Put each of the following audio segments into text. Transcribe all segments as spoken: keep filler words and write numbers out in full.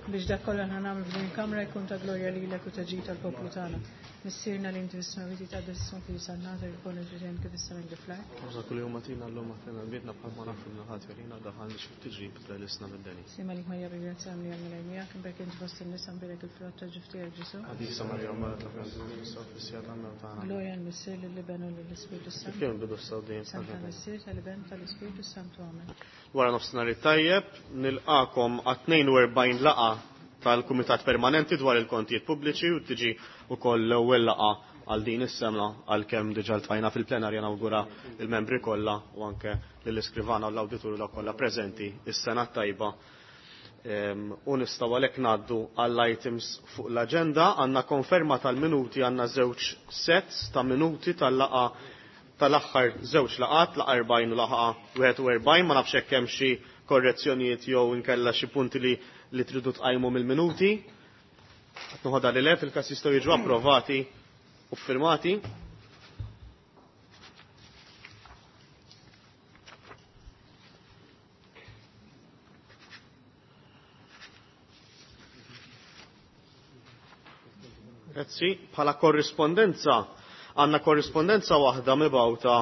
Biex dak kollha ħa nagħmlu f'din il-kamra jkun ta' glorja lilek u ta' ġid tal-poplu tagħna. Missierna li inti fis-smewwiet jitqaddes ismek li jisannata jkun il-ġirien kif issa minn fl-art. Għażla kull jum agħtina llum aħfirna dnubietna bħalma naħfru lil ħadd jurina daħalniex fit-tiġrib iżda ħlisna mid-deni. Sliem għalik Marija bil-grazzja għamli għal Mulej miegħek, imbierka inti fost in-nisa mbierek il-frott ta' ġuf tiegħek Ġesù. Qaddisa Marija Omm Alla itlob għalina issa u fis-siegħa tal-mewt tagħna. Glorja lill-Missier lill-Iben u lill-Ispirtu Kif s-Santu. kien il-bidu issa u dejjem Santa Missier tal-Iben tal-Ispirtu s-Santu. Amen. Wara nofsinhar it-tajjeb, nilqakom għat-tnejn u erbgħin laqgħa tal-Kumitat Permanenti dwar il-Kontijiet Pubbliċi u tiġi wkoll l-ewwel laqgħa għal din is-sena għalkemm diġà ltqajna fil-plenarja nawgura il-membri kollha u anke lill-iskrivana u l-awditur dawk kollha preżenti is-sena t-tajba. Ehm, u nistgħu għalhekk ngħaddu għall-items fuq l-aġenda. Għandna konferma tal-minuti, għandna żewġ sets ta' minuti tal-laqgħa tal-aħħar żewġ laqgħat, laqgħa erbgħin u laqgħa wieħed u erbgħin, ma nafx hekk hemm xi korrezzjonijiet jew inkella xi punti li, li tridu tqajmu mill-minuti. Qed noħodha li le fil-każ jistgħu jiġu approvati u ffirmati. Grazzi. Bħala korrispondenza, għandna korrispondenza waħda mibgħuta,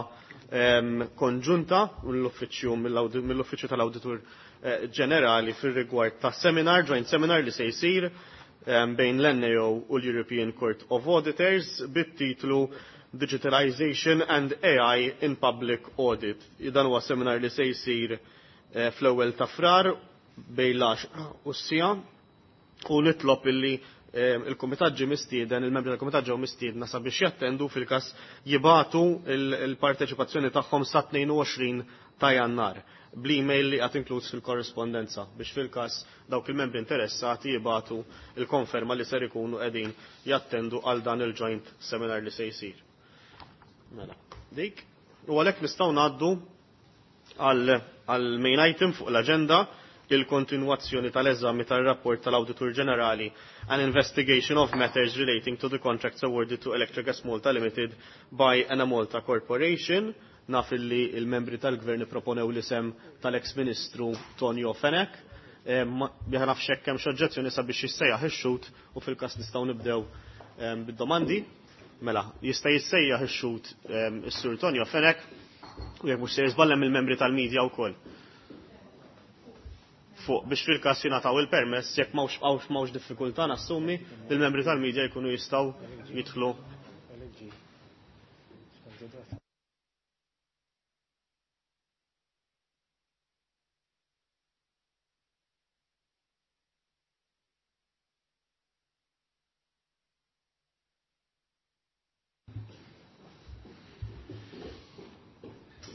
ehm, konġunta mill-uffiċċju, mill-awdi-, mill-uffiċċju tal-Awditur, eh, Ġenerali fir-rigward ta' seminar, joint seminar li se jsir, ehm, bejn l-N A O u l-European Court of Auditors bit-titlu Digitalization and A I in Public Audit. Dan huwa seminar li se jsir, eh, fl-ewwel ta' Frar bejn l-għaxra u s-sija u nitlob illi, ehm, il-Kumitat ġie mistieden, il-membri tal-Kumitat ġew mistiedna sabiex jattendu fil-każ jibatu il-, il-parteċipazzjoni tagħhom sa tnejn u għoxrin ta' Jannar bl-email li qed inkluż fil-korrispondenza biex fil-każ dawk il-membri interessati jibatu il-konferma li ser ikunu qegħdin jattendu għal dan il-joint seminar li se jsir. Mela, dik. U għalhekk nistgħu ngħaddu għal, għal main item fuq l-aġenda, il-kontinwazzjoni tal-eżami tal-rapport tal-Awditur Ġenerali an investigation of matters relating to the contracts awarded to Electrogas Malta Limited by Enemalta Corporation. Naf illi il-membri tal-gvern proponew l-isem tal-ex-ministru Tonio Fenech. Eh, ma-, Biha nafx hekk hemm xi oġġezzjoni sabiex jissejjaħ ix-xhud u fil-każ nistgħu nibdew, ehm, bid-domandi. Mela, jista' jissejjaħ ix-xhud, ehm, is-Sur Tonio Fenech u jekk mhux se jiżballem il-membri tal-medja wkoll. Fuq biex fil-każ jingħataw il-permess jekk m'hawnx, m'hawnx, m'hawnx diffikultà nassumi li l-membri tal-medja jkunu jistgħu jidħlu.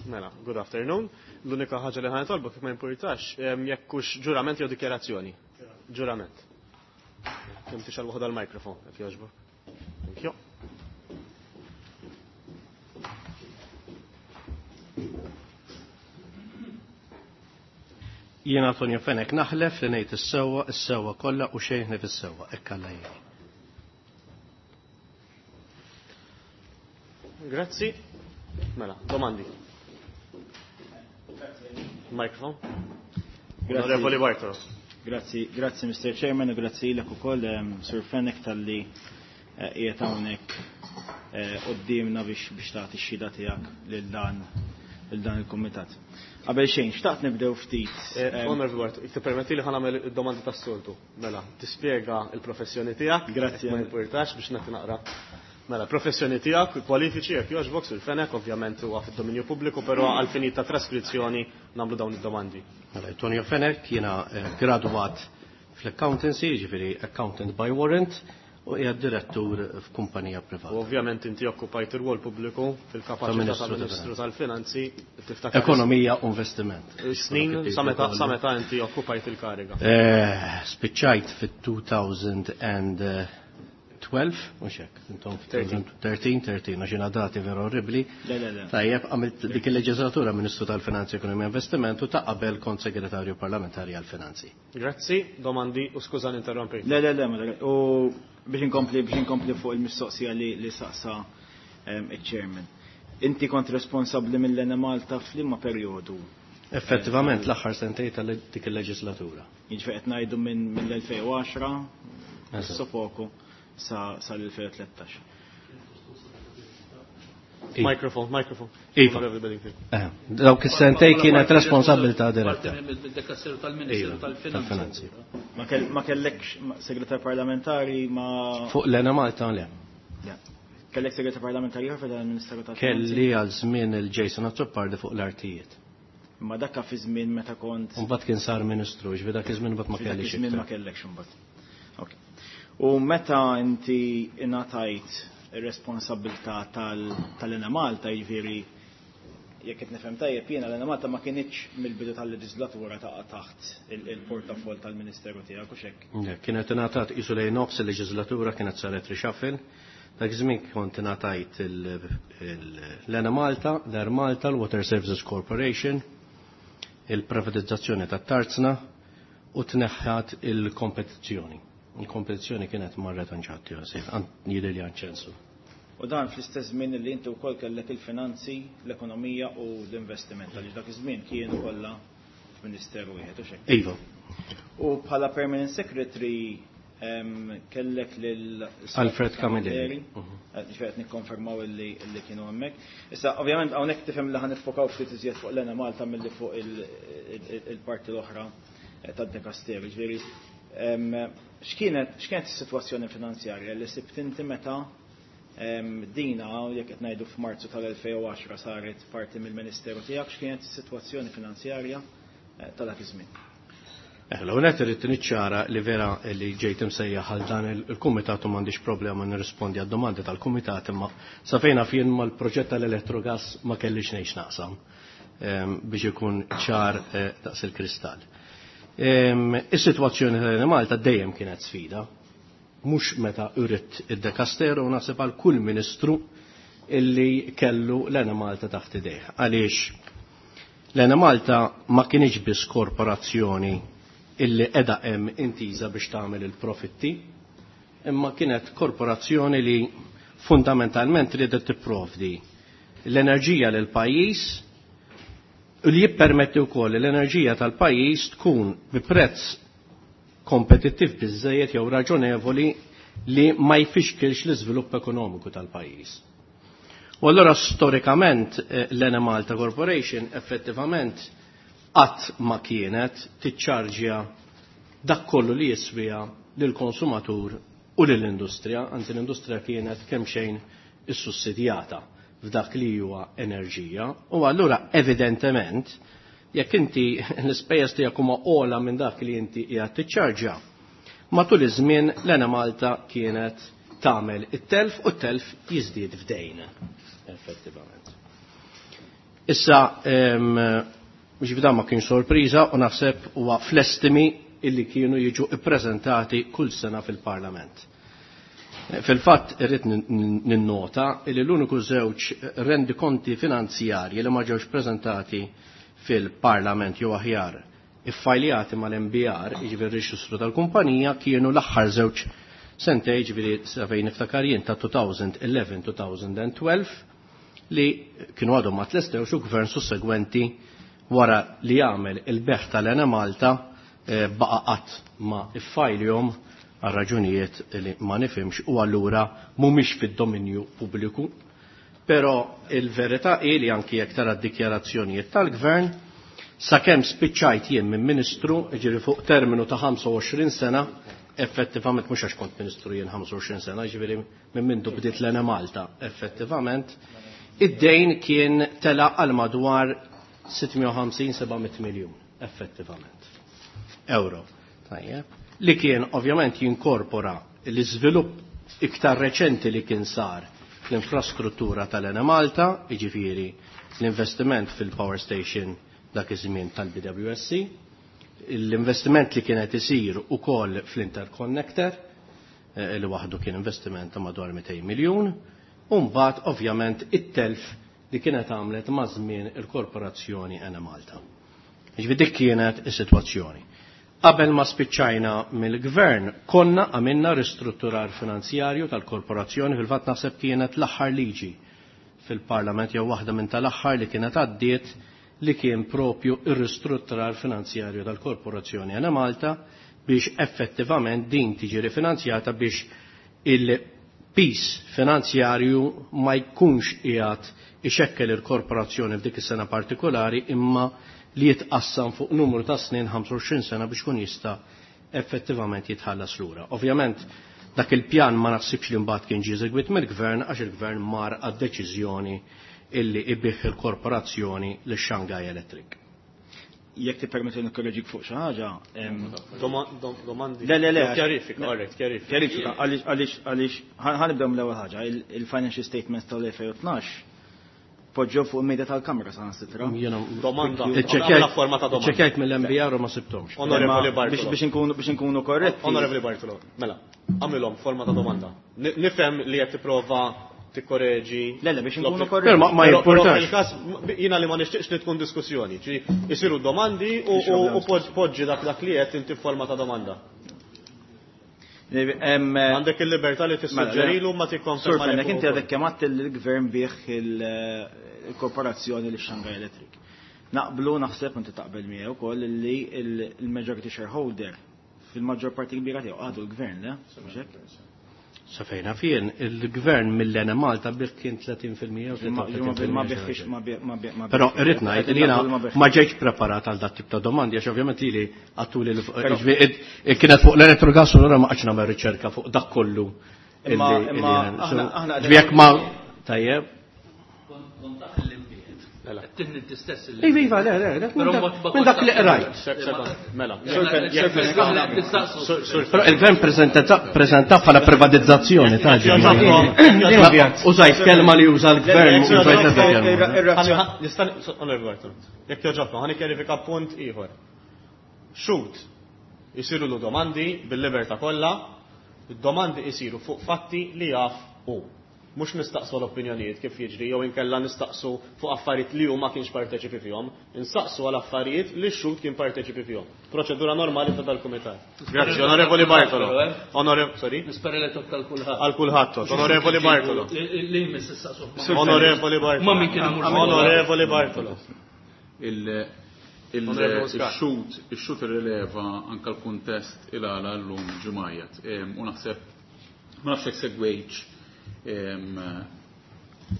Mela, good afternoon. L-unika ħaġa li ħa nitolbok jekk ma jimpurtax, ehm, jekk hux ġurament jew dikjarazzjoni. Ġurament. Kemm tixgħal waħda l-mikrofon, jekk jogħġbok. Thank you. Jiena Antonio Fenech naħlef li ngħid is-sewwa, is-sewwa kollha u xejn ħlief is-sewwa, hekk Alla jgħin. Grazzi. Mela, domandi. Microphone. Grazzi. Onorevoli Bartolo. Grazzi, grazzi Mister Chairman u grazzi lilek ukoll, ehm, Sur Fenech talli, eh, qiegħed hawnhekk, eh, quddiemna biex, biex tagħti x-xhieda tiegħek lil dan, lil dan il-kumitat. Qabel xejn, xtaqt nibdew ftit, Eh, ehm, Onorevoli Bartolo, tippermetti li ħa nagħmel id-domandi tas-soltu. Mela, tispjega l-professjoni tiegħek? Grazzi. Ma jimpurtax biex nagħti naqra. Mela, professjoni tiegħek, kwalifiċi jekk jogħġbok Sur Fenech, ovvjament huwa fid-dominju pubbliku, però għal finit ta' traskrizzjoni nagħmlu dawn id-domandi. Mela, Antonio Fenech jiena, eh, graduat fl-accountancy, jiġifieri accountant by warrant, u qiegħed direttur f'kumpanija privata. U ovvjament inti okkupajt ir-rwol pubbliku fil-kapaċità Ta' Ministru ta' Ministru tal-Finanzi. tal-Finanzi, tiftakar Ekonomija u investiment. Snin sa meta, sa meta inti okkupajt il-kariga? Eh, spiċċajt fit-two thousand and twelve, mhux hekk, intom Thirteen. thirteen, thirteen, għax jiena dati vera orribli. Le, le, le. Tajjeb, għamilt dik il-leġislatura Ministru tal-Finanzi, Ekonomija e Investiment u ta' qabel kont Segretarju Parlamentari għall-Finanzi. Grazzi, domandi u skuża ninterrompi. Le, le, le, ma le, u biex inkompli, biex inkompli fuq il-mistoqsija li, li saqsa, ehm, il-chairman. Inti kont responsabbli mill-Enemalta f'liema perjodu Effettivament l-aħħar sentej tal dik il-leġislatura. Jiġifieri qed ngħidu minn mill-elfejn u għaxra sopoku sa sal-elfejn u tlettax. Microphone, microphone. Iva. Dawk is-sentej kienet responsabilità diretta. Mid-dekasteru tal-Ministeru tal-Finanzi. Ma kellekx segretar parlamentari ma. Fuq l-Enemalta le. Kellek segretar parlamentari ieħor fil ministeru tal-Finanzi? Kelli għal żmien il-Jason Azzopardi fuq l-artijiet. Ma dakka fi żmien meta kont. Mbagħad kien sar ministru, ġifieri dak iż-żmien mbagħad ma kellix. Żmien ma kellekx imbagħad. Ok. U meta inti ingħatajt ir-responsabilità tal-Enemalta, jiġifieri jekk qed nifhem tajjeb jiena l-Enemalta ma kinitx mill-bidu tal-leġislatura taqa' taħt il-portafoll tal-Ministeru tiegħek u x'hekk. Kienet ingħatat qisu lejn nofs il-leġislatura kienet saret reshuffle. Dak iż-żmien kont ingħatajt l-Enemalta, l-Air Malta, l-Water Services Corporation, il-privatizzazzjoni tat-Tarzna u tneħħat il-kompetizzjoni. Il-kompetizzjoni kienet marret anġatti, jidher li ċensu. U dan fl-istess żmien li inti wkoll kellek il-finanzi, l-ekonomija u l-investiment, għaliex dak iż-żmien kienu kollha f'Ministeru wieħed u x'hekk. Iva. U bħala Permanent Secretary kellek lil Alfred Camilleri. Ġifieri qed nikkonfermaw illi kienu hemmhekk. Issa ovvjament hawnhekk tifhem li ħa niffokaw ftit iżjed fuq l-Enemalta milli fuq il-parti l-oħra tad-dekasteru. Ġifieri x'kienet x'kienet is-sitwazzjoni finanzjarja li sibt inti meta dina, jekk qed ngħidu f'Marzu tal-elfejn u għaxra saret parti mill-Ministeru tiegħek, x'kienet is-sitwazzjoni finanzjarja ta' dak iż-żmien? L-ewwel irrid niċċara li vera li ġejt imsejjaħ għal dan il-kumitat u m'għandix problema nirrispondi għad-domandi tal-kumitat, imma sa fejn naf jien mal-proġett tal-Electrogas ma kellix ngħix naqsam biex ikun ċar daqs il-kristall. Is-sitwazzjoni tal-Enemalta dejjem kienet sfida, mhux meta urid id-dekasteru u naħseb għal kull ministru illi kellu l-Enemalta taħt idejh. Għaliex l-Enemalta ma kienx biss korporazzjoni illi qiegħda hemm intiża biex tagħmel il-profitti, imma kienet korporazzjoni li fundamentalment riedet tipprovdi l-enerġija lil pajjiż u li jippermetti wkoll li l-enerġija tal-pajjiż tkun bi prezz kompetittiv biżżejjed jew raġonevoli li ma jfixkilx l-iżvilupp ekonomiku tal-pajjiż. U allura storikament l-Enemalta Corporation effettivament qatt ma kienet tiċċarġja dak kollu li jiswija lill-konsumatur u lill-industrija, anzi l-industrija kienet kemm xejn issussidjata f'dak li huwa enerġija. U allura evidentement jekk inti l-ispejjeż tiegħek huma ogħla minn dak li inti qiegħed tiċċarġja, matul iż-żmien l-Enemalta kienet tagħmel it-telf u t-telf jiżdied f'dejn effettivament. Issa biex dan ma kienx sorpriża u naħseb huwa fl-estimi illi kienu jiġu ippreżentati kull sena fil-Parlament. Fil-fatt irrid ninnota li l-uniku żewġ rendikonti finanzjarji li ma ġewx preżentati fil-Parlament jew aħjar iffajljati mal-M B R, jiġifieri r-reġistru tal-kumpanija, kienu l-aħħar żewġ sentej, jiġifieri sa fejn niftakar jien ta' two thousand eleven two thousand twelve, li kienu għadhom ma tlestewx u gvern sussegwenti wara li jagħmel il-beħ tal-Enemalta baqa' qatt ma iffajljhom għal raġunijiet li ma nifhimx u allura mhumiex fid-dominju pubbliku. Però il-verità hi li anki jekk tara d-dikjarazzjonijiet tal-gvern, sakemm spiċċajt jien minn ministru, jiġifieri fuq terminu ta' ħamsa u għoxrin sena, effettivament mhux għax kont ministru jien ħamsa u għoxrin sena, jiġifieri minn mindu bdiet l-Enemalta, effettivament, id-dejn kien tela għal madwar sitt mija u ħamsin seba' mitt miljun, effettivament, euro. Tajjeb. Li kien ovvjament jinkorpora l-iżvilupp iktar reċenti li kien sar fl-infrastruttura tal-Enemalta, jiġifieri l-investiment fil-power station dak iż-żmien tal-B W S C, l-investiment li kienet isir ukoll fl-interconnector, li waħdu kien investiment ta' madwar mitejn miljun, u mbagħad ovvjament it-telf li kienet għamlet ma' żmien il-korporazzjoni Enemalta. Jiġifieri dik kienet is-sitwazzjoni. Qabel ma spiċċajna mill-gvern, konna għamilna ristrutturar finanzjarju tal-korporazzjoni, fil-fatt naħseb kienet l-aħħar liġi fil-Parlament jew waħda minn tal-aħħar li kienet għaddiet li kien propju ir-ristrutturar finanzjarju tal-Korporazzjoni Enemalta biex effettivament din tiġi rifinanzjata biex il-pis finanzjarju ma jkunx qiegħed ixekkel il-korporazzjoni f'dik is-sena partikolari imma li jitqassam fuq numru ta' snin ħamsa u għoxrin sena biex kun jista' effettivament jitħallas lura. Ovvjament dak il-pjan ma naħsibx li mbagħad kien ġie eżegwit mill-gvern għax il-gvern mar għad-deċiżjoni illi ibih il-korporazzjoni lix Shanghai Electric. Jekk tippermetti nikkorreġik fuq xi ħaġa, domandi. Le, le, le. Kjarifika, alright, kjarifika. Kjarifika, għaliex, għaliex, għaliex, ħa nibdew mill-ewwel ħaġa, il-financial statements tal-elfejn u tnax poġġew fuq il-media tal-kamra sa nsitra. Domanda. Għamla forma ta' domanda. Ċekjajt mill-M B R u ma sibtomx. Onorevoli Bartolo. Biex inkunu, biex inkunu korretti. Onorevoli Bartolo, mela, għamilhom forma ta' domanda. Nifhem li qed tipprova tikkoreġi. Le, le, biex inkunu L-opri- korretti. Però ma, ma Però, però jimportax. fil-każ, jiena li ma nixtieqx li tkun diskussjoni, ġi isiru domandi u, Biex u, problema. u poġ-, poġġi dak, dak li qed inti forma ta' domanda. Em, Għandek il-libertà li tissuġġerilu ma tikkonferma Sur li Fenech, fuq inti ukoll. għadek kemm għedt li l-gvern bih il-korporazzjoni li Shanghai Electric. Naqblu naħseb inti taqbel miegħu wkoll li il-majority shareholder fil-maġġor parti kbira tiegħu għadu l-gvern, le? Mhux hekk? Sa fejna fien, il-gvern mill-Enemalta bih kien tletin fil-mija u Ma- tlieta u tletin ma fil-mija. biħx, ma bi-, ma bi-, ma Però biħx. irrid ngħid li jiena Ma biħx. ma ġejtx preparat għal dat tip ta' domandi, għax ovvjament lili għattuli l- Però ġifieri, id-, id-, kienet fuq l-elettrogas u allura ma qgħadx nagħmel riċerka fuq dak kollu Imma- illi- imma illi jien- aħna- so, aħna ġifieri jekk ma tajjeb. Kont taf l-imbiet. Mela. Tinni t-istess il- Iva, iva, le, le, le, Però minn ma- dak- ma minn dak li qrajt. Se-, sekonda, mela. Sur Fenech, Jekk- Sur Fenech, aħna qed nistaqsu. Sur-, Sur Però il-gvern prezenta-, prezenta bħala privatizzazzjoni ta' ġemma. Użajt kelma li uża l-gvern, użajt ebda kelma. Nista' Onorevoli Bartolo, jekk joġobkom, ħa nikkjarifika punt ieħor. Xhud isiru lu domandi bil-libertà kollha, id-domandi isiru fuq fatti li jaf hu. Mhux nistaqsu l-opinjonijiet kif jiġri jew inkella nistaqsu fuq affarijiet li hu ma kienx parteċipi fihom, nistaqsu għal affarijiet li x-xhud kien parteċipi fihom. Proċedura normali ta' dal-kumitat. Grazzi, Onorevoli Bartolo. Onorevoli, sorry? Nispera li toqtal kulħadd. Għal kulħadd tot. Onorevoli Bartolo. Li jmiss issaqsu. Onorevoli Bartolo. Ma min kien imur. Onorevoli Bartolo. Il-, il-, Onorevoli Muscat. Il-xhud, il-xhud irrileva anka l-kuntest il-għala l-lum ġumajat. Em, u naħseb, ma nafx jekk segwejtx, em,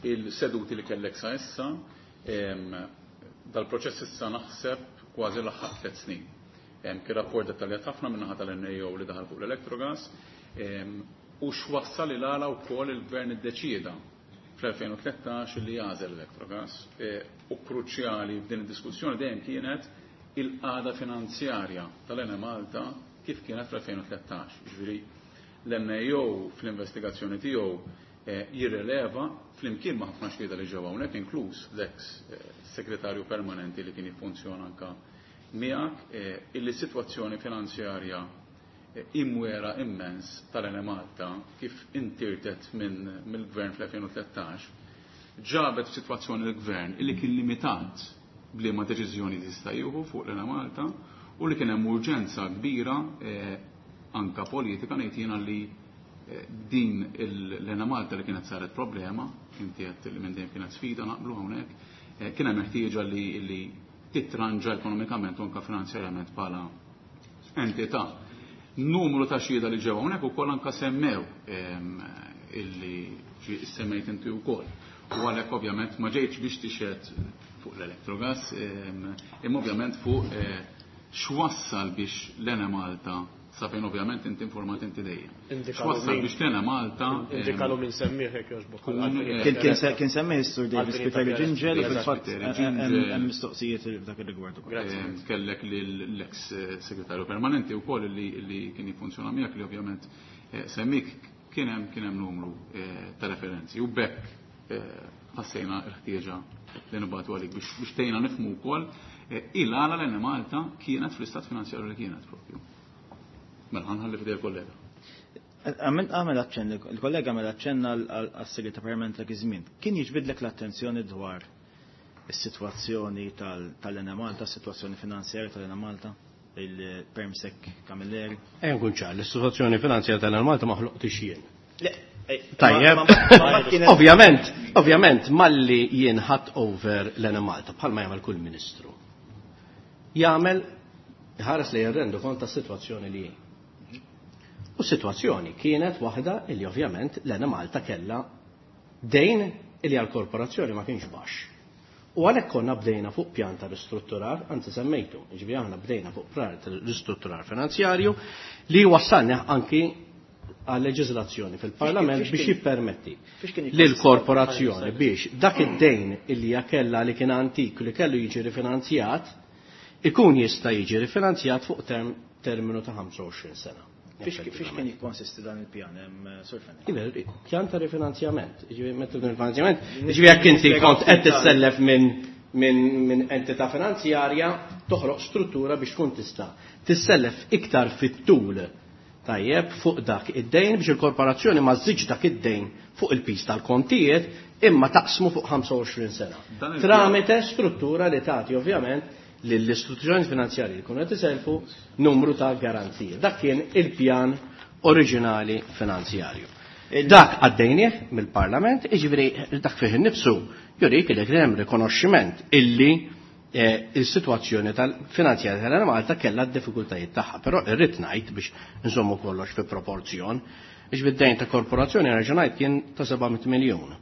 il-seduti li kellek sa issa, em, dal-proċess issa naħseb kważi laħaq tliet snin. Em, kien rapport dettaljat ħafna min-naħa tal-N A O li daħal fuq l-Electrogas, em, u x'wassal il-għala wkoll il-gvern iddeċieda fl-elfejn u tlettax li jagħżel l-Electrogas. E, u kruċjali f'din id-diskussjoni dejjem kienet il-qagħda finanzjarja tal-Enemalta kif kienet fl-elfejn u tlettax. Jiġifieri l-N A O fl-investigazzjoni tiegħu, eh, jirreleva flimkien ma' ħafna xhieda li ġew hawnhekk, inkluż l-eks, eh, segretarju permanenti li kien jiffunzjona anka miegħek, eh, illi sitwazzjoni finanzjarja, eh, imwera immens tal-Enemalta kif intirtet minn, mill-gvern fl-elfejn u tlettax ġabet f'sitwazzjoni l-gvern illi kien limitat bliema deċiżjoni jista' jieħu fuq l-Enemalta u li kien hemm urġenza kbira, eh, anka politika ngħid jiena li, eh, din il-, l-Enemalta li kienet saret problema, inti għedt li minn dejjem kienet sfida naqblu hawnhekk, eh, kien hemm ħtieġa li, li titranġa ekonomikament u anka finanzjarjament bħala entità. Numru ta' xhieda li ġew hawnhekk ukoll anka semmew, ehm, illi ġi semmejt inti wkoll. U għalhekk ovvjament ma ġejtx biex tixhed fuq l-Electrogas, ehm, imma ovvjament fuq, eh, x'wassal biex l-Enemalta, sa fejn ovvjament inti informat inti dejjem. Indikalu X'wassal min. biex l-Enemalta, ehm, Indikalu min semmih hekk jogħġbok. Kun, eh, Kien, kien se-, kien semmih is-Sur Davis Għalfejn Spiteri ta' Gingell, Davis fil-fatt, Spiteri hemm, Gingell. hemm mistoqsijiet f'dak ir-rigward ukoll. Grazie. Ehm, kellek l-ex, eh, segretarju permanenti wkoll li, li kien jiffunzjona miegħek li ovvjament, eh, semmik kien hemm, kien hemm numru, eh, ta' referenzi u bekk, eh, ħassejna l-ħtieġa li nibgħatu għalik biex, biex tgħinna nifhmu wkoll, eh, il-għala l-Enemalta kienet fl-istat finanzjarju li kienet propju. Mela ħanħalli f'idej il-kollega. Għamil, għamil aċċenn, il-kollega għamel aċċenn għal, għal, għas-segretarju permanenti dak iż-żmien. Kien jiġbidlek l-attenzjoni dwar is-sitwazzjoni tal-, tal-Enemalta, is-sitwazzjoni finanzjarja tal-Enemalta, il-Permsec Camilleri? Ejja nkun ċar, l-istituzzjoni finanzjarja tal-Enemalta ma ħloqtix jien. Le, Tajjeb. Ovvjament, ovvjament, malli jien ħadd over l-Enemalta, bħalma jagħmel kull ministru. Jagħmel ħares li jirrendu kont tas-sitwazzjoni li hi. U s-sitwazzjoni kienet waħda illi ovvjament l-Enemalta kellha dejn illi għall-korporazzjoni ma kienx baxx. U għalhekk konna bdejna fuq pjan ta' ristrutturar, anzi semmejtu, jiġifieri aħna bdejna fuq pjan ta' ristrutturar finanzjarju li wassalna anki għal leġiżlazzjoni fil-Parlament Fiex biex kien- jippermetti fiex kien lill-korporazzjoni biex dak id-dejn illi hija kellha li kien antik li kellu jiġi rifinanzjat, ikun jista' jiġi rifinanzjat fuq term, terminu ta' ħamsa u għoxrin sena. Fiex fiex kien jikkonsisti dan il-pjan, hemm, Sur Fenech? Iva, pjan ta' rifinanzjament. Jiġifieri meta rifinanzjament, jiġifieri jekk inti kont qed tissellef minn minn min entità finanzjarja, toħroq struttura biex tkun tista' tissellef iktar fit-tul tajjeb fuq dak id-dejn biex il-korporazzjoni ma żżidx dak id-dejn fuq il-pis tal-kontijiet imma taqsmu fuq ħamsa u għoxrin sena. Dan il-pjan- Tramite struttura li tagħti ovvjament lill-istituzzjoni finanzjarji li jkunu qed iselfu numru ta' garanzije. Dak kien il-pjan oriġinali finanzjarju. Dak għaddejnieh mill-Parlament, jiġifieri dak fih innifsu jurik li kien hemm rikonoxximent illi, eh, il-sitwazzjoni tal-finanzjarja tal-Enemalta kellha d-diffikultajiet tagħha, però irrid ngħid biex nżommu kollox fi proporzjon, biex bid-dejn ta' korporazzjoni reġjonajt kien ta' seba' mitt miljun.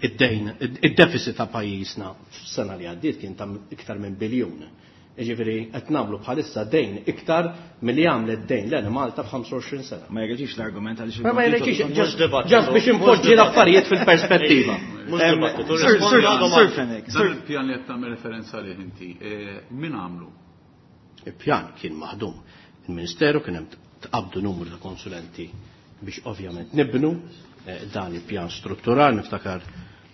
Id-dejn, id-deficit ta' pajjiżna f'sena li għaddiet kien ta' iktar minn biljun. Jiġifieri qed nagħmlu bħalissa dejn iktar milli għamlet dejn l-Enemalta f'ħamsa u għoxrin sena. Ma jreġix l-argument għaliex Ma ma il-kontijiet jreġix, mhux just dibattitu, just biex mhux impoġġi dibattitu. l-affarijiet fil-perspettiva. Mhux Em, dibattitu, Sir, rispondi Sir, għal Sir domanda. Fenech, Dan Sir il-pjan li qed tagħmel referenza għalih inti, eh, min għamlu? Il-pjan kien maħdum. Il-Ministeru kien hemm tqabdu numru ta' konsulenti biex ovvjament nibnu, eh, dan il-pjan struttural, niftakar,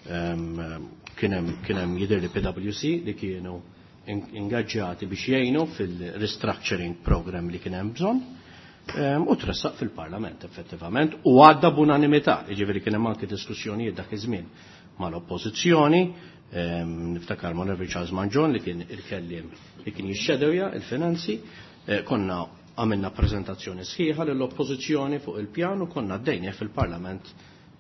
ehm, kien hemm, kien hemm jidher li P W C li kienu in-, ingaġġati biex jgħinu fil-restructuring program li kien hemm bżonn, ehm, u tressaq fil-Parlament effettivament u għadda b'unanimità, jiġifieri kien hemm anke diskussjonijiet dak iż-żmien mal-oppożizzjoni, ehm, niftakar Onorevoli Charles Mangion li kien il-kelliem li kien jixxedewja il-finanzi, eh, konna għamilna prezentazzjoni sħiħa lill-oppożizzjoni fuq il-pjan u konna għaddejnieh fil-Parlament,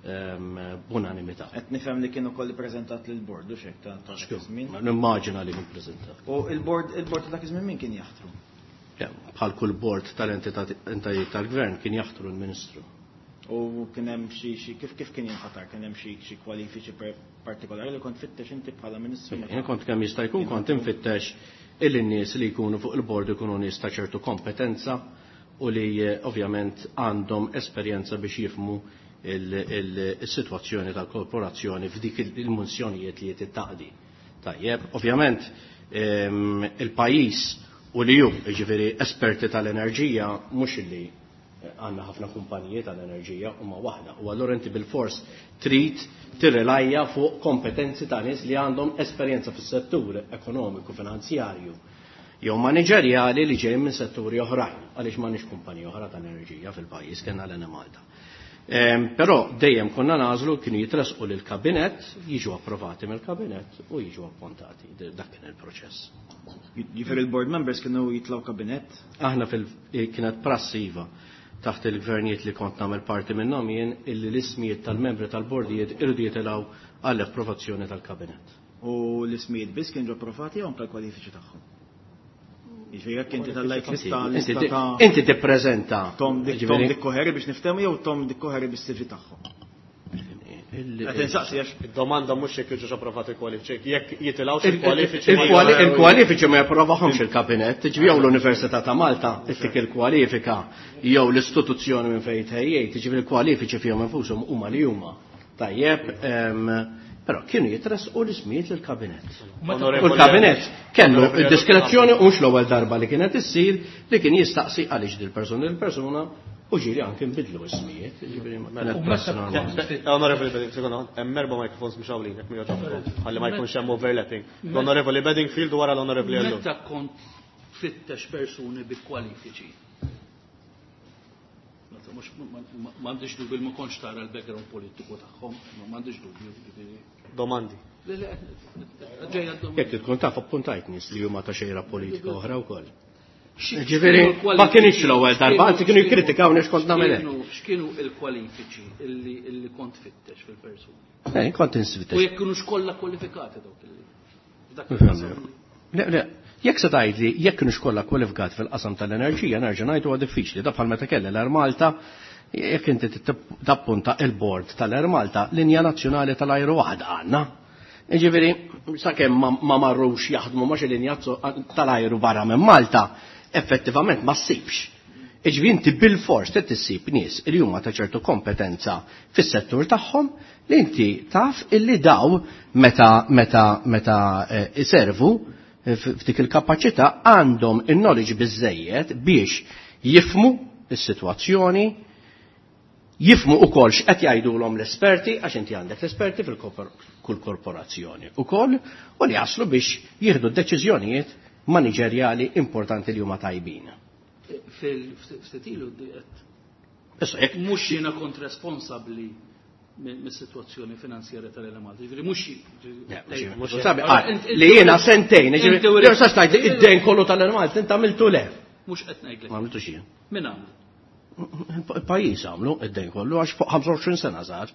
ehm, b'unanimità. Qed nifhem li kien ukoll ippreżentat lill-bord u x'hekk ta' ta' dak iż-żmien. Nimmaġina li kien preżentat. U il-bord, il-bord ta' dak iż-żmien min kien jaħtru? Ja, bħal kull bord tal-entitajiet tal-gvern kien jaħtru l-Ministru. U kien hemm xi, xi kif, kif kien jinħatar? Kien hemm xi, xi kwalifiċi per-, partikolari li kont fittex inti bħala Ministru? Jien kont kemm jista' jkun kont infittex illi n-nies li jkunu fuq il-bord ikunu nies ta' ċertu kompetenza u li, eh, ovvjament għandhom esperjenza biex jifhmu il-, il-, il-sitwazzjoni tal-korporazzjoni f'dik il-, il-munzjonijiet li jittaqdi. Tajjeb, ovvjament, ehm, il-pajjiż u li hu, jiġifieri esperti tal-enerġija, mhux illi għandna ħafna kumpaniji tal-enerġija huma waħda. U allura inti bil-fors trid tirrelajja fuq kompetenzi ta' nies li għandhom esperjenza fis-settur ekonomiku, finanzjarju jew maniġerjali li ġejjin minn setturi oħrajn, għaliex m'għandniex kumpaniji oħra tal-enerġija fil-pajjiż kellna l-Enemalta. Ehm, però dejjem konna nażlu kienu jitresqu lill-kabinett, jiġu approvati mill-kabinett u jiġu appuntati. D-, dak kien il-proċess. Jiġifieri il-board members kienu jitilgħu kabinett? Aħna fil-, kienet prassi iva taħt il-gvernijiet li kont nagħmel parti minnhom jien illi l-ismijiet tal-membri tal-bordijiet irridu jitilgħu għall-approvazzjoni tal-kabinett. U l-ismijiet biss kienu approvati jew anke l-kwalifiċi tagħhom? Jiġifieri jekk inti tallajt lista, Inti lista ti- ta' inti tippreżenta Tom Dick, jiġifieri Tom Dick Coherey biex niftehmu jew Tom Dick Coherey bis-C V tagħhom? Il- Qed insaqsi għax Id-domanda mhux jekk jiġux approvati l-kwalifiċi, jekk jitilgħux Il- il-kwalifiċi ma il-kwali- jaraw- Il-kwalifiċi ma japprovahomx il-kabinett, ġifieri jew l-Università ta' Malta ittik il-kwalifika jew l-istituzzjoni minn fejn tħejjejt, ġifieri il-kwalifiċi fihom infushom huma li huma. Tajjeb, ehm, però kienu jitresqu l-ismijiet lill-kabinett. U l-kabinett kellu Onorevoli id-diskrezzjoni u mhux l-ewwel darba li kienet issir li kien jistaqsi għaliex dil-persuna dil-persuna u ġieli anke nbidlu ismijiet, ġifieri ma kienet U prassi meta normali. kont Onorevoli Bedingfield, sekonda, hemm erba' microphones mhux hawnlin, jekk ma jogħġobkom, ħalli ma jkunx hemm overlapping. L-Onorevoli Bedingfield u wara l-Onorevoli Ellul. Meta kont tfittex persuni bi kwalifiċi? Meta mhux, ma, ma, m'għandix dubju ma kontx tara l-background politiku tagħhom, ma m'għandix dubju, ġifieri. Domandi. Le, le, ġejja d-domanda. Jekk tkun taf appuntajt nies li huma ta' xejra politika oħra wkoll. Ġifieri ma kienx l-ewwel darba, anzi kienu jikkritikawni x'kont nagħmel hekk. X'kienu l-kwalifiċi illi kont tfittex fil-persuni? Eh, kont insfittex. U jekk kienux kollha kwalifikati dawk illi. F'dak il-qasam. Le, le, jekk se tgħidli jekk kienux kollha kwalifikati fil-qasam tal-enerġija, nerġa' ngħid huwa diffiċli. Da bħal meta kelli l-Air Malta, jekk inti tappunta il-bord tal-Air Malta, linja nazzjonali tal-ajru waħda għandna. Ġifieri, sakemm ma marrux jaħdmu ma xi linja tal-ajru barra minn Malta, effettivament ma ssibx. Iġifieri inti bil-fors trid issib nies li huma ta' ċertu kompetenza fis-settur tagħhom li inti taf illi daw meta meta meta iservu f'dik il-kapaċità għandhom in-knowledge biżejjed biex jifmu is-sitwazzjoni, jifmu ukoll x'qed jgħidulhom l-esperti, għax inti għandek l-esperti fil-kull korporazzjoni ukoll, u li jaslu biex jieħdu deċiżjonijiet maniġerjali importanti li huma tajbin. Fil-ftitilu qed. Issa jekk mhux jiena kont responsabbli mis-sitwazzjoni finanzjarja tal-Enemalta. Ġifieri mhux li jiena sentejn, ġifieri jew sa tgħid li id-dejn kollu tal-Enemalta inti għamiltu le. Mhux qed ngħidlek. Ma għamiltux jien. Min għamlu? Il-pajjiż għamlu id-dejn kollu għax fuq ħamsa u għoxrin sena żgħar.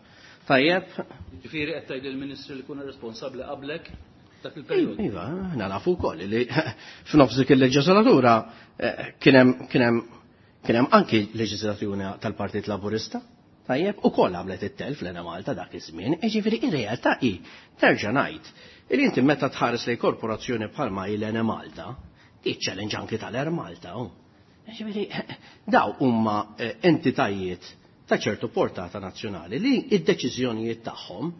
Tajjeb. Ġifieri qed tgħid lill-Ministri li kuna responsabbli qablek dak il-perjodu. Iva, aħna nafu wkoll li f'nofs dik il-leġislatura kien hemm kien hemm kien hemm anki leġislatura tal-Partit Laburista. Tajjeb, ukoll għamlet it-telf l-Enemalta dak iż-żmien, jiġifieri ir-realtà hi terġa' ngħid li inti meta tħares lejn korporazzjoni bħalma hi l-Enemalta, tiċċellenġ anki tal-Air Malta. Ġifieri daw huma entitajiet ta' ċertu portata nazzjonali li id-deċiżjonijiet tagħhom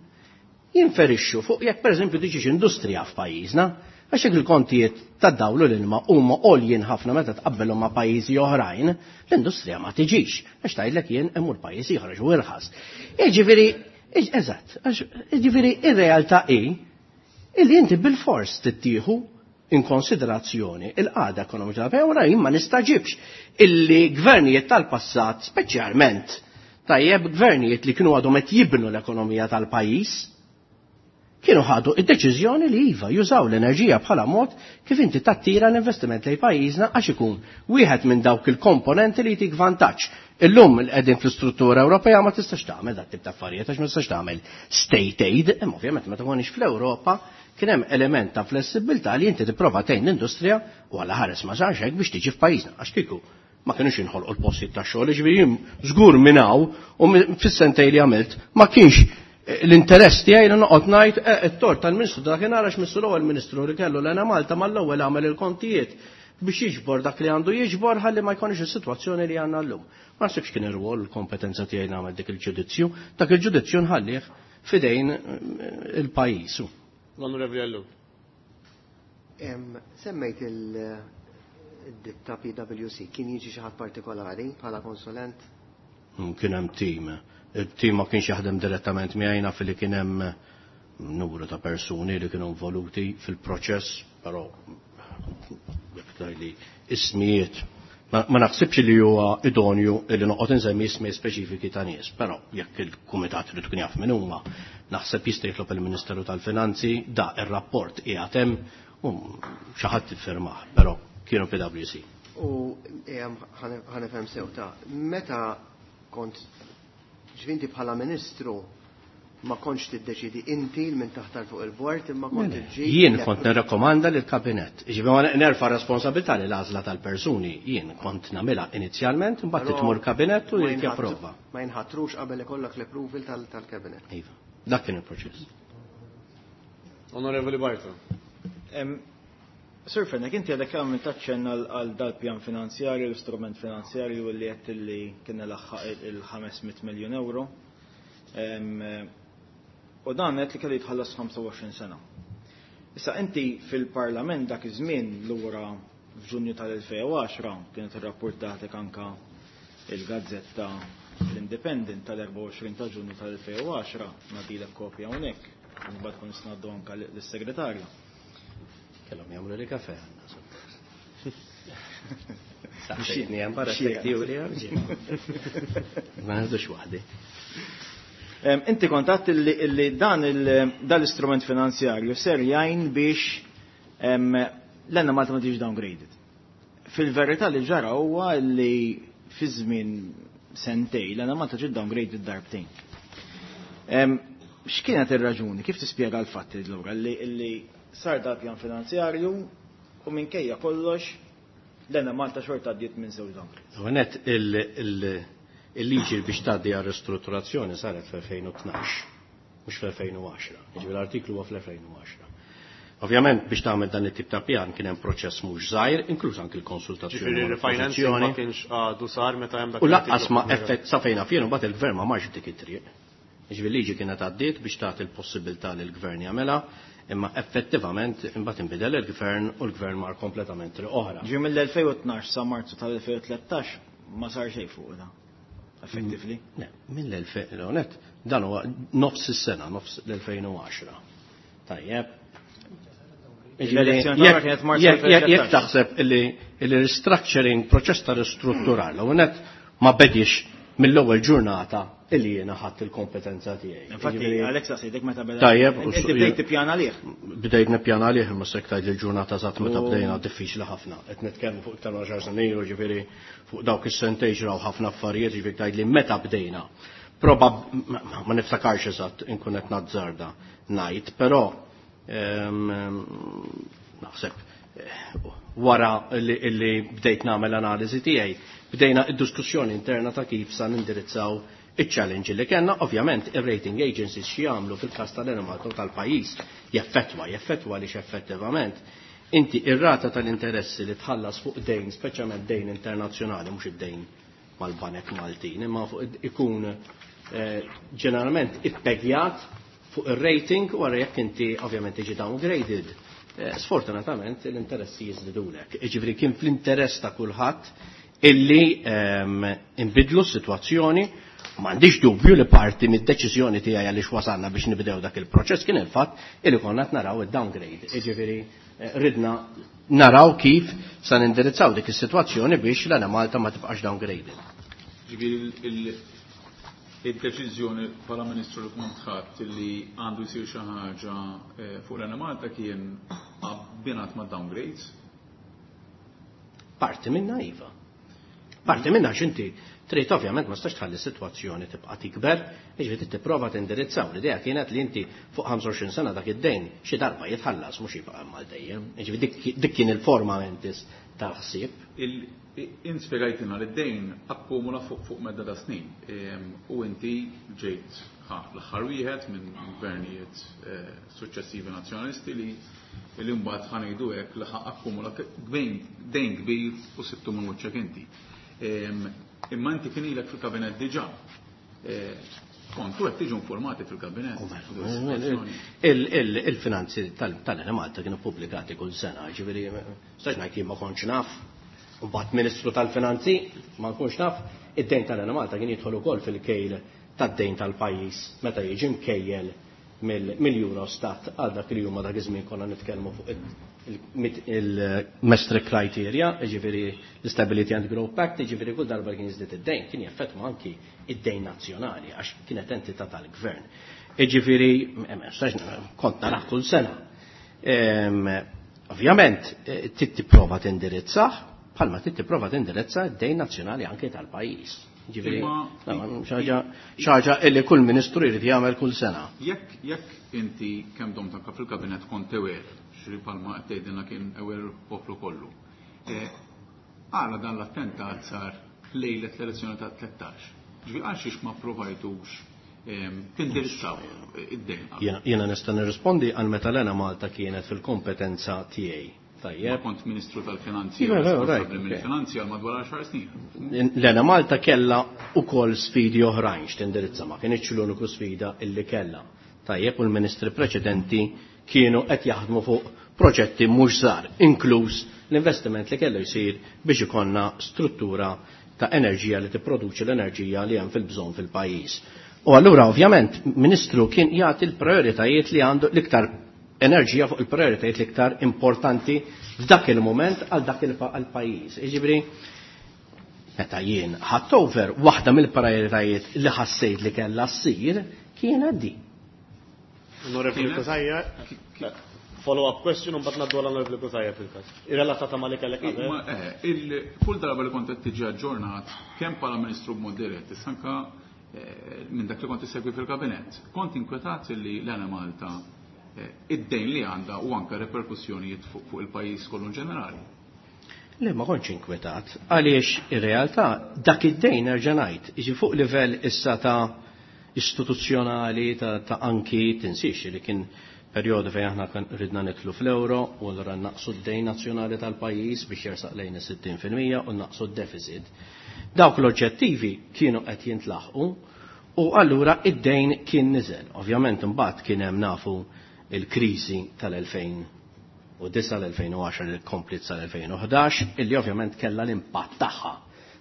jinferixxu fuq jekk pereżempju tiġix industrija f'pajjiżna, għax jekk il-kontijiet tad-dawlu l-ilma huma għoljin ħafna meta tqabbelhom ma' pajjiżi oħrajn, l-industrija ma tiġix, għax tgħidlek jien imur pajjiż ieħor għax hu irħas. Jiġifieri, eżatt, jiġifieri ir-realtà hi illi inti bil-fors tittieħu in konsiderazzjoni il-qagħda ekonomika tal-pajjiż, wara jien ma nistaġibx illi gvernijiet tal-passat, speċjalment tajjeb gvernijiet li kienu għadhom qed jibnu l-ekonomija tal-pajjiż, kienu ħadu id-deċiżjoni li iva jużaw l-enerġija bħala mod kif inti tattira l-investiment lejn pajjiżna għax ikun wieħed minn dawk il-komponenti li jtik vantaġġ. Illum qegħdin fl-istruttura Ewropea ma tistax tagħmel dat tip ta' affarijiet għax ma tistax tagħmel state aid, imma ovvjament meta konniex fl-Ewropa kien hemm element ta' flessibilità li inti tipprova tgħin l-industrija u għala ħares ma sarx hekk biex tiġi f'pajjiżna għax kieku ma kienux inħolqu l-postijiet ta' xogħol, jiġifieri żgur minn hawn u fis-sentej li għamilt ma kienx l-interess tiegħi li noqgħod ngħid it-tort tal-Ministru dakinhar għax missu l-ewwel Ministru li kellu l-Enemalta mal-ewwel għamel il-kontijiet biex jiġbor dak li għandu jiġbor ħalli ma jkunx is-sitwazzjoni li għandna llum. Ma naħsibx kien ir-rwol l-kompetenza tiegħi nagħmel dik il-ġudizzju, dak il-ġudizzju nħallih f'idejn il-pajjiż. L-Onorevoli Ellul. Semmejt il-ditta P W C, kien jiġi xi ħadd partikolari bħala konsulent? Kien hemm tim. Il-tim ma kienx jaħdem direttament miegħi, naf li kien hemm numru ta' persuni li kienu involuti fil-proċess, però jekk tgħidli ismijiet ma naħsibx li huwa idonju li noqgħod insemmi ismijiet speċifiki ta' nies, però jekk il-kumitat irid ikun jaf min huma, naħseb jista' jitlob il-Ministeru tal-Finanzi da ir-rapport qiegħed hemm u xi ħadd iffirmah, però kienu P W C. U ħanifhem sew ta' meta kont ġvinti bħala ministru ma kontx tiddeċidi inti minn taħtar fuq il-bord imma kont iġġib. Jien kont nirrakkomanda lill kabinett. Ġifieri ma nerfa' responsabilità li l-għażla tal-persuni jien kont nagħmilha inizjalment imbagħad Però titmur kabinett u ma jrid jinħatru- japprova. Ma jinħatrux qabel ikollok l-approval tal-, tal-kabinett. Iva, dak kien il-proċess. Onorevoli Bartolo. Em, Sir Fenech, inti għadek għamil taċċenna għal, għal dal-pjan finanzjarju, l-istrument finanzjarju li għedt li kien laħħaq il-ħames mitt miljun euro. Em, u dan għedt li kellu jitħallas ħamsa u għoxrin sena. Issa inti fil-Parlament dak iż-żmien lura f'Ġunju tal-elfejn u għaxra kienet irrapportatek anka il-Gazzetta l-Independent tal-erbgħa u għoxrin ta' Ġunju tal-elfejn u għaxra, nagħtilek kopja hawnhekk, mbagħad kun ngħaddu anka lis-segretarju. Kellhom jagħmlu li kafe għandna, suppost. Saħħitni hemm barra tgħidu li hemm. Ma ngħidux waħdi. Em, inti kontatt illi, illi dan il-, dan l-istrument finanzjarju ser jgħin biex, em, l-Enemalta ma tiġix downgraded. Fil-verità li ġara huwa li fi żmien sentejn l-Enemalta ġiet downgraded darbtejn. X'kienet ir-raġuni? Kif tispjega l-fatt allura li sar da pjan finanzjarju u minkejja kollox l-Enemalta xorta għaddiet minn żewġ downgrades? Għonet il-liġi biex tgħaddi għal ristrutturazzjoni saret fl-elfejn u tnax, mhux fl-elfejn u għaxra. Jiġifieri l-artiklu huwa fl-elfejn u għaxra. Ovvjament biex tagħmel dan it-tip ta' pjan kien hemm proċess mhux żgħir, inkluż anke l-konsultazzjoni. Ġifieri refinancing ma kienx għadu sar meta hemm dak. U lanqas ma effett sa fejn fien imbagħad il-gvern ma marx dik it-triq. Ġifieri liġi kienet għaddiet biex tagħti l-possibilità li l-gvern jagħmilha, imma effettivament imbagħad inbidel il-gvern u l-gvern mar kompletament triq oħra. Ġie mill-elfejn u tnax sa Marzu tal-elfejn u tlettax ma sar xejn fuq da. Effectively? Le, mill-elfejn u net, dan huwa nofs is-sena, nofs l-elfejn u għaxra. Tajjeb. L-elezzjoni tagħna kienet Marzu Jekk jekk taħseb illi il-restructuring, proċess ta' ristrutturar, l net ma bedix mill-ewwel ġurnata illi jiena ħadd il-kompetenza tiegħi. Infatti, Alexa sejtek meta beda. Tajjeb, Inti bdejt tippjana għalih. Bdejt nippjana għalih, imma se tgħid il-ġurnata eżatt meta bdejna diffiċli ħafna. Qed nitkellmu fuq iktar għaxar snin ilu, ġifieri fuq dawk is-sentejn ġraw ħafna affarijiet, ġifieri tgħid li meta bdejna. Probab ma niftakarx eżatt inkun qed nazzarda ngħid, però naħseb wara li bdejt nagħmel analiżi tiegħi, bdejna id-diskussjoni interna ta' kif sa nindirizzaw iċ-challenge li kellna. Ovvjament ir-rating agencies xi jagħmlu fil-każ tal-Enemalta u tal-pajjiż jaffettwa, jaffettwa għaliex effettivament inti ir-rata tal-interessi li tħallas fuq dejn, speċjalment dejn internazzjonali, mhux id-dejn mal-banek Maltin, imma fuq ikun ġeneralment ippegjat fuq ir-rating u wara jekk inti ovvjament tiġi downgraded. Sfortunatament l-interessi jiżdidulek. Jiġifieri kien fl-interess ta' kulħadd illi inbidlu s-sitwazzjoni. M'għandix dubju li parti mid-deċiżjoni tiegħi għaliex wasalna biex nibdew dak il-proċess kien il-fatt illi konna qed naraw id-downgrade. Jiġifieri ridna naraw kif sa nindirizzaw dik is-sitwazzjoni biex l-Enemalta ma tibqax downgraded. Ġifieri il-deċiżjoni bħala Ministru li kont ħadd li għandu jsir xi ħaġa fuq l-Enemalta kien abbinat ma' downgrades? Parti minna iva. Parti minna x'inti trid ovvjament ma stax tħalli sitwazzjoni tibqa' tikber, jiġifieri tipprova tindirizzaw. L-idea kienet li inti fuq ħamsa u għoxrin sena dak id-dejn xi darba jitħallas mhux jibqa' hemm għal dejjem. Jiġifieri dik kien il-forma mentis tal-ħsieb. Int spjegajtilna li d-dejn akkumula fuq medda ta' snin u inti ġejt l-aħħar wieħed minn gvernijiet suċċessivi nazzjonalisti li li mbagħad ħanejdu hekk li akkumula dejn kbir u sibtu minn wiċċek inti. Imma inti kien ilek fil-kabinet diġà. Kontu qed tiġu informati fil-kabinet. Il-finanzi tal-Enemalta kienu pubblikati kull sena, ġifieri stax ngħid jien ma kontx naf. Mbagħad Ministru tal-Finanzi ma nkunx naf, id-dejn tal-Enemalta kien jidħol ukoll fil-kejl tad-dejn tal-pajjiż meta jiġi mkejjel mill-Eurostat għal dak li huma dak iż-żmien konna nitkellmu fuq il-Maastricht criteria, jiġifieri l-Stability and Growth Pact, jiġifieri kull darba kien jiżdied id-dejn kien jaffettwa anki id-dejn nazzjonali għax kienet entità tal-gvern. Jiġifieri kont narah kull sena. Ovvjament trid tipprova tindirizzah bħalma trid tipprova tindirizza d-dejn nazzjonali anke tal-pajjiż. Ġifieri, xi ħaġa illi kull ministru jrid jagħmel kull sena. Jekk jekk inti kemm domt anke fil-kabinet kont aware, xi palma qed tgħidilna kien aware il-poplu kollu. Għala dan l-attentat sar lejlet l-elezzjoni ta' tlettax. Ġifieri għal xiex ma provajtux tindirizzaw id-dejn. Jiena nista' nirrispondi għal meta l-Enemalta kienet fil-kompetenza tiegħi. Tajjeb. Kont Ministru tal-Finanzi, responsabbli mill-Finanzi għal madwar għaxar snin. L-Enemalta kellha ukoll sfidi oħrajn x'tindirizza, ma kienx l-uniku sfida illi kellha. Tajjeb, u l-ministri preċedenti kienu qed jaħdmu fuq proġetti mhux żgħar, inkluż l-investiment li kellu jsir biex ikollna struttura ta' enerġija li tipproduċi l-enerġija li hemm fil-bżonn fil-pajjiż. U allura ovvjament ministru kien jagħti l-prioritajiet li għandu l-iktar enerġija fuq il-prioritajiet l-iktar importanti f'dak il-moment għal dak il-pajjiż. Jiġifieri meta jien ħadt over, waħda mill-prioritajiet li ħassejt li kellha ssir kienet di. Onorevoli Cutajar. Follow-up question u mbagħad ngħaddu għall-Onorevoli Cutajar fil-każ. Irrelatata ma' li kellek qabel. Ma, eh, il- Kull darba li kont qed tiġi aġġornat kemm bħala Ministru b'mod dirett, issa anka eh, minn dak li kont issegwi fil-kabinett, kont inkwetat li l-Enemalta eh, id-dejn li għandha u anka reperkussjonijiet fuq fuq il-pajjiż kollu in ġenerali. Le, ma kontx inkwetat, għaliex ir-realtà dak id-dejn nerġa' ngħid, jiġi fuq livell issa ta' istituzzjonali ta', ta anki tinsiex li kien perjodu fejn aħna kan ridna nidħlu fl-euro u allura naqsu d-dejn nazzjonali tal-pajjiż biex jersaq lejn is-sittin fil-mija u naqsu d-deficit. Dawk l-oġġettivi kienu qed jintlaħqu u allura id-dejn kien niżel. Ovvjament imbagħad kien hemm nafu il-kriżi tal-elfejn u disa' l-elfejn u għaxar li komplit sal-elfejn u ħdax, illi ovvjament kellha l-impatt tagħha.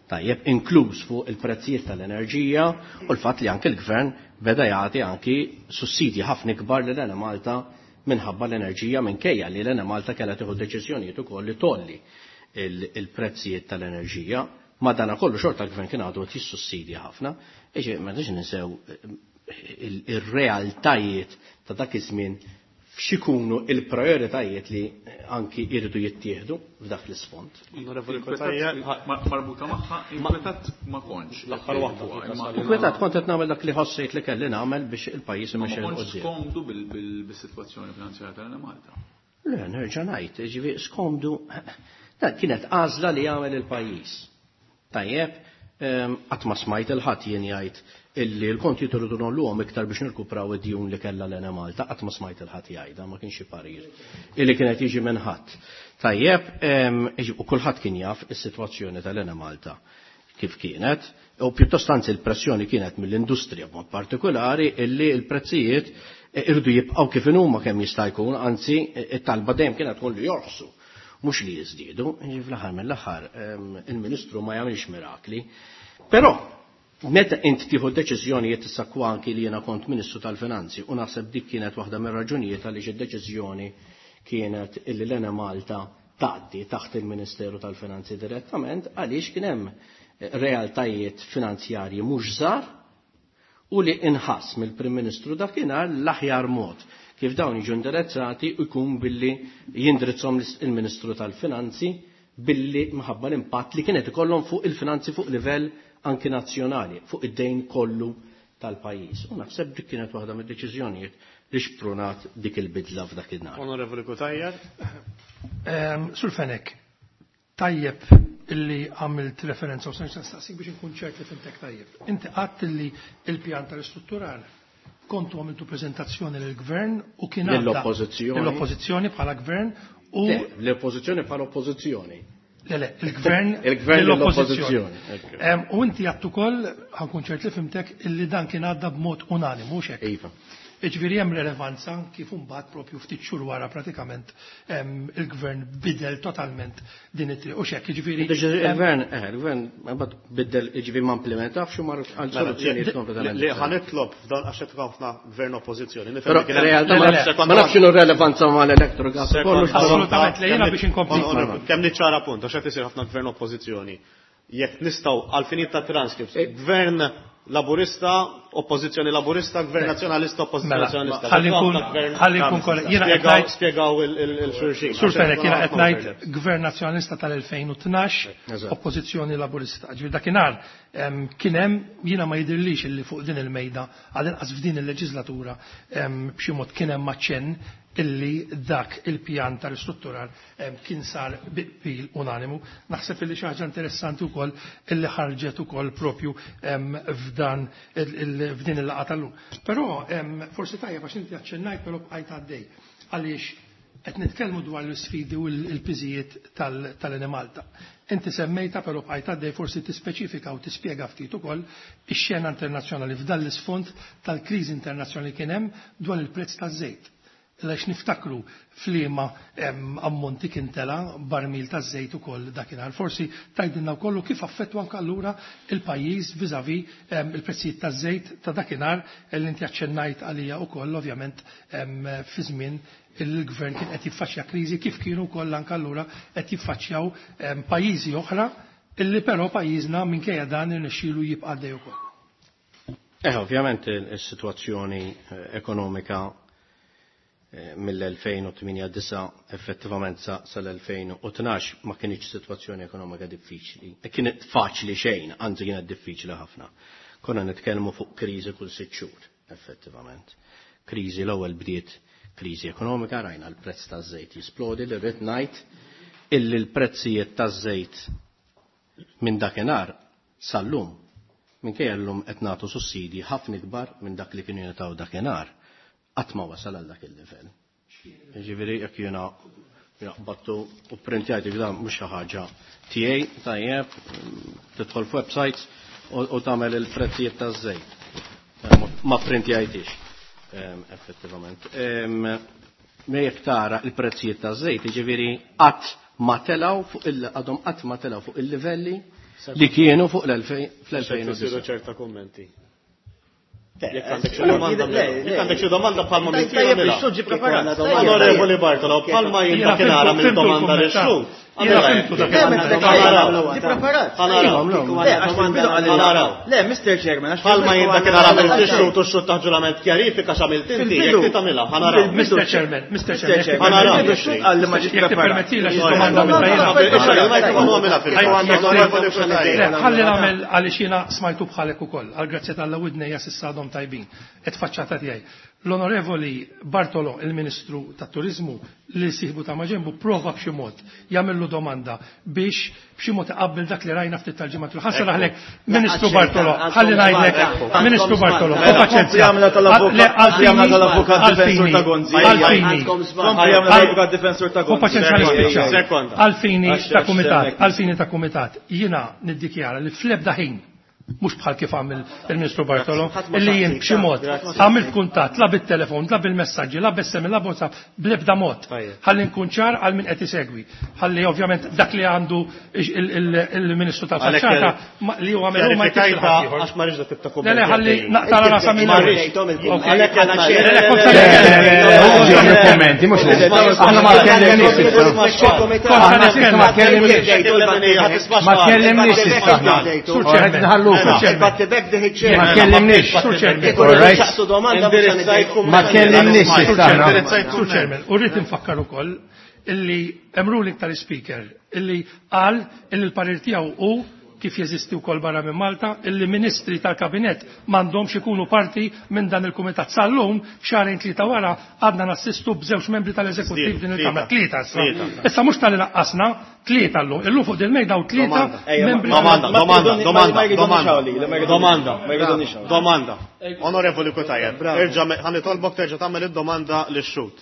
Tajjeb, inkluż fuq il-prezzijiet tal-enerġija u l-fatt li anke l-gvern beda jagħti anki sussidji ħafna ikbar lil Enemalta minħabba l-enerġija, minkejja li l-Enemalta kellha tieħu deċiżjonijiet ukoll li tolli il-, il-prezzijiet tal-enerġija. Madana kollu xorta l-gvern kien għadu qed jissussidja ħafna. Iġi, ma nix ninsew il-, il-realtajiet ta' dak iż-żmien x'ikunu il-prioritajiet li anki jridu jittieħdu f'dak l-isfond. Onorevoli Cutajar, Ma-, marbuta magħha, inkwetat ma kontx. L-aħħar waħda, Ma- Inkwetat kont qed nagħmel dak li ħossejt li kelli nagħmel biex il-pajjiż Ma imexxi 'l kontx quddiem. skomdu bil-, bil-, bis-sitwazzjoni finanzjarja tal-Enemalta. Le, nerġa' ngħid, jiġifieri skomdu, dan kienet għażla li jagħmel il-pajjiż. Tajjeb, ehm, qatt ma smajt il-ħadd jien jgħid illi l-konti jridu nolluhom iktar biex nirkupraw id-djun li kellha l-Enemalta, qatt ma smajt il-ħadd jgħidha, ma kienx parir illi kienet jiġi minn ħadd. Tajjeb, ehm, u kulħadd kien jaf is-sitwazzjoni tal-Enemalta kif kienet, u pjuttost anzi l-pressjoni kienet mill-industrija b'mod partikolari illi l-prezzijiet irdu jibqgħu kif inhuma kemm jista' jkun, anzi it-talba dejjem kienet tkun li jorħsu, mhux li jiżdiedu. Jiġifieri fl-aħħar mill-aħħar, ehm, il-Ministru ma jagħmilx mirakli. Però meta int tieħu deċiżjonijiet issa anki li jiena kont Ministru tal-Finanzi u naħseb dik kienet waħda mir-raġunijiet għaliex id-deċiżjoni kienet illi l-Enemalta tgħaddi taħt il-Ministeru tal-Finanzi direttament, għaliex kien hemm realtajiet finanzjarji mhux żgħar u li inħass mill-Prim Ministru dakinhar l-aħjar mod kif dawn jiġu indirizzati jkun billi jindirizzhom il-Ministru tal-Finanzi billi minħabba l-impatt li kienet ikollhom fuq il-finanzi fuq livell anki nazzjonali, fuq id-dejn kollu tal-pajjiż. U naħseb dik kienet waħda mid-deċiżjonijiet li xprunat dik il-bidla f'dak in-nhar. Onorevoli Cutajar. Ehm, Sur Fenech, tajjeb illi għamilt referenza u sanx nistaqsik biex inkun ċert li fimtek tajjeb. Inti qatt illi il-pjan tal-istruttural kontu għamiltu prezentazzjoni lill-gvern u kien għadda Lill-oppożizzjoni. Lill-oppożizzjoni bħala gvern u Le, l-oppożizzjoni bħala oppożizzjoni. Le, le, il-gvern Il-gvern lill-oppożizzjoni. lill-oppożizzjoni. Em, u inti għattu ukoll, ħankun ċert li fimtek, illi dan kien għadda b'mod unanimu, mhux hekk? Iva. Jiġifieri hemm relevanza kif imbagħad propju ftit xhur wara pratikament, em, il-gvern bidel totalment din it-triq. U x'hekk, jiġifieri, Il-gvern, eh, il-gvern imbagħad bidel, jiġifieri ma implementafx u mar għal Mela, soluzzjonijiet li- kompletament Li differenti. ħa nitlob f'dan għax qed ħafna gvern oppożizzjoni. Nifhem Però li kien hemm- realtà Le, ma le, nafx le. ma nafx x'inhu r-relevanza mal-electrogas Sekonda. kollox, però Assolutament, le jiena Kemm biex inkompli. on- on- Kemm niċċara punt, għax qed isir ħafna gvern oppożizzjoni. Jekk nistgħu għal finit ta' transcripts, gvern Laburista, oppożizzjoni Laburista, gvern Nazzjonalista, oppożizzjoni Mela, Nazzjonalista. ħalli nkun- Ħafna gvern ħalli nkun kollha. Jiena qed Spjegaw ngħid- spjegaw il- il- il-xulxin. Sur Fenech, jiena qed Ħafna ngħid overlaps. Gvern Nazzjonalista tal-elfejn u tnax, Eżatt. oppożizzjoni Laburista. Ġifieri dakinhar, em, kien hemm, jiena ma jidhirlix illi fuq din il-mejda, għal inqas f'din il-leġislatura, em, b'xi mod kien hemm aċċenn illi dak il-pjan tal-istruttural, em, kien sar bi qbil unanimu. Naħseb illi xi ħaġa interessanti wkoll illi ħarġet ukoll propju, em, f'dan il-, il-, f'din il-laqgħa tal-lum. Però, em, forsi tajjeb għax inti aċċennajt però bqajt għaddej għaliex qed nitkellmu dwar l-isfidi u l-piżijiet tal-, tal-Enemalta. Inti semmejta però bqajt għaddej forsi tispeċifika u tispjega ftit ukoll ix-xena internazzjonali f'dan l-isfond tal-kriżi internazzjonali kien hemm dwar il-prezz taż-żejt. Għaliex niftakru f'liema, em, ammonti kien tela barmil ta' żejt ukoll dakinhar. Forsi tgħidilna wkoll kif affettwa anke allura il-pajjiż vis-à-vis, em, il-prezzijiet ta' żejt ta' dakinhar li inti aċċennajt għalija wkoll ovvjament, em, fi żmien il-gvern kien qed jiffaċċja kriżi kif kienu wkoll anke allura qed jiffaċċjaw, em, pajjiżi oħra illi però pajjiżna minkejja dan irnexxielu jibqa' għaddej ukoll. Eh, ovvjament il-sitwazzjoni, eh, ekonomika mill-elfejn u tmienja disa effettivament sa sal-elfejn u tnax ma kienx sitwazzjoni ekonomika diffiċli. Kienet faċli xejn, anzi kienet diffiċli ħafna. Konna nitkellmu fuq kriżi kull sitt xhur, effettivament. Kriżi l-ewwel bdiet kriżi ekonomika, rajna l-prezz taż-żejt jisplodi, li rrid ngħid illi l-prezzijiet taż-żejt minn dakinhar sal-lum, minkejja llum qed nagħtu sussidji ħafna ikbar minn dak li kienu jingħataw dakinhar, qatt ma wasal għal dak il-livell. Jiġifieri jekk jiena battu u printjajt dan mhux xi ħaġa tiegħi, tajjeb, tidħol f'websites u tagħmel il-prezzijiet taż-żejt. Ma printjajtix, effettivament. Me jekk tara il-prezzijiet taż-żejt, jiġifieri qatt ma telgħu fuq il għadhom qatt ma telgħu fuq il-livelli li kienu fuq fl-elfejn u disa'. Ċerta kummenti. Jekk għandek xi domanda, jekk għandek xi domanda bħalma minn Onorevoli Bartolo, bħalma jien dakinhar għamilt domanda lil xhud. Le, Mister Chairman, bħalma jien dakinhar għamilt ix-xhud u x-xhud ta' ġurament kjarifika x'għamilt inti, jekk trid tagħmilha, ħanaraw. Mister Chairman, Mister Chairman, ħanaraw. Jekk tippermettili xi domanda ħalli nagħmel għaliex jiena smajtu bħalek ukoll, għal grazzja tal-Alla widnejja s'issa għadhom tajbin, qed faċċata tiegħi. L-Onorevoli Bartolo, il-Ministru tat-Turizmu, li siħbu ta' maġenbu, prova b'xi mod jagħmillu domanda biex b'xi mod iqabbel dak li rajna ftit tal-ġimgħa. Ħassa raħlek, Ministru Bartolo, ħalli ngħidlek, Ministru Bartolo, paċenzja. Għalfini ta' kumitat, għalfini ta' kumitat, jiena niddikjara li fl-ebda ħin mhux bħal kif għamil il-Ministru Bartolo, illi jien b'xi mod għamilt kuntatt la bit-telefon, la bil-messaġġi, la b'S M S, la b'WhatsApp, bl-ebda mod. Ħalli nkun ċar għal min qed isegwi. Ħalli ovvjament dak li għandu il-Ministru tal-Faċċata li huwa għamel ma jtix il-ħadd. Għax ma rridx tibta kumment. Le le ħalli naqta' rasa minn kummenti mhux aħna ma tkellimniex issa. Aħna ma tkellimniex. Ma tkellimniex issa. Ma tkellimniex. Ma tkellimniex issa. Sur Chairman, u rrid infakkar ukoll illi hemm ruling tal-Speaker illi qal illi l-parir tiegħu hu kif jeżisti wkoll barra minn Malta, illi ministri tal-kabinett m'għandhomx ikunu parti minn dan il-kumitat. Sal-lum xahrejn tlieta wara għadna nassistu b'żewġ membri tal-eżekuttiv din il-Kamra. Tlieta issa. Issa mhux tal-li naqqasna, tlieta llum. Illum fuq din-mejda u tlieta membri. Domanda, domanda, domanda, domanda, domanda. Onorevoli Cutajar, erġa' ħa nitolbok terġa' tagħmel id-domanda lix-xhud.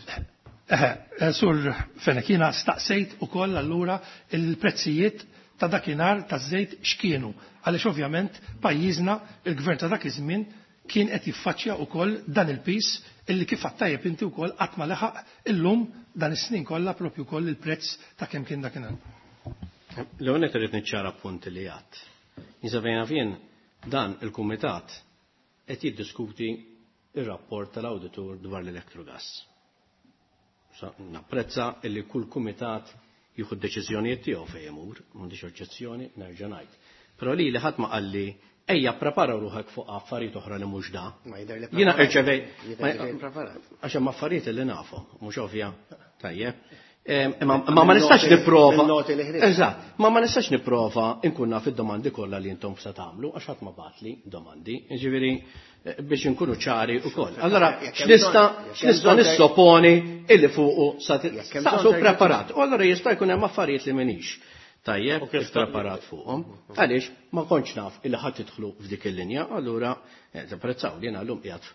Sur Fenech, jiena staqsejt ukoll allura il-prezzijiet ta' dakinhar taż-żejt x'kienu, għaliex ovvjament pajjiżna il-gvern ta' dak iż-żmien kien qed jiffaċċja wkoll dan il-pis illi kif għattajjeb inti wkoll qatt ma leħaq illum dan is-snin kollha propju wkoll il-prezz ta' kemm kien dakinhar. L-ewwel qed irid niċċara punt li għadd. Jinsabejna fien dan il-kumitat qed jiddiskuti ir-rapport tal-awditur dwar l-Electrogas. Napprezza illi kull kumitat jieħu d-deċiżjonijiet tiegħu fejn imur, m'għandix oġġezzjoni, nerġa' ngħid. Però lili ħadd ma qalli ejja prepara ruħek fuq affarijiet oħra li mhux da. Jiena irċevej għax hemm affarijiet li nafhom, mhux ovvja. Tajjeb. Imma ma nistax nipprova. Eżatt, ma ma nistax nipprova nkun naf id-domandi kollha li intom se tagħmlu għax ħadd ma bagħatli domandi. Jiġifieri biex inkunu ċari wkoll. Allora x'nista' x'nista' nissoponi illi fuqu sa staqsu preparat. U allora jista' jkun hemm affarijiet li m'iniex tajjeb preparat fuqhom. Għaliex ma kontx naf illi ħadd tidħlu f'dik il-linja, allura tapprezzaw li jiena llum qiegħed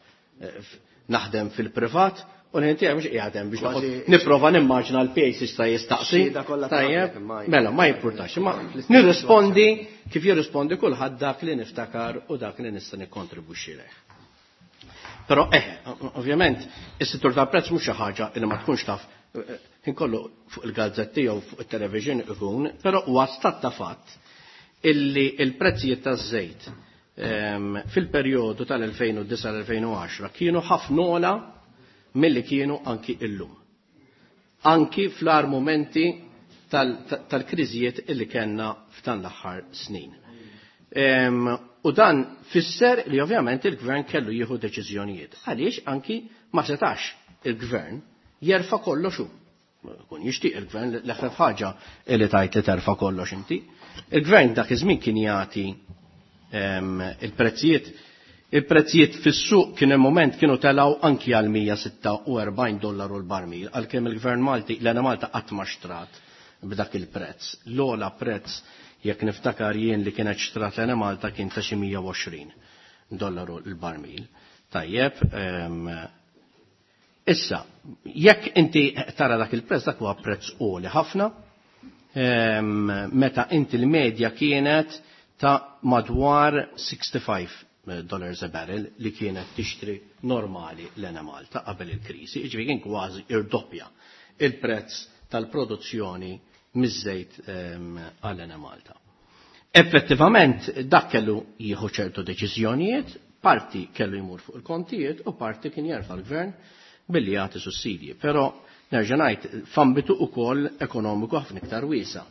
naħdem fil-privat u l-ħin mhux qiegħed hemm biex nipprova nimmaġina l-pejs jista' jistaqsi. Tajjeb, mela ma jimpurtax, imma nirrispondi kif jirrispondi kulħadd dak li niftakar u dak li nista' nikkontribwixxi leh. Però eh, ovvjament, is-settur tal-prezz mhux xi ħaġa li ma tkunx taf inkollu fuq il-gazzetti jew fuq it-television ikun, però huwa stat ta' fatt illi l-prezzijiet taż-żejt fil-perjodu tal-elfejn u disa' l-elfejn u għaxra kienu ħafna ogħla milli kienu anki illum. Anki fl-agħar momenti tal-kriżijiet illi kellna f'dan l-aħħar snin. U dan fisser li ovvjament il-gvern kellu jieħu deċiżjonijiet. Għaliex anki ma setax il-gvern jerfa' kollox hu. Kun jixtieq il-gvern l-eħfef ħaġa li tajt li terfa' kollox inti. Il-gvern dak iż-żmien kien jagħti il-prezzijiet il-prezzijiet fis-suq kien hemm moment kienu telgħu anki għal mija sitta u erbgħin dollaru l-barmil, għalkemm il-gvern Malti l-Enemalta qatt ma xtrat b'dak il-prezz. L-ogħla prezz jekk niftakar jien li kienet xtrat l-Enemalta kien ta' xi mija u għoxrin dollaru l-barmil. Tajjeb, issa, jekk inti tara dak il-prezz, dak huwa prezz għoli ħafna, meta inti l-medja kienet ta' madwar sixty-five dollars a barrel li kienet tixtri normali l-Enemalta qabel il-kriżi, jiġifieri kien kważi irdoppja il-prezz tal-produzzjoni miż-żejt għall-Enemalta. Effettivament dak kellu jieħu ċertu deċiżjonijiet, parti kellu jmur fuq il-kontijiet u parti kien jerfa' l-gvern billi jagħti sussidji, però nerġa' ngħid f'ambitu wkoll ekonomiku ħafna iktar wiesa'.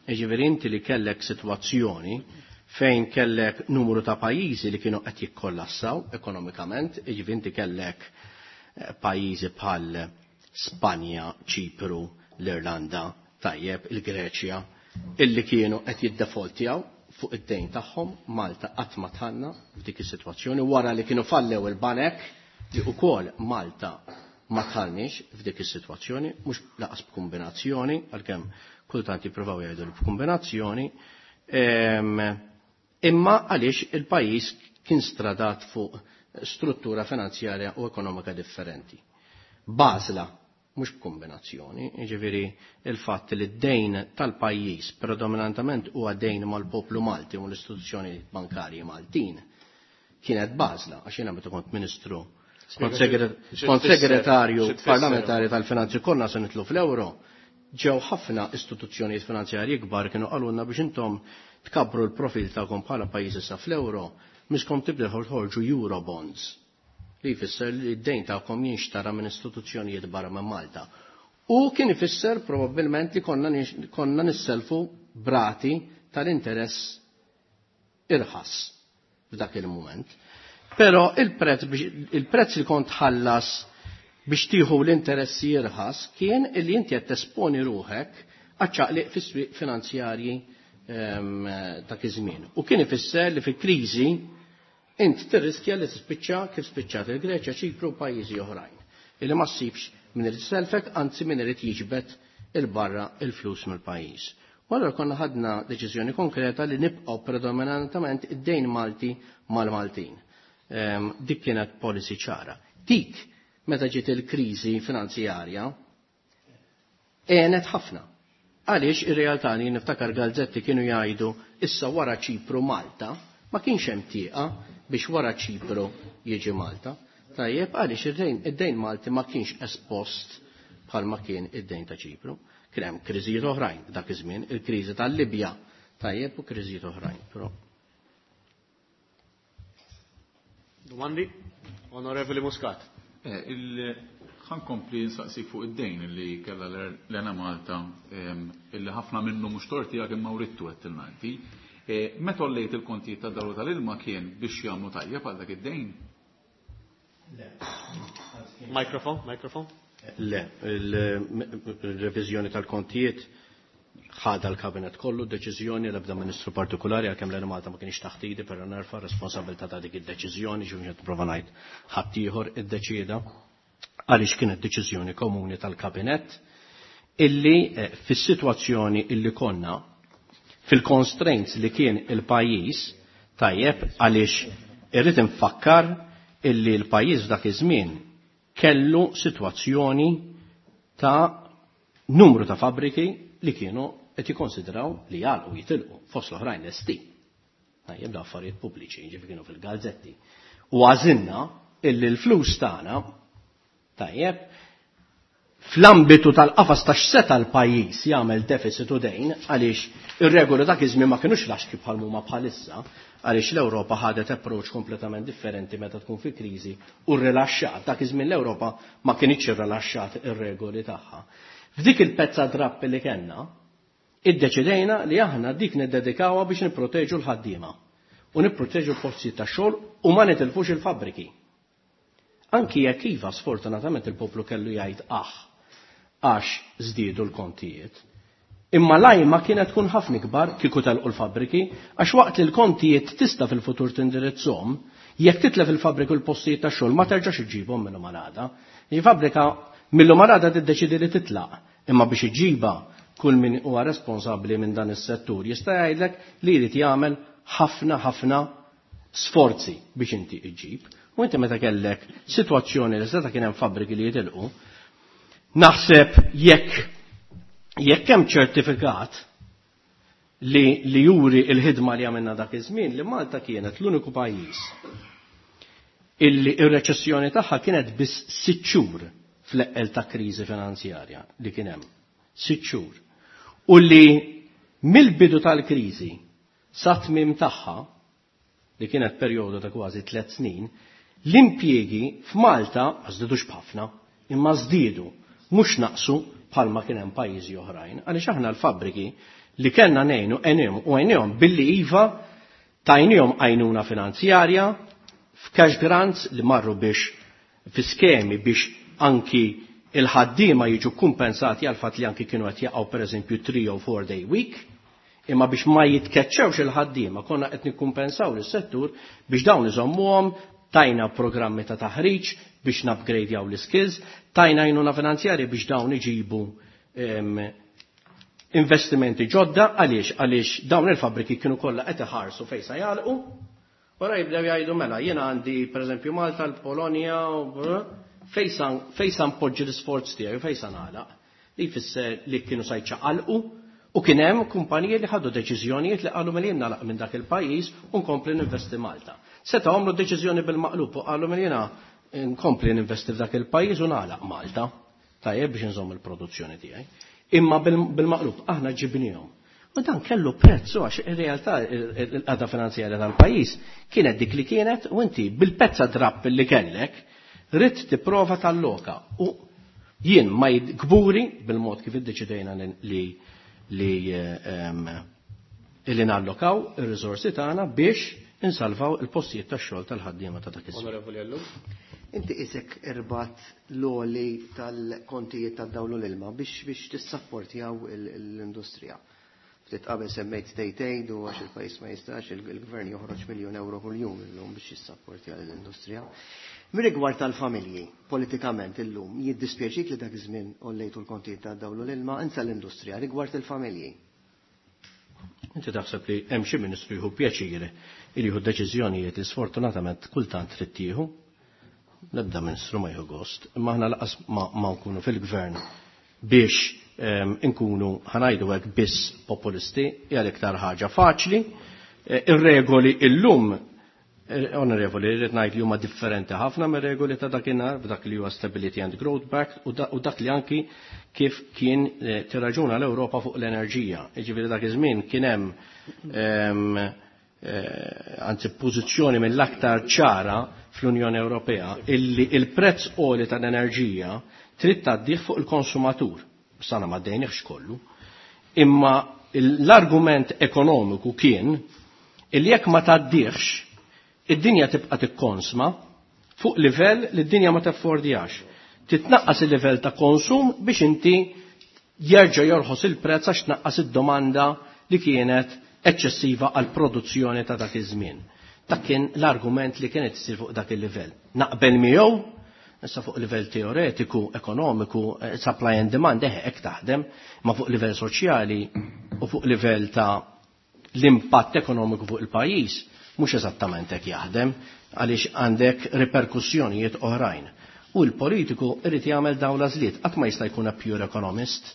Jiġifieri inti li kellek sitwazzjoni fejn kellek numru ta' pajjiżi li kienu qed jikkollassaw ekonomikament, jiġifieri inti kellek pajjiżi bħal Spanja, Ċipru, l-Irlanda, tajjeb, il-Greċja, illi kienu qed jiddefoltjaw fuq id-dejn tagħhom. Malta qatt ma tħanna f'dik is-sitwazzjoni wara li kienu fallew il-banek li wkoll Malta ma tħallniex f'dik is-sitwazzjoni, mhux laqas b'kombinazzjoni, għalkemm kultant jippruvaw jgħidu b'kombinazzjoni, imma għaliex il-pajjiż kien stradat fuq struttura finanzjarja u ekonomika differenti. Bażla, mhux b'kombinazzjoni, jiġifieri il-fatt li d-dejn tal-pajjiż predominantament huwa dejn mal-poplu Malti u l-istituzzjoni bankarji Maltin kienet bażla, għax jiena meta kont ministru, kont segretarju parlamentari tal-finanzi konna se nitlu fl-euro, ġew ħafna istituzzjonijiet finanzjarji kbar kienu qalulna biex intom tkabbru l-profil tagħkom bħala pajjiż issa fl-euro, miskom tibdew toħorġu Eurobonds, li jfisser li d-dejn tagħkom jinxtara minn istituzzjonijiet barra minn Malta. U kien ifisser probabbilment li konna konna nisselfu brati tal-interess irħas f'dak il-mument. Però il-prezz il-prezz li kont ħallas biex tieħu l-interessi irħas kien li inti qed tesponi ruħek għaċ-ċaqliq fis-swieq finanzjarji dak iż-żmien. U kien ifisser li fil-kriżi int tirriskja li tispiċċa kif spiċċat il-Greċja, Ċipru u pajjiżi oħrajn. Illi ma ssibx min irid selfek, anzi min irid jiġbed il-barra il-flus mill-pajjiż. U allura konna ħadna deċiżjoni konkreta li nibqgħu predominantament id-dejn Malti mal-Maltin. Dik kienet policy ċara. Dik meta ġiet il-kriżi finanzjarja għenet ħafna. Għaliex ir-realtà li niftakar Galzetti kienu jgħidu issa wara Ċipru Malta, ma kienx hemm tieqa biex wara Ċipru jiġi Malta. Tajjeb, għaliex id-dejn Malti ma kienx espost bħalma kien id-dejn ta' Ċipru. Kien hemm kriżijiet oħrajn dak iż-żmien, il-kriżi tal-Libja, tajjeb, u kriżijiet oħrajn. Però. Domandi? Onorevoli Muscat. Ħankompli nsaqsik fuq id-dejn li kellha l-Enemalta, illi ħafna minnu mhux torti għak imma writtu qed tilnanti. Meta ollejt il-kontijiet ta' daru tal-ilma kien biex jagħmlu tajjeb għal dak id-dejn? Le. Mikrofon, mikrofon. Le, il-reviżjoni tal-kontijiet ħadha l-kabinet kollu, deċiżjoni l-ebda ministru partikolari, għalkemm l-Enemalta ma kienx taħt idi, però nerfa' responsabilità ta' dik id-deċiżjoni, ġifieri qed nipprova ngħid ħaddieħor iddeċieda, għaliex kienet deċiżjoni komuni tal-kabinet illi fis-sitwazzjoni illi konna fil-constraints li kien il-pajjiż, tajjeb, għaliex irrid infakkar illi l-pajjiż f'dak iż-żmien kellu sitwazzjoni ta' numru ta' fabbriki li kienu qed jikkonsidraw li jagħlqu jitilqu fost l-oħrajn lesti. Tajjeb, da affarijiet pubbliċi, jiġifieri kienu fil-gazzetti. U għażilna illi l-flus tagħna, tajjeb, fl-ambitu tal-qafas ta' x'seta l-pajjiż jagħmel deficit u dejn, għaliex ir-regoli dak iż-żmien ma kinux laxki bħal huma bħalissa, għaliex l-Ewropa ħadet approach kompletament differenti meta tkun fi kriżi u rrilaxxat. Dak iż-żmien l-Ewropa ma kinitx irrilaxxat ir-regoli tagħha. F'dik il-pezza drapp li kellna, iddeċidejna li aħna dik niddedikawha biex nipproteġu l-ħaddiema u nipproteġu l-postijiet tax-xogħol u ma nitilfux il-fabbriki. Anki jekk iva sfortunatament il-poplu kellu jgħid aħ għax żdiedu l-kontijiet. Imma lajma kienet tkun ħafna ikbar kieku telqu l-fabbriki, għax waqt li l-kontijiet tista' fil-futur tindirizzhom, jekk titlef il-fabbriki u l-postijiet tax-xogħol ma terġax iġġibhom minnhom għal għada. Il-fabbrika minnhom għal għada tiddeċidi li titlaq, imma biex iġġibha kull min huwa responsabbli minn dan is-settur jista' jgħidlek li jrid jagħmel ħafna ħafna sforzi biex inti iġġib. U inti meta kellek sitwazzjoni li seta' kien hemm fabbriki li jitilqu, naħseb jekk jekk hemm ċertifikat li, li juri il-ħidma li għamilna dak iż-żmien li Malta kienet l-uniku pajjiż illi ir-reċessjoni tagħha kienet biss sitt xhur fl-eqqel ta' kriżi finanzjarja li kien hemm. Sitt xhur. U li mill-bidu tal-kriżi sa tmiem tagħha, li kienet perjodu ta' kważi tliet snin, l-impjiegi f'Malta ma żdiedux b'ħafna, imma żdiedu, mhux naqsu bħalma kien hemm pajjiżi oħrajn, għaliex aħna l-fabbriki li kellna ngħinu għenihom u għenihom billi iva tajnihom għajnuna finanzjarja f'cash grants li marru biex fi skemi biex anki il-ħaddiema jiġu kumpensati għal fatt li anki kienu qed jaqgħu pereżempju three or four day week, imma biex ma jitkeċċewx il-ħaddiema konna qed nikkumpensaw lis-settur biex dawn iżommuhom, tajna programmi ta' taħriġ biex nupgradejaw l-skills, tajna għajnuna finanzjarja biex dawn iġibu investimenti ġodda, għaliex għaliex dawn il-fabbriki kienu kollha qed iħarsu fejn se jagħlqu. Wara jibdew jgħidu mela jiena għandi pereżempju Malta, l-Polonja, fejn sa npoġġi l-isforz tiegħi u fejn sa nagħlaq. Li jfisser li kienu sa jċaqalqu u kien hemm kumpaniji li ħadu deċiżjonijiet li qalu mela jien nagħlaq minn dak il-pajjiż u nkompli ninvesti Malta. Setgħu għamlu deċiżjoni bil-maqlub u qalu mela jiena nkompli ninvesti f'dak il-pajjiż u nagħlaq Malta. Tajjeb biex nżomm il-produzzjoni tiegħi. Imma bil-maqlub aħna ġibnihom. U dan kellu prezzu għax ir-realtà il-qagħda finanzjarja tal-pajjiż kienet dik li kienet u inti bil-pezza drapp li kellek ridt tipprova talloka. U jien ma kburi bil-mod kif iddeċidejna li li li nallokaw ir-riżorsi tagħna biex insalvaw il-postijiet tax-xogħol tal-ħaddiema ta' dak iż-żmien. Onorevoli Ellul. Inti isek irbat l-għoli tal-kontijiet tad-dawl u l-ilma biex biex tissapportjaw l-industrija. Ftit qabel semmejt state aid u għax il-pajjiż ma jistax il-gvern joħroġ miljun euro kuljum illum biex jissapportja l-industrija. Mir-rigward tal-familji, politikament illum, jiddispjaċik li dak iż-żmien għollejtu l-kontijiet tad-dawl u l-ilma, insa l-industrija, rigward il-familji. Inti taħseb li hemm xi ministru jieħu pjaċir li jieħu deċiżjonijiet li sfortunatament kultant trid tieħu. L-ebda ministru ma jieħu gost, imma aħna laqas ma nkunu fil-gvern biex nkunu ħanajdu hekk biss populisti, hija l-iktar ħaġa faċli. Ir-regoli illum, onorevoli, rrid ngħid li huma differenti ħafna mir-regoli ta' dakinhar, b'dak li huwa Stability and Growth Pact u dak li anki kif kien tirraġuna l-Ewropa fuq l-enerġija. Jiġifieri dak iż-żmien kien hemm anzi pożizzjoni mill-aktar ċara fl-Unjoni Ewropea illi il-prezz għoli tal-enerġija trid tgħaddih fuq il-konsumatur. Sana ma ddejniex kollu. Imma l-argument ekonomiku kien illi jekk ma tgħaddihx id-dinja tibqa' tikkonsma fuq livell li d-dinja ma taffordjax. Titnaqqas il-livell ta' konsum biex inti jerġa' jorħos il-prezz għax tnaqqas id-domanda li kienet eċċessiva għal produzzjoni ta' dak iż-żmien. Dak kien l-argument li kienet issir fuq dak il-livell. Naqbel miegħu, issa fuq livell teoretiku, ekonomiku, supply and demand eħe hekk taħdem, ma fuq livell soċjali u fuq livell ta' l-impatt ekonomiku fuq il-pajjiż mhux eżattament hekk jaħdem għaliex għandek riperkussjonijiet oħrajn. U l-politiku irid jagħmel dawn l-għażliet, qatt ma jista' jkun a pure economist.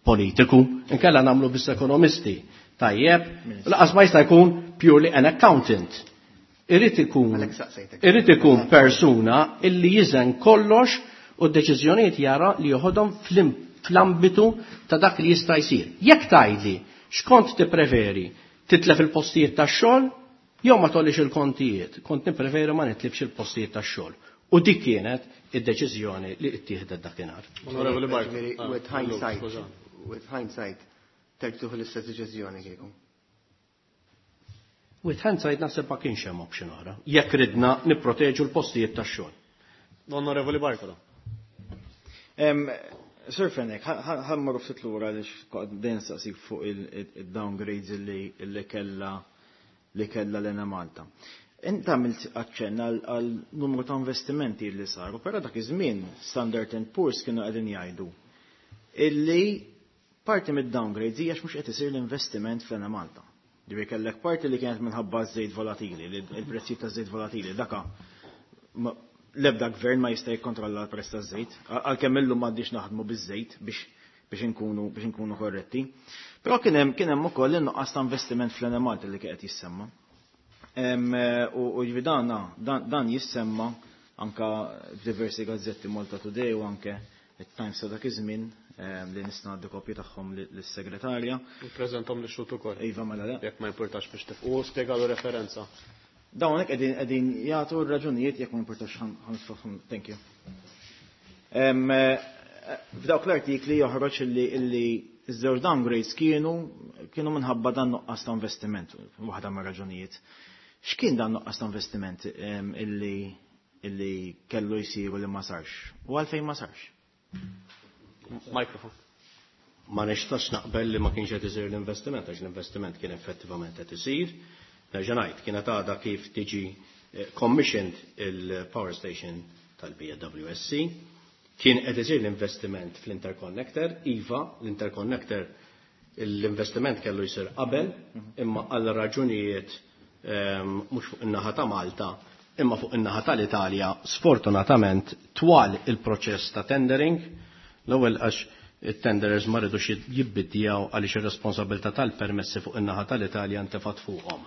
Politiku, inkella nagħmlu biss ekonomisti. Tajjeb, laqas ma jista' jkun purely an accountant. Irid ikun irid ikun persuna illi jiżen kollox u d-deċiżjonijiet jara li joħodhom fl-ambitu ta' dak li jista' jsir. Jekk tgħidli x'kont tippreferi titlef il-postijiet tax-xogħol jew ma tollix il-kontijiet, kont nippreferi ma nitlifx il-postijiet tax-xogħol. U dik kienet id-deċiżjoni li ttieħdet dakinhar. Onorevoli Bart. With hindsight, with hindsight, terġa' tieħu l-istess deċiżjoni kieku. With hindsight naħseb ma kienx hemm option oħra. Jekk ridna nipproteġu l-postijiet tax-xogħol. Onorevoli Bartolo. Sir Fenech, ħa mmorru ftit lura għaliex dejjem saqsik fuq il-downgrades illi kella li kella l-Enemalta. Inta għamilt aċċenn għal numru ta' investimenti li saru, però dak iż-żmien Standard and Poor's kienu qegħdin jgħidu illi parti mid-downgrades hija mhux qed isir l-investiment fl-Enemalta. Ġifieri kellek parti li kienet minħabba żejt volatili, il-prezzijiet ta' żejt volatili, daka l-ebda gvern ma jista' jikkontrolla l-prezz taż-żejt, għalkemm illum m'għandix naħdmu biż-żejt biex biex inkunu biex inkunu korretti. Però kien hemm kien hemm ukoll in-nuqqas ta' investiment fl-Enemalta li kien qed jissemma. U ġifieri dan dan jissemma anka f'diversi gazzetti, Malta Today u anke it-Times ta' dak iż-żmien, li nista' ngħaddi kopji tagħhom lis-segretarja. Ippreżentahom lix-xhud ukoll. Iva, mela le. Jekk ma jimpurtax biex tif. U spjegalu referenza. Dawn hekk qegħdin qegħdin jagħtu r-raġunijiet, jekk ma jimpurtax ħa, thank you. F'dawk l-artikli joħroġ illi illi iż-żewġ downgrades kienu kienu minħabba dan nuqqas ta' investiment, waħda mir-raġunijiet. X'kien dan nuqqas ta' investiment illi illi kellu jsiru li ma sarx? U għalfejn ma sarx? Mikrofon. Ma nistax naqbel li ma kienx qed isir l-investiment, għax l-investiment kien effettivament qed isir. Nerġa' ngħid, kienet għadha kif tiġi commissioned il-power station tal-B W S C. Kien qed isir l-investiment fl-interconnector, iva, l-interconnector l-investiment kellu jsir qabel, imma għal raġunijiet mhux fuq in-naħa ta' Malta, imma fuq in-naħa tal-Italja, sfortunatament twal il-proċess ta' tendering, l-ewwel għax it-tenderers ma ridux jibbidjaw għaliex ir-responsabilità tal-permessi fuq in-naħa tal-Italja ntefat fuqhom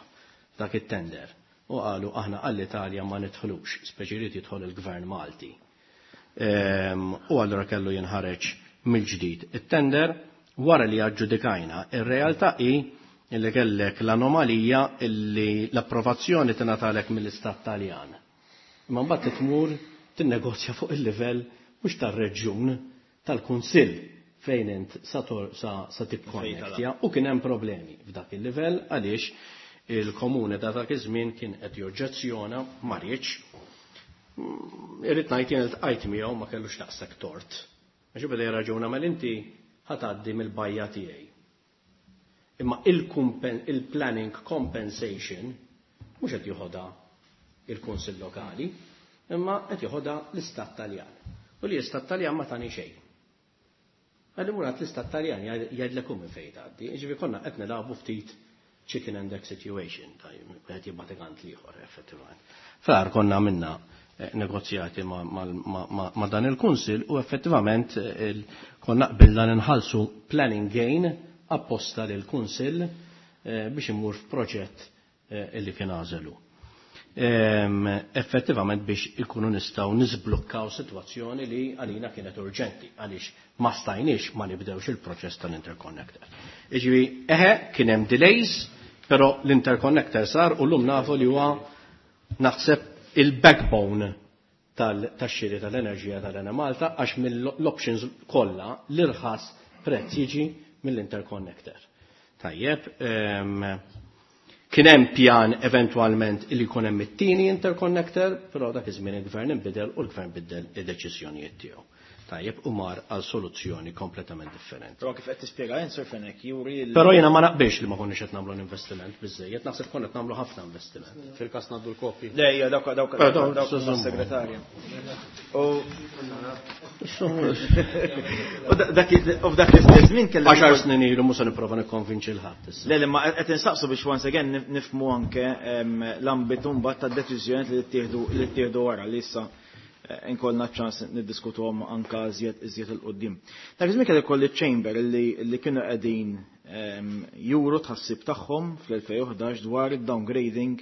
dak it-tender. U qalu aħna għall-Italja ma nidħlux, speċi jrid jidħol il-Gvern Malti. U allura kellu jinħareġ mill-ġdid it-tender wara li aġġudikajna. Ir-realtà hi illi kellek l-anomalija illi l-approvazzjoni tingħatalek mill-Istat Taljan. Imma mbagħad tmur tinnegozja fuq il-livell mhux tar-reġjun, tal-Kunsill fejn int sa, sa, sa tikkonnektja, u kien hemm problemi f'dak il-livell għaliex il-komune ta' dak iż-żmien kien qed joġġezzjona, ma riedx. Irrid ngħid jien iltqajt miegħu, ma kellux daqshekk tort. Għax beda jirraġuna mal inti ħa tgħaddi mill-bajja tiegħi. Imma il-planning compensation mhux qed joħodha il-Kunsill Lokali, imma qed joħodha l-Istat Taljan. U li l-Istat Taljan ma tani xejn. Għalli murat l-Istat Taljan jgħidlek minn fejn tgħaddi. Ġifieri konna qed nilagħbu ftit chicken and egg situation, qed jibgħat għand l-ieħor effettivament. Far konna minna eh, negozjati ma, ma, ma, ma dan il-Kunsil u effettivament eh, konna qbilna nħallsu planning gain apposta lil kunsil eh, biex imur f'proġett illi kien għażelu. Effettivament biex ikunu nistgħu niżblukkaw sitwazzjoni li għalina kienet urġenti għaliex ma stajniex ma nibdewx il-proċess tal-interconnector. Iġifieri eħe kien hemm delays, però l-interconnector sar u llum nafu li huwa naħseb il-backbone tal-xiri tal-enerġija tal-Enemalta, għax mill-options kollha l-irħas prezz jiġi mill-interconnector. Tajjeb, kien hemm pjan eventwalment li jkun hemm it-tieni interconnector, però dak iż-żmien il-gvern inbidel u l-gvern biddel id-deċiżjonijiet tiegħu. Tajjeb, u mar għal soluzzjoni kompletament differenti. Però kif qed tispjega Sir Fenech juri Però jiena ma naqbilx li ma konniex qed nagħmlu investiment biżejjed, naħseb konna qed nagħmlu ħafna investiment. Fil-każ ngħaddu l-kopji. Le, hija dawk dawk dawk segretarja. U dak u f'dak l-istess żmien kellek Għaxar snin ilu, mhux se nipprova nikkonvinċi 'l ħadd. Le, le, ma qed insaqsu biex once again nifhmu anke l-ambitu mbagħad tad-deċiżjoni li ttieħdu li ttieħdu wara li issa inkollna ċans niddiskutuhom anka iżjed iżjed 'il quddiem. Dak iż-żmien kelli kolli chamber li li kienu qegħdin juru tħassib tagħhom fl-elfejn u ħdax dwar id-downgrading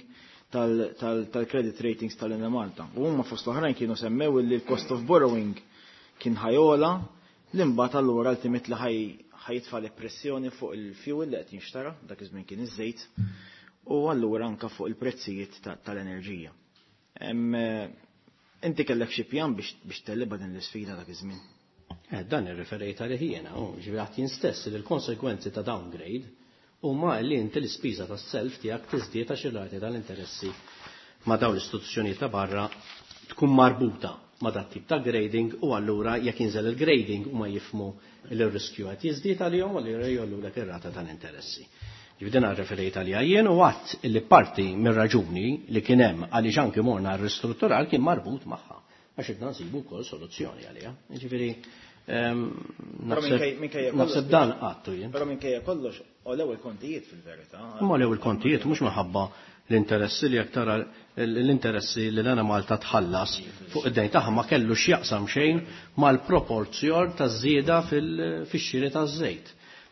tal-credit ratings tal-Enemalta. U huma fost l-oħrajn kienu semmew li l-cost of borrowing kien ħa jogħla, li mbagħad allura ultimately ħa jitfa' pressjoni fuq il-fuel li qed jinxtara, dak iż-żmien kien iż-żejt, u allura anka fuq il-prezzijiet tal-enerġija. Inti kellek xi pjan biex biex tegħlibha din l-isfida dak iż-żmien? Eh, dan irreferejt għalih jiena, u ġifieri jien stess li l-konsekwenzi ta' downgrade huma li inti l-ispiża tas-self tiegħek tiżdied għax ir-rati tal-interessi ma' dawn l-istituzzjonijiet ta' barra tkun marbuta ma' dat tip ta' grading u allura jekk jinżel il-grading huma jifhmu li r-riskju qed jiżdied għalihom u allura jgħollulek ir-rata tal-interessi. Ġifieri din rreferejt għaliha jien u għadt li parti mir-raġuni li kien hemm għaliex anki morna r-ristrutturar kien marbut magħha għax idna nsibu wkoll soluzzjoni għaliha. Ġifieri naħseb dan għattu jien. Però minkejja kollox għolew il-kontijiet fil-verità. Imma għolew il-kontijiet mhux minħabba l-interessi li jekk tara l-interessi li l-Enemalta tħallas fuq id-dejn tagħha ma kellu x'jaqsam xejn mal-proporzjon taż-żieda fix-xiri taż-żejt.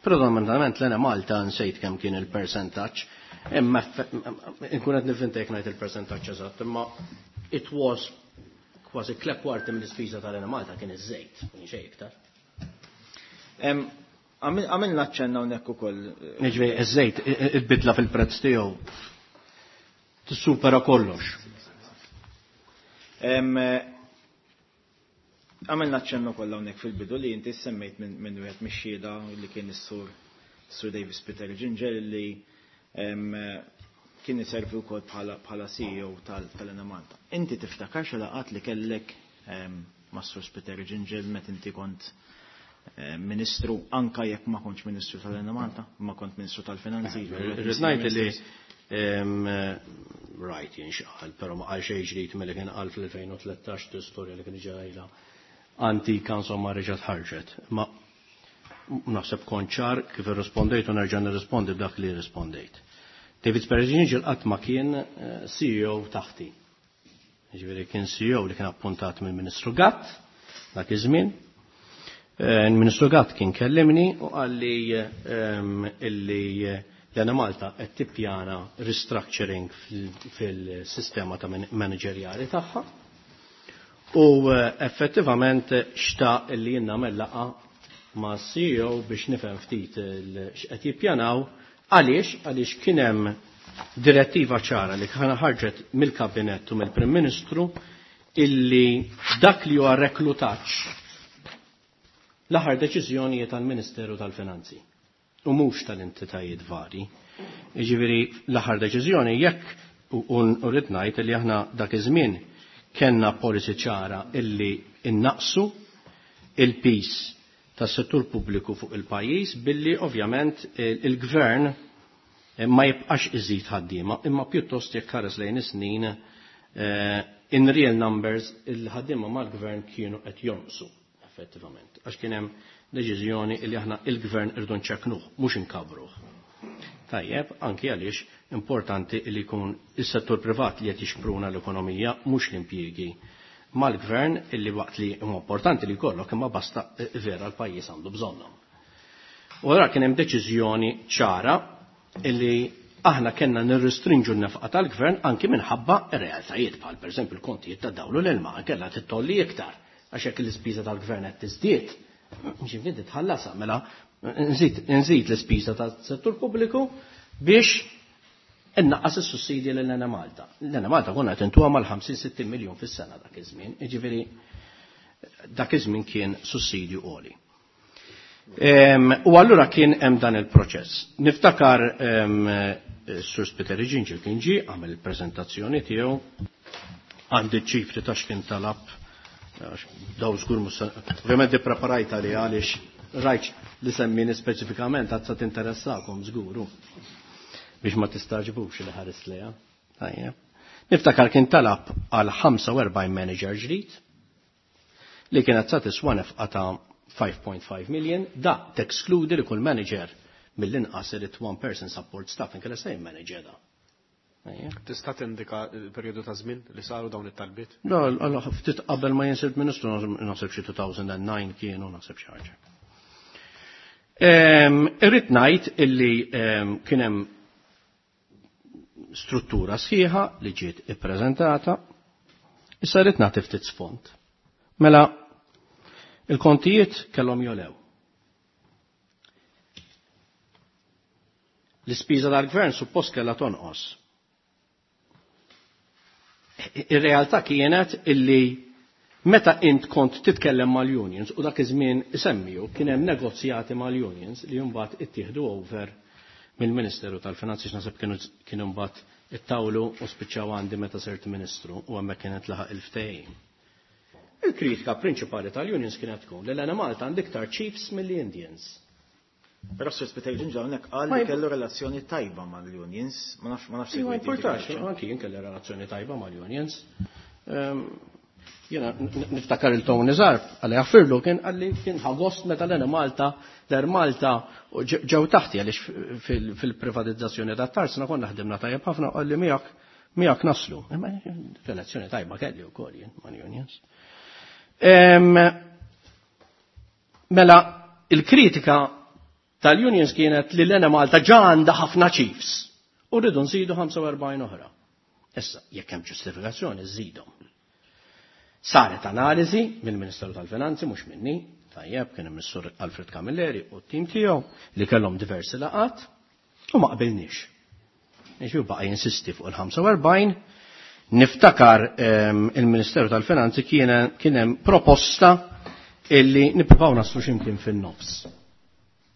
Predominantament l-Enemalta nsejt kemm kien il-persentaġġ, imma nkun qed nivvinta jekk ngħid il-persentaġġ eżatt, imma it was kważi tliet kwarti mill-ispiża tal-Enemalta kien iż-żejt, kien xejn iktar. Għamilna ċenna hawnhekk ukoll. Jiġifieri iż-żejt il-bidla fil-prezz tiegħu tissupera kollox. Għamilna ċenna wkoll hawnhekk fil-bidu li inti semmejt minn wieħed mix-xhieda li kien is-sur Sur Davis Peter Ginger li kien iservi wkoll bħala C E O tal-Enemalta. Inti tiftakar xi laqgħat li kellek mas-Sur Peter Ginger meta inti kont ministru, anka jekk ma kontx ministru tal-Enemalta, ma kont ministru tal-Finanzi. Irrid ngħid li rajt jien xi qal, però ma qal xejn ġdid milli kien qal fl-elfejn u tlettax l-istorja li kien ġejla antika insomma reġgħet ħarġet. Ma naħseb kont ċar kif irrispondejt u nerġa' nirrispondi b'dak li rrispondejt. David Speri Gingell qatt ma kien C E O taħti. Jiġifieri kien C E O li kien appuntat mill-Ministru Gatt dak iż-żmien. Il-Ministru Gatt kien kellimni u qal li illi l-Enemalta qed tippjana restructuring fil-sistema ta' manageriali tagħha. U effettivament xtaq li jien nagħmel laqgħa ma' C E O biex nifhem ftit x'qed jippjanaw. Għaliex? Għaliex kien hemm direttiva ċara li kien ħarġet mill-Kabinett u mill-Prim Ministru illi dak li huwa reklutaġġ l-aħħar deċiżjonijiet tal-Ministeru tal-Finanzi u mhux tal-entitajiet vari. Jiġifieri l-aħħar deċiżjoni jekk u rrid ngħid li aħna dak iż-żmien kellna policy ċara illi innaqsu il-pis tas-settur pubbliku fuq il-pajjiż billi ovvjament il-gvern ma jibqax iżid ħaddiema, imma pjuttost jekk ħares lejn is-snin in real numbers il-ħaddiema mal-gvern kienu qed jonqsu effettivament. Għax kien hemm deċiżjoni li aħna il-gvern irdu nċekknuh, mhux inkabruh. Tajjeb, anki għaliex importanti li jkun is-settur privat li qed jixpruna l-ekonomija mhux l-impjiegi mal-gvern illi waqt li huma importanti li jkollok imma basta vera l-pajjiż għandu bżonnhom. U allura kien hemm deċiżjoni ċara illi aħna kellna nirrestrinġu n-nefqa tal-gvern anki minħabba r-realtajiet bħal pereżempju l-kontijiet ta' dawlu l-ilma kellha tittolli iktar għax hekk l-ispiża tal-gvern qed tiżdied. Ġifieri titħallasha mela nżid nżid l-ispiża tas-settur pubbliku biex innaqqas is-sussidji lil Enemalta. L-Enemalta konna qed intuha mal-ħamsin sittin miljun fis-sena dak iż-żmien, jiġifieri dak iż-żmien kien sussidju għoli. U allura kien hemm dan il-proċess. Niftakar Sur Spiteri Gingell kien ġie għamel il-preżentazzjoni tiegħu, għandi ċifri ta' x'kien talab, daw żgur mhux se, ovvjament ippreparajt għalih għaliex rajt li semmini speċifikament għad se tinteressakom żguru biex ma tistaġbux li ħares lejha. Tajjeb. Niftakar kien talab għal ħamsa u erbgħin manager ġdid li kienet sa tiswa nefqa ta' five point five million, da tekskludi li kull manager mill-inqas irid one person support staff inkella sejn manager da. Ejja. Tista' tindika l-perjodu ta' żmien li saru dawn it-talbiet? La, alla, ftit qabel ma jinsib ministru, naħseb xi two thousand and nine kienu, naħseb xi ħaġa. Ehm, irrid ngħid illi, ehm, kien hemm struttura sħiħa li ġiet ippreżentata. Issa rrid nagħti ftit sfond. Mela, il-kontijiet kellhom jolew. L-ispiża tal-gvern suppost kellha tonqos. Ir-realtà kienet illi meta int kont titkellem mal-unions u dak iż-żmien isemmiju kien hemm negozjati mal-unions li mbagħad ittieħdu over mill-Ministeru tal-Finanzi, x'naħseb kienu kienu mbagħad ittawlu u spiċċaw għandi meta sirt Ministru u hemmhekk kienet laħaq il-ftehim. Il-kritika prinċipali tal-unions kienet tkun li l-Enemalta għandha iktar chiefs mill-Indians. Però Sur Spiteri Gingell hawnhekk qal li kellu relazzjoni tajba mal-unions, ma nafx ma nafx Ma importax, anki jien kelli relazzjoni tajba mal-unions. Jiena niftakar il-Tony Zarb, għalli għaffirlu kien għalli kien ħagost meta l-Enemalta, l-Air Malta ġew taħti għaliex fil-privatizzazzjoni ta' tarsna konna ħdimna tajjeb ħafna għalli miegħek miegħek naslu. Imma relazzjoni tajba kelli wkoll jien mal-unions. Mela, il-kritika tal-unions kienet li l-Enemalta ġa għandha ħafna chiefs u rridu nżidu ħamsa u erbgħin oħra. Issa, jekk hemm ġustifikazzjoni, żidhom. Saret analiżi mill-Ministeru tal-Finanzi, mhux minni, tajjeb, kien hemm is-Sur Alfred Camilleri u t-tim tiegħu li kellhom diversi laqat u ma qbilniex. Jiġifieri baqa' jinsisti fuq il-ħamsa u erbgħin. Niftakar il-Ministeru tal-Finanzi kien hemm proposta illi nippruvaw naslu x'imkien fin-nofs.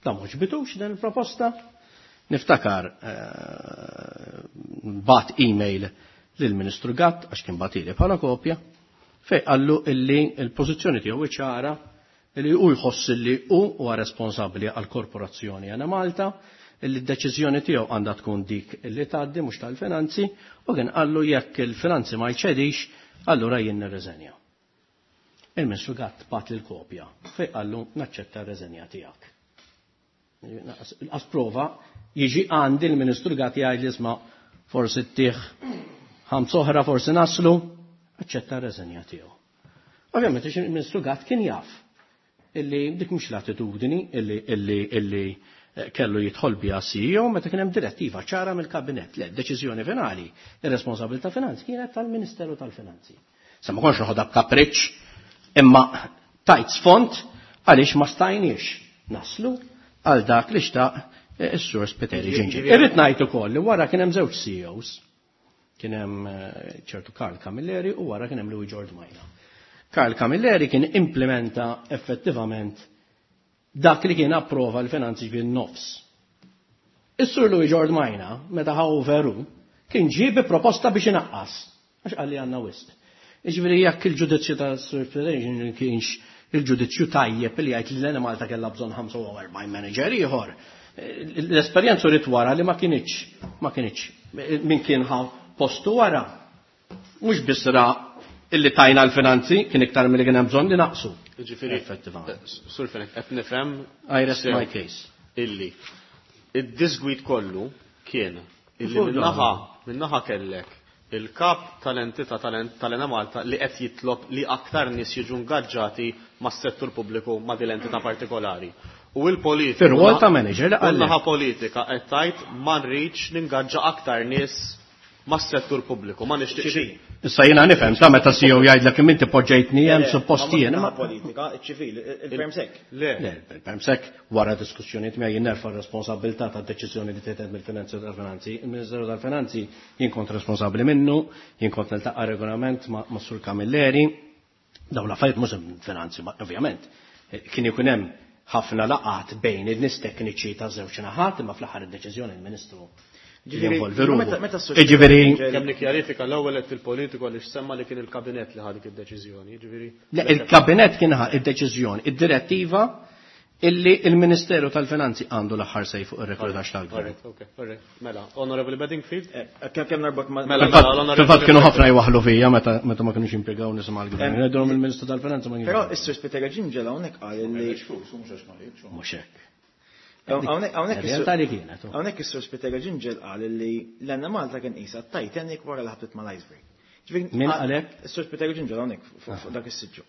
Da mhux bitux din il-proposta. Niftakar bat email lill-Ministru Gatt għax kien batili bħala kopja fej qallu illi l-pożizzjoni tiegħu ċara illi hu jħoss illi hu huwa responsabbli għall-korporazzjoni Enemalta, illi d-deċiżjoni tiegħu għandha tkun dik illi tgħaddi mhux tal-finanzi, u kien qallu jekk il-finanzi ma jċedix, allura jien nirriżenja. Il-Ministru Gatt bat l-kopja fej qallu naċċetta r-reżenja tiegħek. As prova jiġi għandi l-Ministru Gatt jgħid li isma' forsi ttieħ ħams oħra forsi naslu, aċċetta r-reżenja tiegħu. Ovvjament il-Ministru Gatt kien jaf illi dik mhux l-attitudni illi illi illi kellu jidħol biha C E O meta kien hemm direttiva ċara mill-kabinett. Le, deċiżjoni finali, ir-responsabilità finanzi kienet tal-Ministeru tal-Finanzi. Sa ma konx noħodha b'kapriċċ, imma tajt sfond għaliex ma stajniex naslu għal dak li xtaq is-Sur Spiteri Gingell. Irrid ngħid ukoll li wara kien hemm żewġ C E Os. Kien hemm ċertu Karl Camilleri u wara kien hemm Louis Giordmaina. Karl Camilleri kien implementa effettivament dak li kien approva l-finanzi bin-nofs. Is-Sur Louis Giordmaina, meta ħa veru, kien ġie bi proposta biex inaqqas, għax qal li għandna wisq. Jiġifieri jekk il-ġudizzju ta' Sur Spiteri kienx il-ġudizzju tajjeb li jgħid li l-Enemalta kellha bżonn ħamsa u erbgħin manager ieħor, l-esperjenza uriet wara li ma kinitx, ma kinitx min kien ħa postu wara. Mhux biss ra illi tajna l-finanzi kien iktar milli kien hemm bżonn li naqsu. Jiġifieri, Effettivament. Sur Fenech, qed nifhem I rest sew my case. Illi id-disgwid kollu kien illi Fuq minnaħa, dan. minnaħa kellek il-kap tal-entità tal-Enemalta li qed jitlob li aktar nies jiġu ingaġġati mas-settur pubbliku ma' din l-entità partikolari. U l-politika Fir-rwol ta' manager li U l-naħa qal. politika qed tgħid ma nridx ningaġġa aktar nies mas-settur pubbliku, ma nixtieqx. Issa jiena nifhem sa meta C E O jgħidlek kemm inti poġġejtni hemm Le, suppost ma mhux jien, naħa ma politika, iċ-ċivil, il-permsek. Le. Le, il-permsek wara diskussjonijiet miegħi jien nerfa' r-responsabilità tad-deċiżjoni li tieħed mill-Finanzi tal-Finanzi. Il-Ministeru tal-Finanzi jien kont responsabbli minnu, jien kont niltaqa' regolament ma' ma' Sur Camilleri. Dawn l-affarijiet mhux finanzi, ma ovvjament. Kien ikun hemm ħafna laqat bejn in-nies tekniċi ta' żewġ naħat, imma fl-aħħar id-deċiżjoni il-Ministru Ġifieri, jinvolvi ruħu. meta- meta s-soċjetà Jiġifieri ġifieri Kemm nikkjarifika l-ewwel qed il-politiku għaliex semma li kien il-kabinett li ħa dik id-deċiżjoni, jiġifieri Le, il-kabinett kien ħa id-deċiżjoni, id-direttiva illi il-Ministeru tal-Finanzi għandu l-aħħar sej fuq ir-reklutaġġ tal-gvern. Alright, okay, alright. Mela, Honorable Bedingfield? Eh, kemm kemm narbot ma' Mela, Fil-fatt, mela, l-Honorable fil-fatt kienu Bedingfield. ħafna jwaħħlu fija meta, meta ma kinux jimpjegaw nisimgħu l-gvern. Eh, Ngħidulhom il-Ministru tal-Finanzi ma kienx. Però is-Sur Spiteri Gingell hawnhekk qal illi Mhux flus, mhux għax ma rridx. Mhux hekk. Hawnhekk, hawnhekk is-Sur Realtà li kienet, oh. Hawnhekk is-Sur Spiteri Gingell qal illi l-Enemalta kien qisha Titanic wara li ħabtet mal-iceberg. Ġifieri, Min ah, qal hekk? Is-Sur Spiteri Gingell hawnhekk fuq, fuq dak is-siġġu.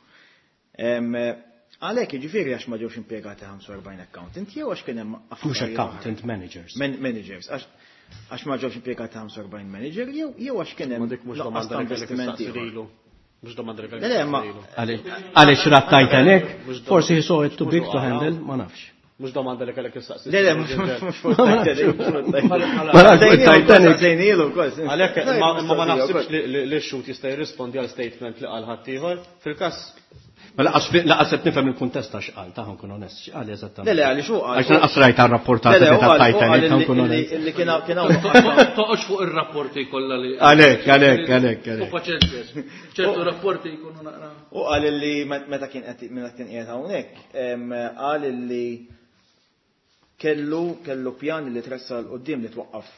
Em, għalhekk jiġifieri għax ma ġewx impjegati ħamsa u erbgħin accountant jew għax kien hemm Mhux affarijiet accountant, oħra? managers. Man-, managers, għax, għax ma ġewx impjegati ħamsa u erbgħin manager jew, jew għax kien hemm Ma dik mhux nuqqas domanda ta' li kellek investimenti tistaqsi ieħor. lilu. Mhux domanda li kellek Le, le, ma tistaqsi lilu. Għaliex, għaliex rat Titanic, Mhux dom- forsi he saw it too mhux big to għala. handle, ma nafx. Mhux domanda li kellek tistaqsi Le, le, lilu. mhux mhux fuq Titanic, mhux fuq Titanic. Ma nafx fuq Titanic. Saqsejnielu wkoll. Għalhekk, ma, ma ma naħsibx li, li, li x-xhud jista' jirrispondi għal statement li qal ħaddieħor. Fil-każ Ma laqas laqas qed nifhem il-kuntest ta' x'qal, ta' nkun onest, x'qal eżattament. Le, le, għaliex hu qal. Għax lanqas rajt għar-rapportat li ta' Titanic, ta' nkun onest. Li kien kien hawn. Toqgħodx fuq ir-rapporti kollha li. Għalhekk, għalhekk, għalhekk, U paċenzja. Ċertu rapporti jkunu naqra. U qal li meta kien qed meta kien qiegħed hawnhekk, qal li kellu kellu pjan li tressal quddiem li twaqqaf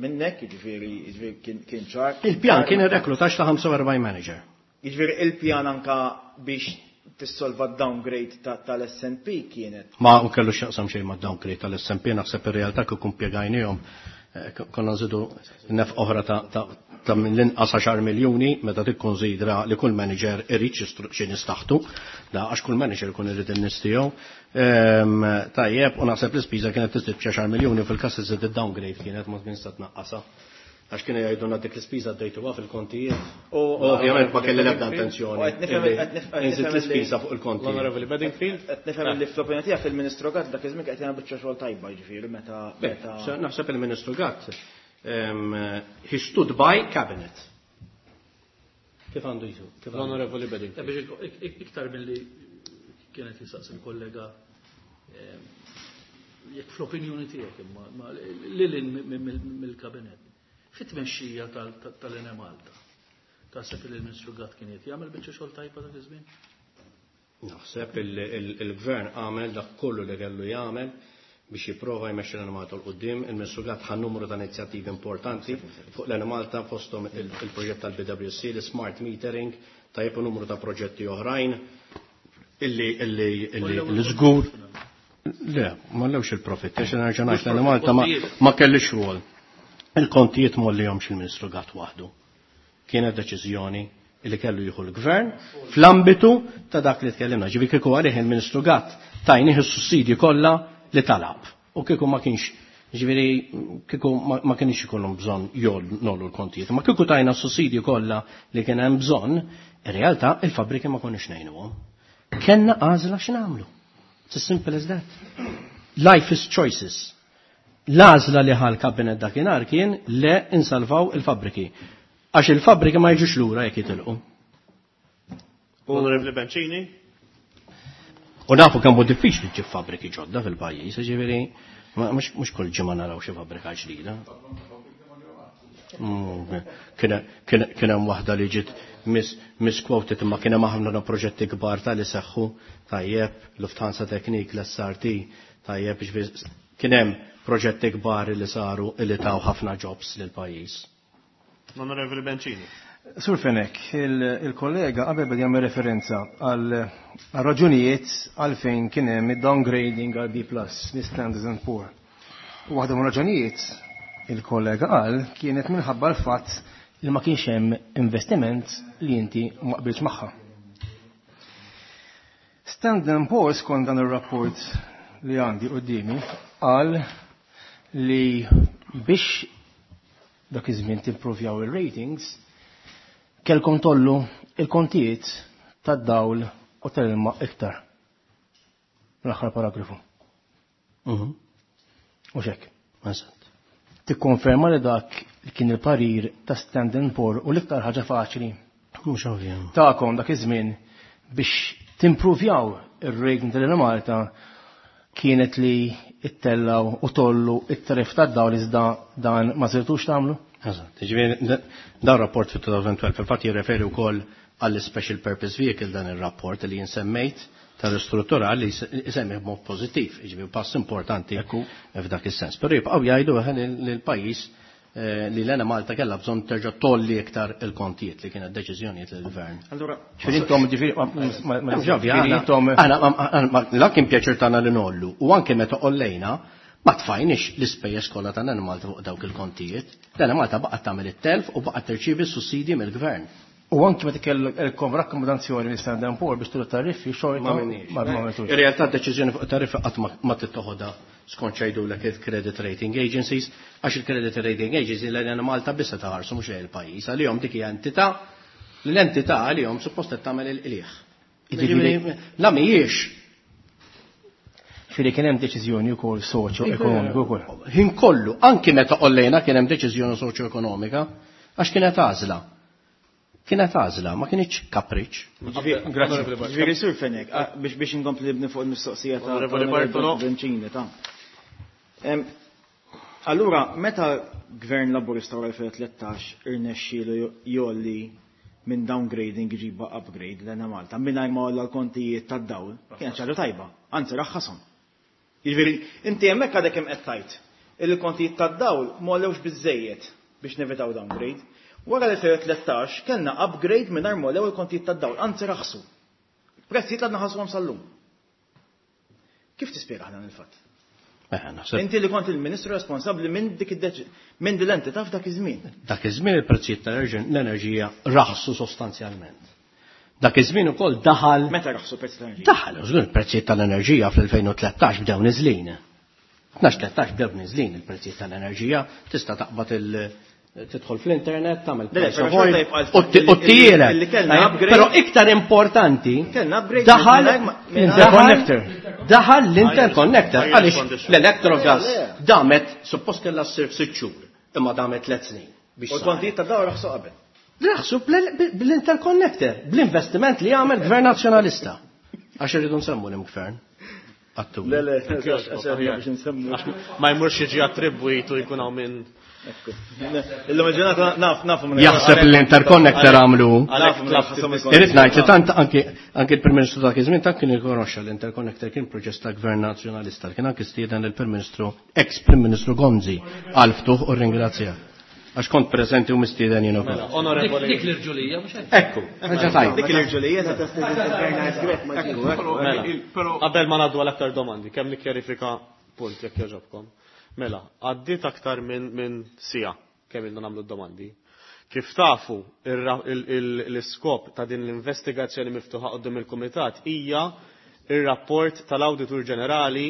minnek, jiġifieri jiġifieri kien ċar. Il-pjan kien ir-reklutaġġ ta' ħamsa u erbgħin manager. Jiġifieri il-pjan anka biex tissolva d-downgrade tal-S and P kienet. Ma u kellu x'jaqsam xejn ma' downgrade tal-S and P, naħseb ir-realtà kif impjegajnihom, konna nżidu nef oħra ta' ta' minn l-inqas għaxar miljuni meta tikkonsidra li kull manager irid xi nistaħtu, da għax kull manager ikun irid in-nies tiegħu. Tajjeb, u naħseb l-ispiża kienet tiżdied b'xi għaxar miljuni fil-każ iżid id-downgrade kienet ma kienx se tnaqqasha. Għax kienu jgħidulna dik l-ispiża għaddejtuha fil-kontijiet. U ovvjament ma kelli l-ebda intenzjoni. U qed nifhem qed nifhem Inżid l-ispiża fuq il-kontijiet. L-Onorevoli Bedingfield. Qed nifhem li fl-opinjoni tiegħek il-Ministru Gatt dak iż-żmien qed jagħmel biċċa xogħol tajba, jiġifieri meta meta Naħseb il-Ministru Gatt he stood by cabinet. Kif għandu jisu? Kif għandu? L-Onorevoli Bedingfield. Biex iktar milli kienet jistaqsi il-kollega, jekk fl-opinjoni tiegħek imma lil mill-kabinet. Fit-tmexxija tal-Enemalta. Taħseb li l-Ministru Gatt kien qed jagħmel biċċa xogħol tajba dak iż-żmien? Naħseb il-gvern għamel dak kollu li kellu jagħmel biex jipprova jmexxi l-Enemalta 'l quddiem. Il-Ministru Gatt ħa numru ta' inizjattivi importanti fuq l-Enemalta fosthom il-proġett tal-B W C, l-smart metering, tajjeb u numru ta' proġetti oħrajn illi illi illi l-żgur. Le, ma lewx il-profitt, għax nerġa' ngħid l-Enemalta ma kellix rwol. Il-kontijiet mollihomx il-Ministru Gatt waħdu. Kienet deċiżjoni li kellu jieħu l-gvern fl-ambitu ta' dak li tkellimna. Ġifieri kieku għalih il-Ministru Gatt tajnih is-sussidji kollha li talab. U kieku ma kienx, ġifieri kieku ma kienx ikollhom bżonn nollu l-kontijiet. Ma kieku tajna s-sussidji kollha li kien hemm bżonn, in realtà il-fabbriki ma konniex ngħinuhom. Kellna għażla x'nagħmlu. It's as simple as that. Life is choices. L-għażla li ħal kabinet dakinhar kien le insalvaw il-fabbriki. Għax il-fabbriki ma jiġux lura jekk jitilqu. Onorevoli Bencini. U nafu kemm hu diffiċli ġib fabbriki ġodda fil-pajjiż, ġifieri mhux kull ġimgħa naraw xi fabbrika ġdida. Kien hemm waħda li ġiet misquoted imma kien hemm aħna proġetti kbar tal-li seħħu tajjeb, Lufthansa Technik, l-S R T, tajjeb, ġifieri kien hemm proġetti kbar li saru li taw ħafna jobs lil pajjiż. Onorevoli Bencini. Sur Fenech, il-kollega qabel beda jagħmel referenza għal raġunijiet għalfejn kien hemm id-downgrading għal B plus minn Standard and Poor. U waħda mill raġunijiet il-kollega qal kienet minħabba l-fatt li ma kienx hemm investiment li inti ma qbilx magħha. Standard and Poor skont dan ir-rapport li għandi quddiemi qal li biex dak iż-żmien timprovjaw ir-ratings kellkom tollu il-kontijiet tad-dawl u tal-ilma iktar. L-aħħar paragrafu. Mhm. U xek. Eżatt. Tikkonferma li dak li kien il-parir ta' Standard and Poor u l-iktar ħaġa faċli. Mhux ovvja. Tagħkom dak iż-żmien biex timprovjaw ir-rating tal-Enemalta kienet li ittellaw u tollu it-tarif tad-dawl iżda dan ma sirtux tagħmlu? Eżatt. Ġifieri dan rapport fit twenty twelve fil-fatt jirreferi wkoll għall special purpose vehicle dan ir-rapport li jinsemmejt tal-istruttura li jsemmi b'mod pożittiv, jiġifieri pass importanti f'dak is-sens. Però jibqgħu jgħidu eħe li l-pajjiż li l-Enemalta kellha bżonn terġa' tolli iktar il-kontijiet li kienet deċiżjonijiet lill-gvern. Allura, ġifieri intom, ġifieri, ma, ma, ma, ma, Ġifieri, ġifieri aħna, intom aħna, ma, ma, ma, la kien pjaċir tagħna li nollu u anke meta qollejna ma tfajniex l-ispejjeż kollha tal-Enemalta fuq dawk il-kontijiet. L-Enemalta baqgħet tagħmel it-telf u baqgħet tirċievi s-sussidji mill-gvern. U anke meta kellkom rakkomandazzjoni minn Standard and Poor biex tullu tariffi xorta Ma minniex. ma għamiltux. Ir-realtà d-deċiżjoni fuq tariffi qatt ma, ma tittoħodha skont x'jgħidulek il-credit rating agencies, għax il-credit rating agencies l-Enemalta biss taħarsu mhux il-pajjiż, għalihom dik hija entità li l-entità għalihom suppost qed tagħmel il-qligħ. Jiġifieri La mhijiex. Ġifieri kien hemm deċiżjoni wkoll soċjo-ekonomika wkoll. Ħin kollu, anki meta qollejna kien hemm deċiżjoni soċjo-ekonomika, għax kienet għażla. Kienet għażla, ma kienx kapriċ. Grazzi. Ġifieri Sur Fenech, biex biex inkompli nibni fuq il-mistoqsija ta' Onorevoli Bencini ta'. Allura, meta Gvern Laburista wara elfejn u tlettax irnexxielu jolli minn downgrading iġiba upgrade l-Enemalta, mingħajr ma għolla l-kontijiet tad-dawl, kienet ħaġa tajba, anzi raħħashom. Jiġifieri, inti hemmhekk għadek hemm qed tgħid il-kontijiet tad-dawl ma għollewx biżejjed biex nevitaw downgrade. Wara l-elfejn u tlettax kellna upgrade mingħajr ma għollew il-kontijiet tad-dawl, anzi raħsu. Prezzijiet għadna ħassuhom sal-lum. Kif tispjega dan il-fatt? Inti li kont il-ministru responsabbli minn dik id-deċ minn din l-entità f'dak iż-żmien. Dak iż-żmien il-prezzijiet tal-enerġija raħsu sostanzjalment. Dak iż-żmien ukoll daħal. Meta raħsu prezz tal-enerġija? Daħal, żgur il-prezzijiet tal-enerġija fl-elfejn u tlettax bdew niżlin. Tnax tlettax bdew niżlin il-prezzijiet tal-enerġija, tista' taqbad il- tidħol fl-internet, tagħmel price of oil u ttielek. Però iktar importanti daħal l-interconnector. Daħal l-interconnector għaliex l-electrogas damet suppost kellha ssir f'sitt xhur, imma damet tliet snin. U l-kontijiet ta' dawl raħsu qabel. Raħsu bl-interconnector, bl-investiment li għamel Gvern Nazzjonalista. Għax irridu nsemmu l-gvern. Le, le, ma jmurx jiġi attribwitu jkun hawn minn. Illum il-ġurnata naf nafu minn. Jaħseb l-interconnector għamlu. Irrid ngħid li tant anki anki l-Prim Ministru dak iż-żmien tant kien irkonoxxa l-interconnector kien proġett ta' Gvern Nazzjonalista, kien anki stieden il-Prim Ministru, ex-Prim Ministru Gonzi għal ftuħ u ringrazzja. Għax kont preżenti u mistieden jien ukoll. Dik l-irġulija mhux hekk. Ekku, ħaġa tajba. Dik l-irġulija ta' Qabel ma ngħaddu għal aktar domandi, kemm nikkjarifika punt jekk jogħġobkom. Mela, għaddiet aktar minn min sija kemm ilna nagħmlu d-domandi. Kif tafu l-iskop ta' din l-investigazzjoni miftuħa quddiem il-Kumitat hija ir-rapport tal-Awditur Ġenerali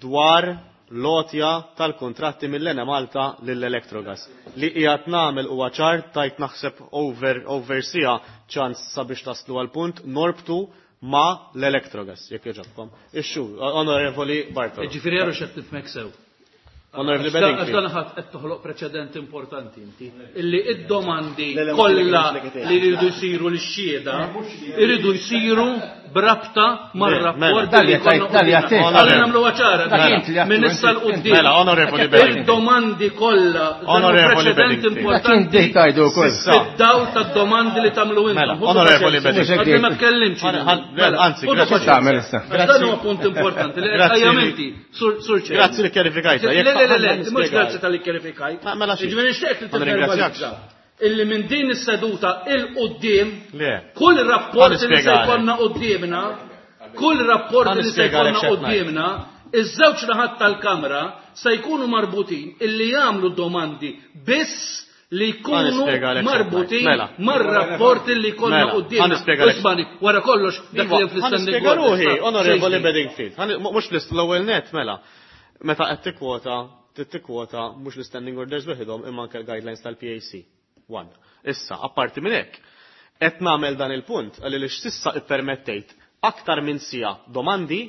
dwar l-għotja tal-kontratti mill-Enemalta lill-Electrogas. Li qiegħed nagħmel huwa ċar tajt naħseb over over sija ċans sabiex taslu għal punt norbtu ma l-Electrogas, jekk jogħġobkom. Ixxu, Onorevoli Bartolo. Ġifieri għaru x'qed tifhmek sew. Onorevoli Għax Bedingfield. dan ħadd qed toħloq preċedent importanti inti. Illi id-domandi kollha li jridu jsiru lix-xhieda iridu jsiru brabta mar-rapport li jkollna qudiemna. Ħalli nagħmluha ċara. Minn issa l quddiem. Mela, Onorevoli Bedingfield. Id-domandi kollha dan huwa preċedent importanti. Fid-dawl tad-domandi li tagħmlu intom. Onorevoli Bedingfield. Għadni ma tkellimx. Anzi, grazzi. Dan huwa punt importanti li qed qajjamenti, Sur Chair. Grazzi li kjarifikajta. Le, le, le, le, mhux grazzi tal-li kjarifikajt. Mela xi. Ġifieri nixtieq li Ma nirringrazzjakx. tivverbalizza illi minn din is-seduta il quddiem Le. kull rapport li se nispjegalek. jkollna quddiemna, kull rapport Ħa li se nispjegalek jkollna x'qed quddiemna, iż-żewġ naħat tal-Kamra se jkunu marbutin illi jagħmlu domandi biss li jkunu nispjegalek x'qed marbutin ngħid. Mela. mar-rapport li jkollna Mela, ħa quddiemna. nispjegalek. Ismani, wara kollox dak li hemm fl-istanding Nispjega ruħi, orders. Onorevoli Bedingfield. Ħa- Mhux l-ewwel net, mela. Meta qed tikkwota, tikkwota mhux l-standing orders weħidhom imma anke l-guidelines tal-P A C. One. Issa, apparti minn hekk, qed nagħmel dan il-punt għalli li x'sissa ippermettejt aktar minn sija domandi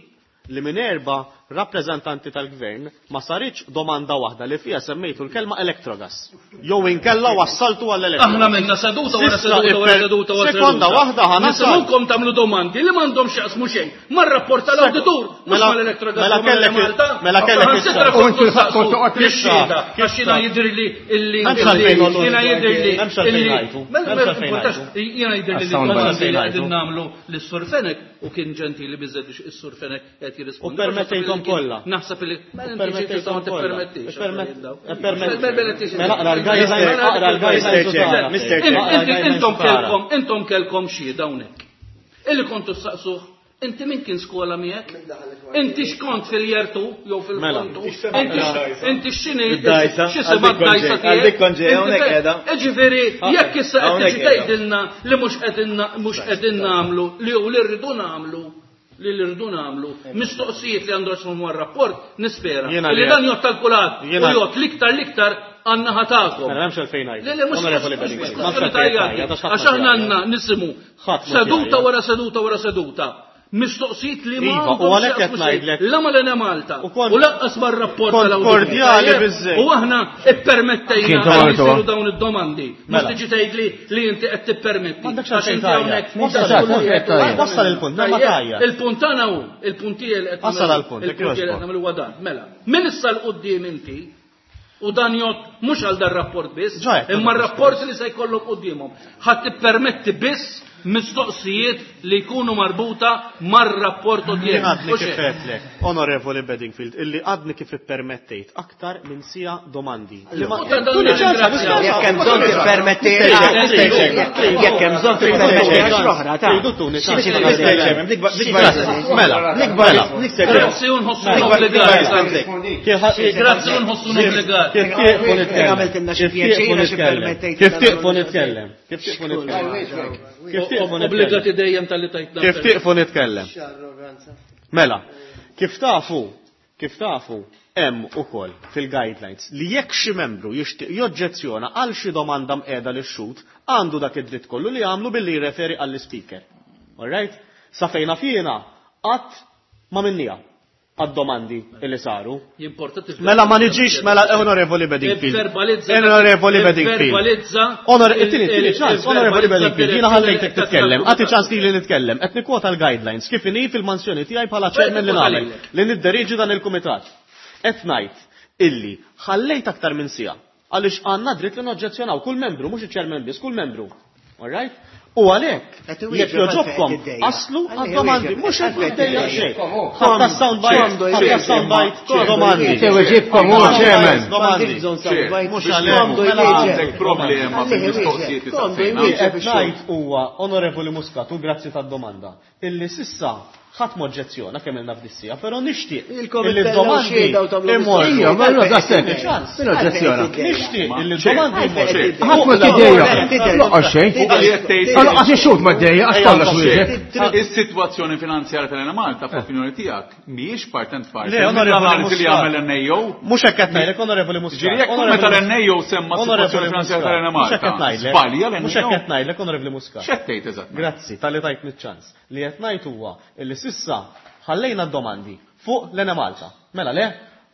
li minn erba' rappreżentanti tal-gvern ma saritx domanda waħda li fija semmejtu l-kelma Electrogas. Jew inkella wassaltu għall-Electrogas. Aħna minna seduta wara Sissa seduta wara ipper- seduta wara Sekonda seduta. waħda ħa nasal. Nisimgħukom tagħmlu domandi li m'għandhom x'jaqsmu xejn. Mar-rapport tal-awditur, mhux Mela- mal-Electrogas mela u mal-Enemalta. kellek il- mela kellek Aħna issa. sitra U kont inti saqsu kont toqgħod lix-xhieda, issa. għax jiena jidhirli illi M'hemmx għalfejn illi- noqgħod jiena jidhirli M'hemmx għalfejn illi- ngħidu. Mela, M'hemmx mela, għalfejn importax, ngħidu. jiena jidhirli li Sound domandi li bite. qegħdin nagħmlu lis-Sur Fenech u kien ġentili biżżejjed biex is-Sur Fenech qed jirrispondi. U permettejthom kollha. Naħseb li mela inti xi tista' ma tippermettix. Mela aqra l-guidelines, aqra l-guidelines u tara. Mister Inti- Aqra l-guidelines Intom u tara. kelkom, intom kelkom xhieda hawnhekk. Illi kontu saqsuh, inti min kien skola miegħek? Inti x'kont fil-jertu jew fil-kontu? Inti x- Inti x'inhi Id-dajsa, x'isima għal dik d-dajsa konġej, għal dik tiegħek? konġej, Inti hawnhekk fe- qiegħda. Ġifieri, jekk issa qed Hawnhekk tiġi qiegħda. tgħidilna li mhux qegħdin mhux qegħdin nagħmlu li u li rridu nagħmlu li li rridu nagħmlu mistoqsijiet li għandu x'huma mar-rapport, nispera Jiena li li- dan jgħod tal-kulħadd u Jiena- jgħod l-iktar l-iktar għan-naħa tagħkom. Mela m'hemmx għalfejn ngħidu. Le, le, mhux Onorevoli mhux- Bedingfield, mhux m'hemmx kwestjoni għalfejn ta' ngħidu, jgħaddi. Għax aħna għandna nisimgħu Ħadd mhux seduta jgħajjat. wara seduta wara seduta Mistoqsijiet li ma Iva, u għalhekk qed ngħidlek. La ma l Malta. U kont- U lanqas mar-rapport kont tal-awditur. kordjali Tajjeb? biżżejjed. U aħna ippermettejna Kien li tagħmel jsiru tuha. dawn id-domandi. Mhux Mela. tiġi tgħidli li inti qed tippermetti. M'għandekx Għax għalfejn inti tgħajjat. hawnhekk Wassal dak il-punt. kollu qed tgħid. Wassal il-punt, ma Tajjeb, tgħajjat. Il-punt tagħna hu, il-punt tiegħi li qed Wassal nagħmlu- għall-punt, jekk il-punt tiegħi li qed jogħġbok. nagħmlu huwa dan. Mela, min issa 'l quddiem inti u dan jgħod mhux għal dan rapport biss, Ġa qed imma nagħmlu r-rapport li se jkollhom quddiemhom. Ħadd tippermetti biss mistoqsijiet li jkunu marbuta mar-rapport Jien odjern. għadni Mhux kif hekk. għedtlek, Onorevoli Bedingfield, illi għadni kif ippermettejt aktar minn sija domandi. Li ma- U ta' dan Tuni ċans, ringrazzjaw. Jekk hemm bżonn tippermetti jekk hemm bżonn tippermetti għax oħra ta' Tridu tuni ċans. Mela, Mela, mela. Grazzi u nħossu obbligati. Grazzi u nħossu obbligati. Kif tieqfu nitkellem? Għamiltilna xi Kif tieqfu pjaċir għax nitkellem? ippermettejt Kif tieqfu nitkellem? Kif tieqfu nitkellem? Kif tieqfu nitkellem? Obbligati dejjem tal-li tajtna. Kif tieqfu nitkellem? Mela, kif tafu, kif tafu, hemm ukoll fil-guidelines li jekk xi membru jixtieq joġġezzjona għal xi domanda mqiegħda lix-xhud, għandu dak id-dritt kollu li jagħmlu billi jirreferi għall-speaker. All right? Sa fejna fjena qatt ma minnija għad-domandi li saru. Jimporta tifhem. Mela ma niġix, mela Onorevoli Bedingfield. Ivverbalizza- Onorevoli Bedingfield. Ivverbalizza. Onor, it-tieni, it-tieni ċans, Onorevoli Ivverbalizza Bedingfield, jiena ħallejtek titkellem, tal-kumitat. għati ċans li nitkellem, qed nikkwota l-guidelines, kif inhi fil-mansjoni tiegħi bħala chairman li Nikkwota nagħmel, lilek. li nidderiġi dan il-kumitat. Qed ngħid illi ħallejt aktar minn sija għaliex għandna dritt li noġġezzjonaw kull membru, mhux iċ-chairman biss, kull membru. All right? U għalhekk, Qed iwieġeb jekk joġobkom, għalfejn tiddejjaq. aslu Għalfejn għad-domandi, iwieġeb, mhux qed għalfejn niddejjaq tiddejjaq. xejn. Ħatta sound bite, ħatta sound bite, domandi. Iweġibkom hu chairman. Domandi. Mhux għalhekk. Mela għandek problema fil-mistoqsijiet li saqsejna. Li qed ngħid huwa Onorevoli Muscat u grazzi tad-domanda illi sissa ħadd m'oġġezzjona kemm ilna f'dissija, però nixtieq Ilkom illi ittellgħu d-domandi xhieda u tagħmlu imorru. Ija, ma allura da sekk. Ċans. Min oġġezzjona? Nixtieq illi d-domandi imorru. Ħadd ma tiddejjaq. Loqgħod xejn. Allora għax ix-xhud ma ddejjaq għax kollox wieġeb. Is-sitwazzjoni finanzjarja tal-Enemalta f'opinjoni tiegħek mhijiex part and parcel. Le, Onorevoli L-analiżi li Muscat. jagħmel l-NAO. Mhux hekk qed ngħidlek Onorevoli Muscat. Ġifieri jekk Onorevoli meta Muscat. l-NAO semma s-sitwazzjoni Onorevoli finanzjarja Muscat. tal-Enemalta. Mhux hekk qed ngħidlek. Żbalja Mhux hekk l-NAO. qed ngħidlek Onorevoli Muscat. X'qed tgħid eżattament? Grazzi, tal-li tajtni ċans. Li qed ngħid huwa illi sissa ħallejna d-domandi fuq l-Enemalta. Mela le,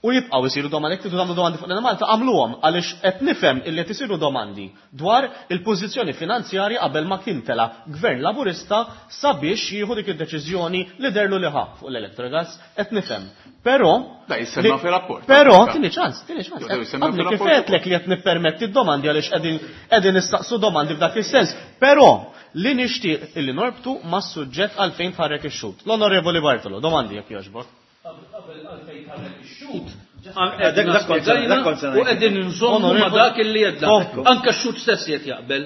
u jibqgħu jsiru domandi, jekk tridu tagħmlu domandi fuq l-Enemalta, għamluhom għaliex qed nifhem illi qed isiru domandi dwar il-pożizzjoni finanzjarja qabel ma kien tela gvern Laburista sabiex jieħu dik id-deċiżjoni li derlu li ħa fuq l-Electrogas, qed nifhem. Però Da jissemma li- fir-rapport. Però tini ċans, tini ċans. Jew jissemma Għadni kif fir-rapport għedtlek li qed nippermetti d-domandi għaliex qegħdin qegħdin nistaqsu domandi f'dak is-sens. Però li nixtieq illi norbtu mas-suġġett għalfejn tħarrek ix-xhud. L-Onorevoli Bartolo, domandi jekk jogħġbok. Qabel għalfejn tħarrek ix-xhud. Dak- dak kont se- dak kont se U ngħid. qegħdin nżommu ma Onorevoli- dak illi jedna. Komplu. Anka x-xhud stess qed jaqbel.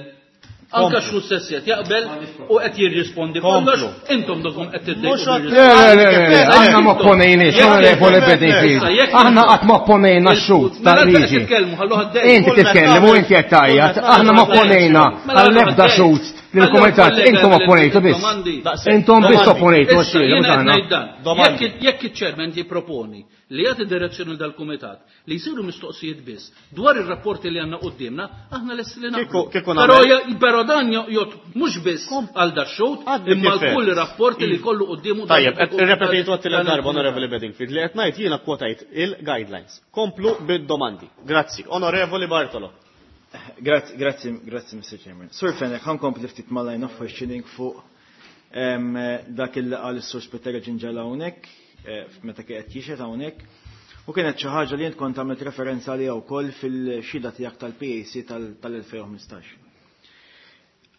Anka Komplu. x-xhud stess qed jaqbel u qed jirrispondi Komplu. kollox. Intom dokom qed Mhux tiddejqu. għad- Le, le, le, le, le, aħna ma opponejniex, Onorevoli Bedingfield. Aħna qatt ma opponejna x-xhud tal-liġi. Inti titkellem u inti qed tgħajjat, aħna ma opponejna għall-ebda xhud lill-kumitat, intom opponejtu biss. Intom biss opponejtu Issa, għax-xhieda jiena mhux qed aħna. ngħid dan. Domandi. Jekk jekk iċ-chairman jipproponi li jagħti direzzjoni dal-kumitat li jsiru mistoqsijiet biss dwar ir-rapporti li għandna quddiemna, aħna lesti li naqblu. Kieku- kieku Però nagħmel- ja- però dan jgħod mhux biss għal dax-xhud, Għadni imma kif kull għedt. rapport li kollu quddiemu dan Tajjeb, qed irrepetejtu dan għat-tielet darba il-kumitat. Onorevoli Bedingfield li qed ngħid jiena kwotajt il-guidelines. Komplu bid-domandi. Grazzi. Onorevoli Bartolo. Grazzi, grazzi, grazzi, Mr. Chairman. Sur Fenech, ħa nkompli ftit mal-line of questioning fuq em, dak il qal is-Sur Spiteri Gingell hawnhekk, eh, meta kien qed jixhed hawnhekk. U kienet xi ħaġa li int kont għamilt referenza għaliha wkoll fil-xhieda tiegħek tal-PAC tal-elfejn u ħmistax.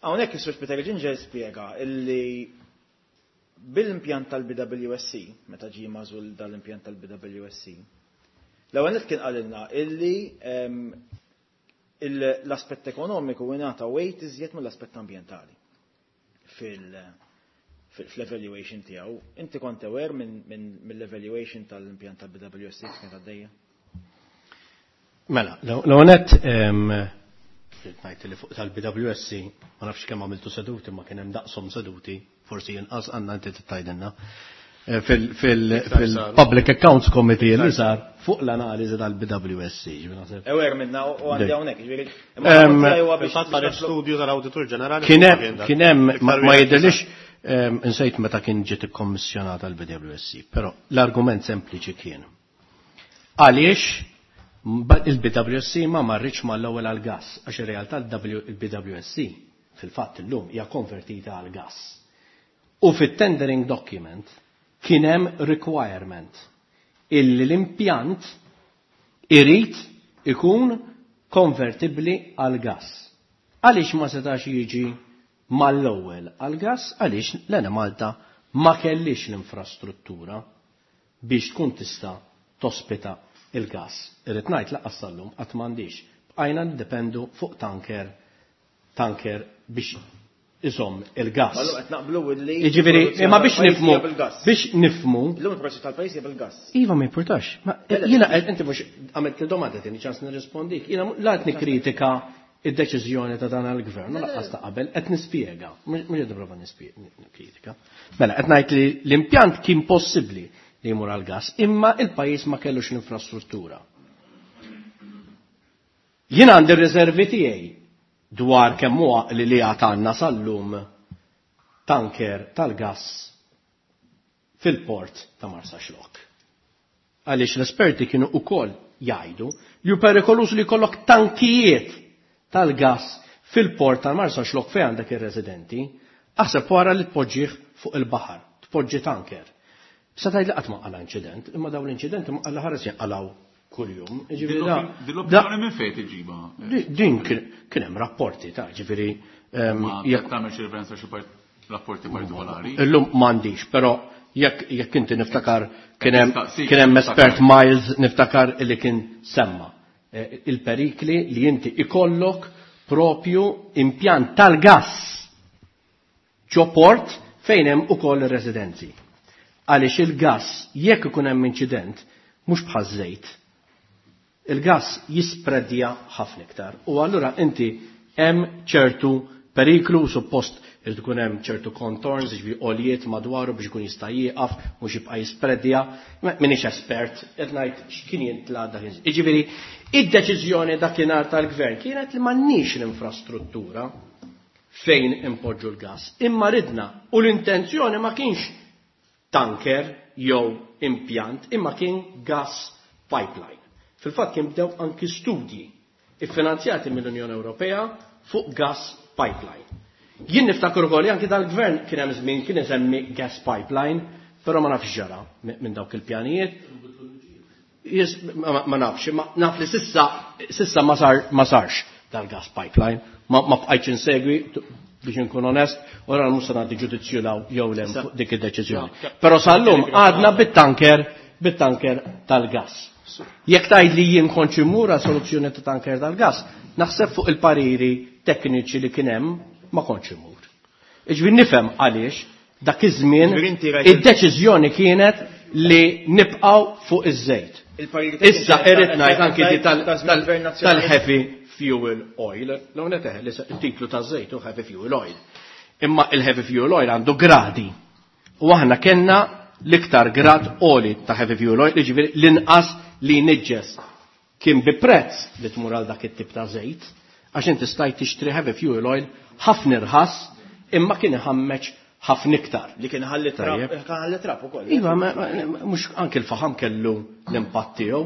Hawnhekk is-Sur Spiteri Gingell spjega illi bil-impjant tal-BWSC, meta ġie magħżul dal-impjant tal-BWSC, l-ewwel nett kien qalilna illi em, il- l-aspett ekonomiku ingħata weight iżjed mill-aspett ambjentali fil- fil- fl-evaluation tiegħu. Inti kont aware minn minn- mill-evaluation tal-impjant tal-BWSC kif kienet għaddejja? Mela, l-għonet, ngħid li fuq tal-BWSC, ma nafx kemm għamiltu seduti, ma kien hemm daqshom seduti, forsi jinqas għandna inti tgħidilna. Eh, fil- fil- Fil-Public Accounts Committee li sar fuq l-analiżi tal-BWSC. ġifieri naħseb. Aware minna u u għandi Dej. hawnhekk, ġifieri. Em, Imma huwa biex Fil-fatt ħareġ studju tal-Awditur Ġenerali. Kien hemm, kien hemm, ma ma jidhirlix Insejt meta kien ġiet ikkommissjonata l-B W S C, però l-argument sempliċi kien: għaliex il-B W S C ma marritx mal-ewwel għal-gas, għax ir-realtà il-B W S C fil-fatt illum hija konvertita għal-gas. U fit-tendering document kien hemm requirement illi l-impjant irid ikun konvertibli għal gas. Għaliex ma setax jiġi mal-ewwel għal-gas? Għaliex l-Enemalta ma kellix l-infrastruttura biex tkun tista' tospita il-gas. Irrid ngħid lanqas sal-lum qatt m'għandix. Bqajna niddependu fuq tanker tanker biex iżomm il-gas. Mallu qed naqblu li Jiġifieri, imma biex nifmu, biex nifmu. Illum il-produzzjoni tal-pajjiż hija bil-gas. Iva, ma importax. Ma jiena inti mhux għamilt domanda, tini ċans nirrispondik. Jiena la qed nikkritika id-deċiżjoni ta' dan il-gvern, u lanqas ta' qabel, qed nispjega, mhux qed nipprova niskritika. Mela, qed ngħid li l-impjant kien possibbli li jmur għal-gas, imma il-pajjiż ma kellux l-infrastruttura. Jien għandi r-riservi tiegħi dwar kemm huwa li li għandna sal-lum tanker tal-gas fil-port ta' Marsaxlokk. Għaliex l-esperti kienu ukoll jgħidu li hu perikoluż li jkollok tankijiet tal-gas fil-port ta' Marsaxlokk fejn għandek ir-residenti, aħseb wara li tpoġġih fuq il-baħar, tpoġġi tanker. Sa tgħid li qatt ma qala inċident, imma dawn l-inċidenti ma qala ħares jinqalaw kuljum. Jiġifieri da- Din l-opinjoni minn fejn tiġiba? Di- Din kien kien hemm rapporti ta' ġifieri ehm, Ma jekk tagħmel xi referenza xi part- rapporti partikolari? Illum m'għandix, però jekk jekk inti niftakar kien hemm Nistaqsik, kien hemm niftakar. espert Miles, niftakar li kien semma eh, il-perikli li inti ikollok propju impjant tal-gas ġo port fejn hemm ukoll ir-residenzi. Għaliex il-gas jekk ikun hemm inċident mhux bħaż-żejt. Il-gas jispredja ħafna iktar. U allura inti hemm ċertu periklu, suppost irid ikun hemm ċertu contours, jiġifieri għoljiet madwaru biex ikun jista' jieqaf, mhux jibqa' jispredja. M'iniex espert, qed ngħid x'kien jintla dak. Jiġifieri id-deċiżjoni dakinhar tal-gvern kienet li m'għandniex l-infrastruttura fejn impoġġu l-gas. Imma ridna u l-intenzjoni ma kienx tanker jew impjant, imma kien gas pipeline. Fil-fatt kien bdew anki studji iffinanzjati mill-Unjoni Ewropea fuq gas pipeline. Jien niftakar ukoll li anki dal-gvern kien hemm żmien kien isemmi gas pipeline, però ma nafx ġara minn dawk il-pjanijiet. Yes, ma, ma nafx, ma naf li sissa, sissa ma, sar, ma sarx dal-gas pipeline, ma, ma bqajtx insegwi biex nkun onest, ora mhux se nagħti ġudizzju law jew le fuq dik id-deċiżjoni. Però sal-lum għadna bit-tanker bit-tanker tal-gas. Jekk tgħid li jien kontx immur għal soluzzjoni ta' tanker tal-gas, naħseb fuq il-pariri tekniċi li kien hemm ma kontx immur. Iġifieri nifhem għaliex dak iż-żmien Ġifieri inti rajt id-deċiżjoni kienet li nibqgħu fuq iż-żejt. Il-pariri Issa irrid ngħid anki di tal- ta' żmien tal- Gvern Nazzjonali. tal-heavy fuel oil. L-għonet eħe, li il-titlu taż-żejt hu heavy fuel oil. Imma il-heavy fuel oil għandu gradi. U aħna kellna l-iktar grad għoli ta' heavy fuel oil, jiġifieri l-inqas li niġġes. Kien bi prezz li tmur għal dak it-tip ta' żejt, għax inti stajt tixtri heavy fuel oil ħafna irħas, imma kien iħammeġ ħafna iktar. Li kien ħalli trab, Tajjeb. kien ħalli trab ukoll. Iva, ma- ma- mhux anke l-faħam kellu l-impatt tiegħu.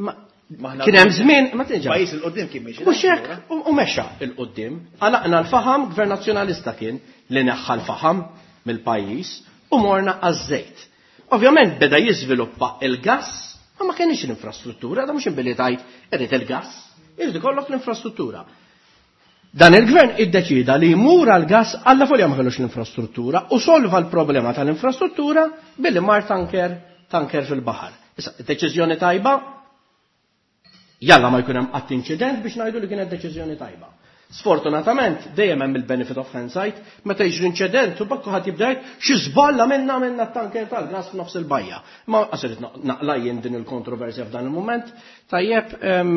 Imma Maħna- kien hemm żmien, ma tinġa. Pajjiż 'il quddiem kien miexi. Mhux hekk, u u mexa 'il quddiem. Għalaqna l-faħam, gvern nazzjonalista kien li neħħa l-faħam mill-pajjiż u morna għaż-żejt. Ovvjament beda jiżviluppa il-gas, ma ma kienx l-infrastruttura, da mhux imbilli tajt irid il-gas, irid ikollok l-infrastruttura. Dan il-gvern iddeċida li jmur għal gas għalla folja ma kellux l-infrastruttura u solva l-problema tal-infrastruttura billi mar tanker tanker fil-baħar. Issa, deċiżjoni tajba, jalla ma jkun hemm qatt inċident biex ngħidu li kienet deċiżjoni tajba. Sfortunatament, dejjem hemm il-benefit of hindsight, meta jiġri inċident u bakku ħadd jibda jgħid xi żballa minna minna t-tanker tal-gas f'nofs il-bajja. Ma qasirt naqla jien din il-kontroversja f'dan il-moment, tajjeb em,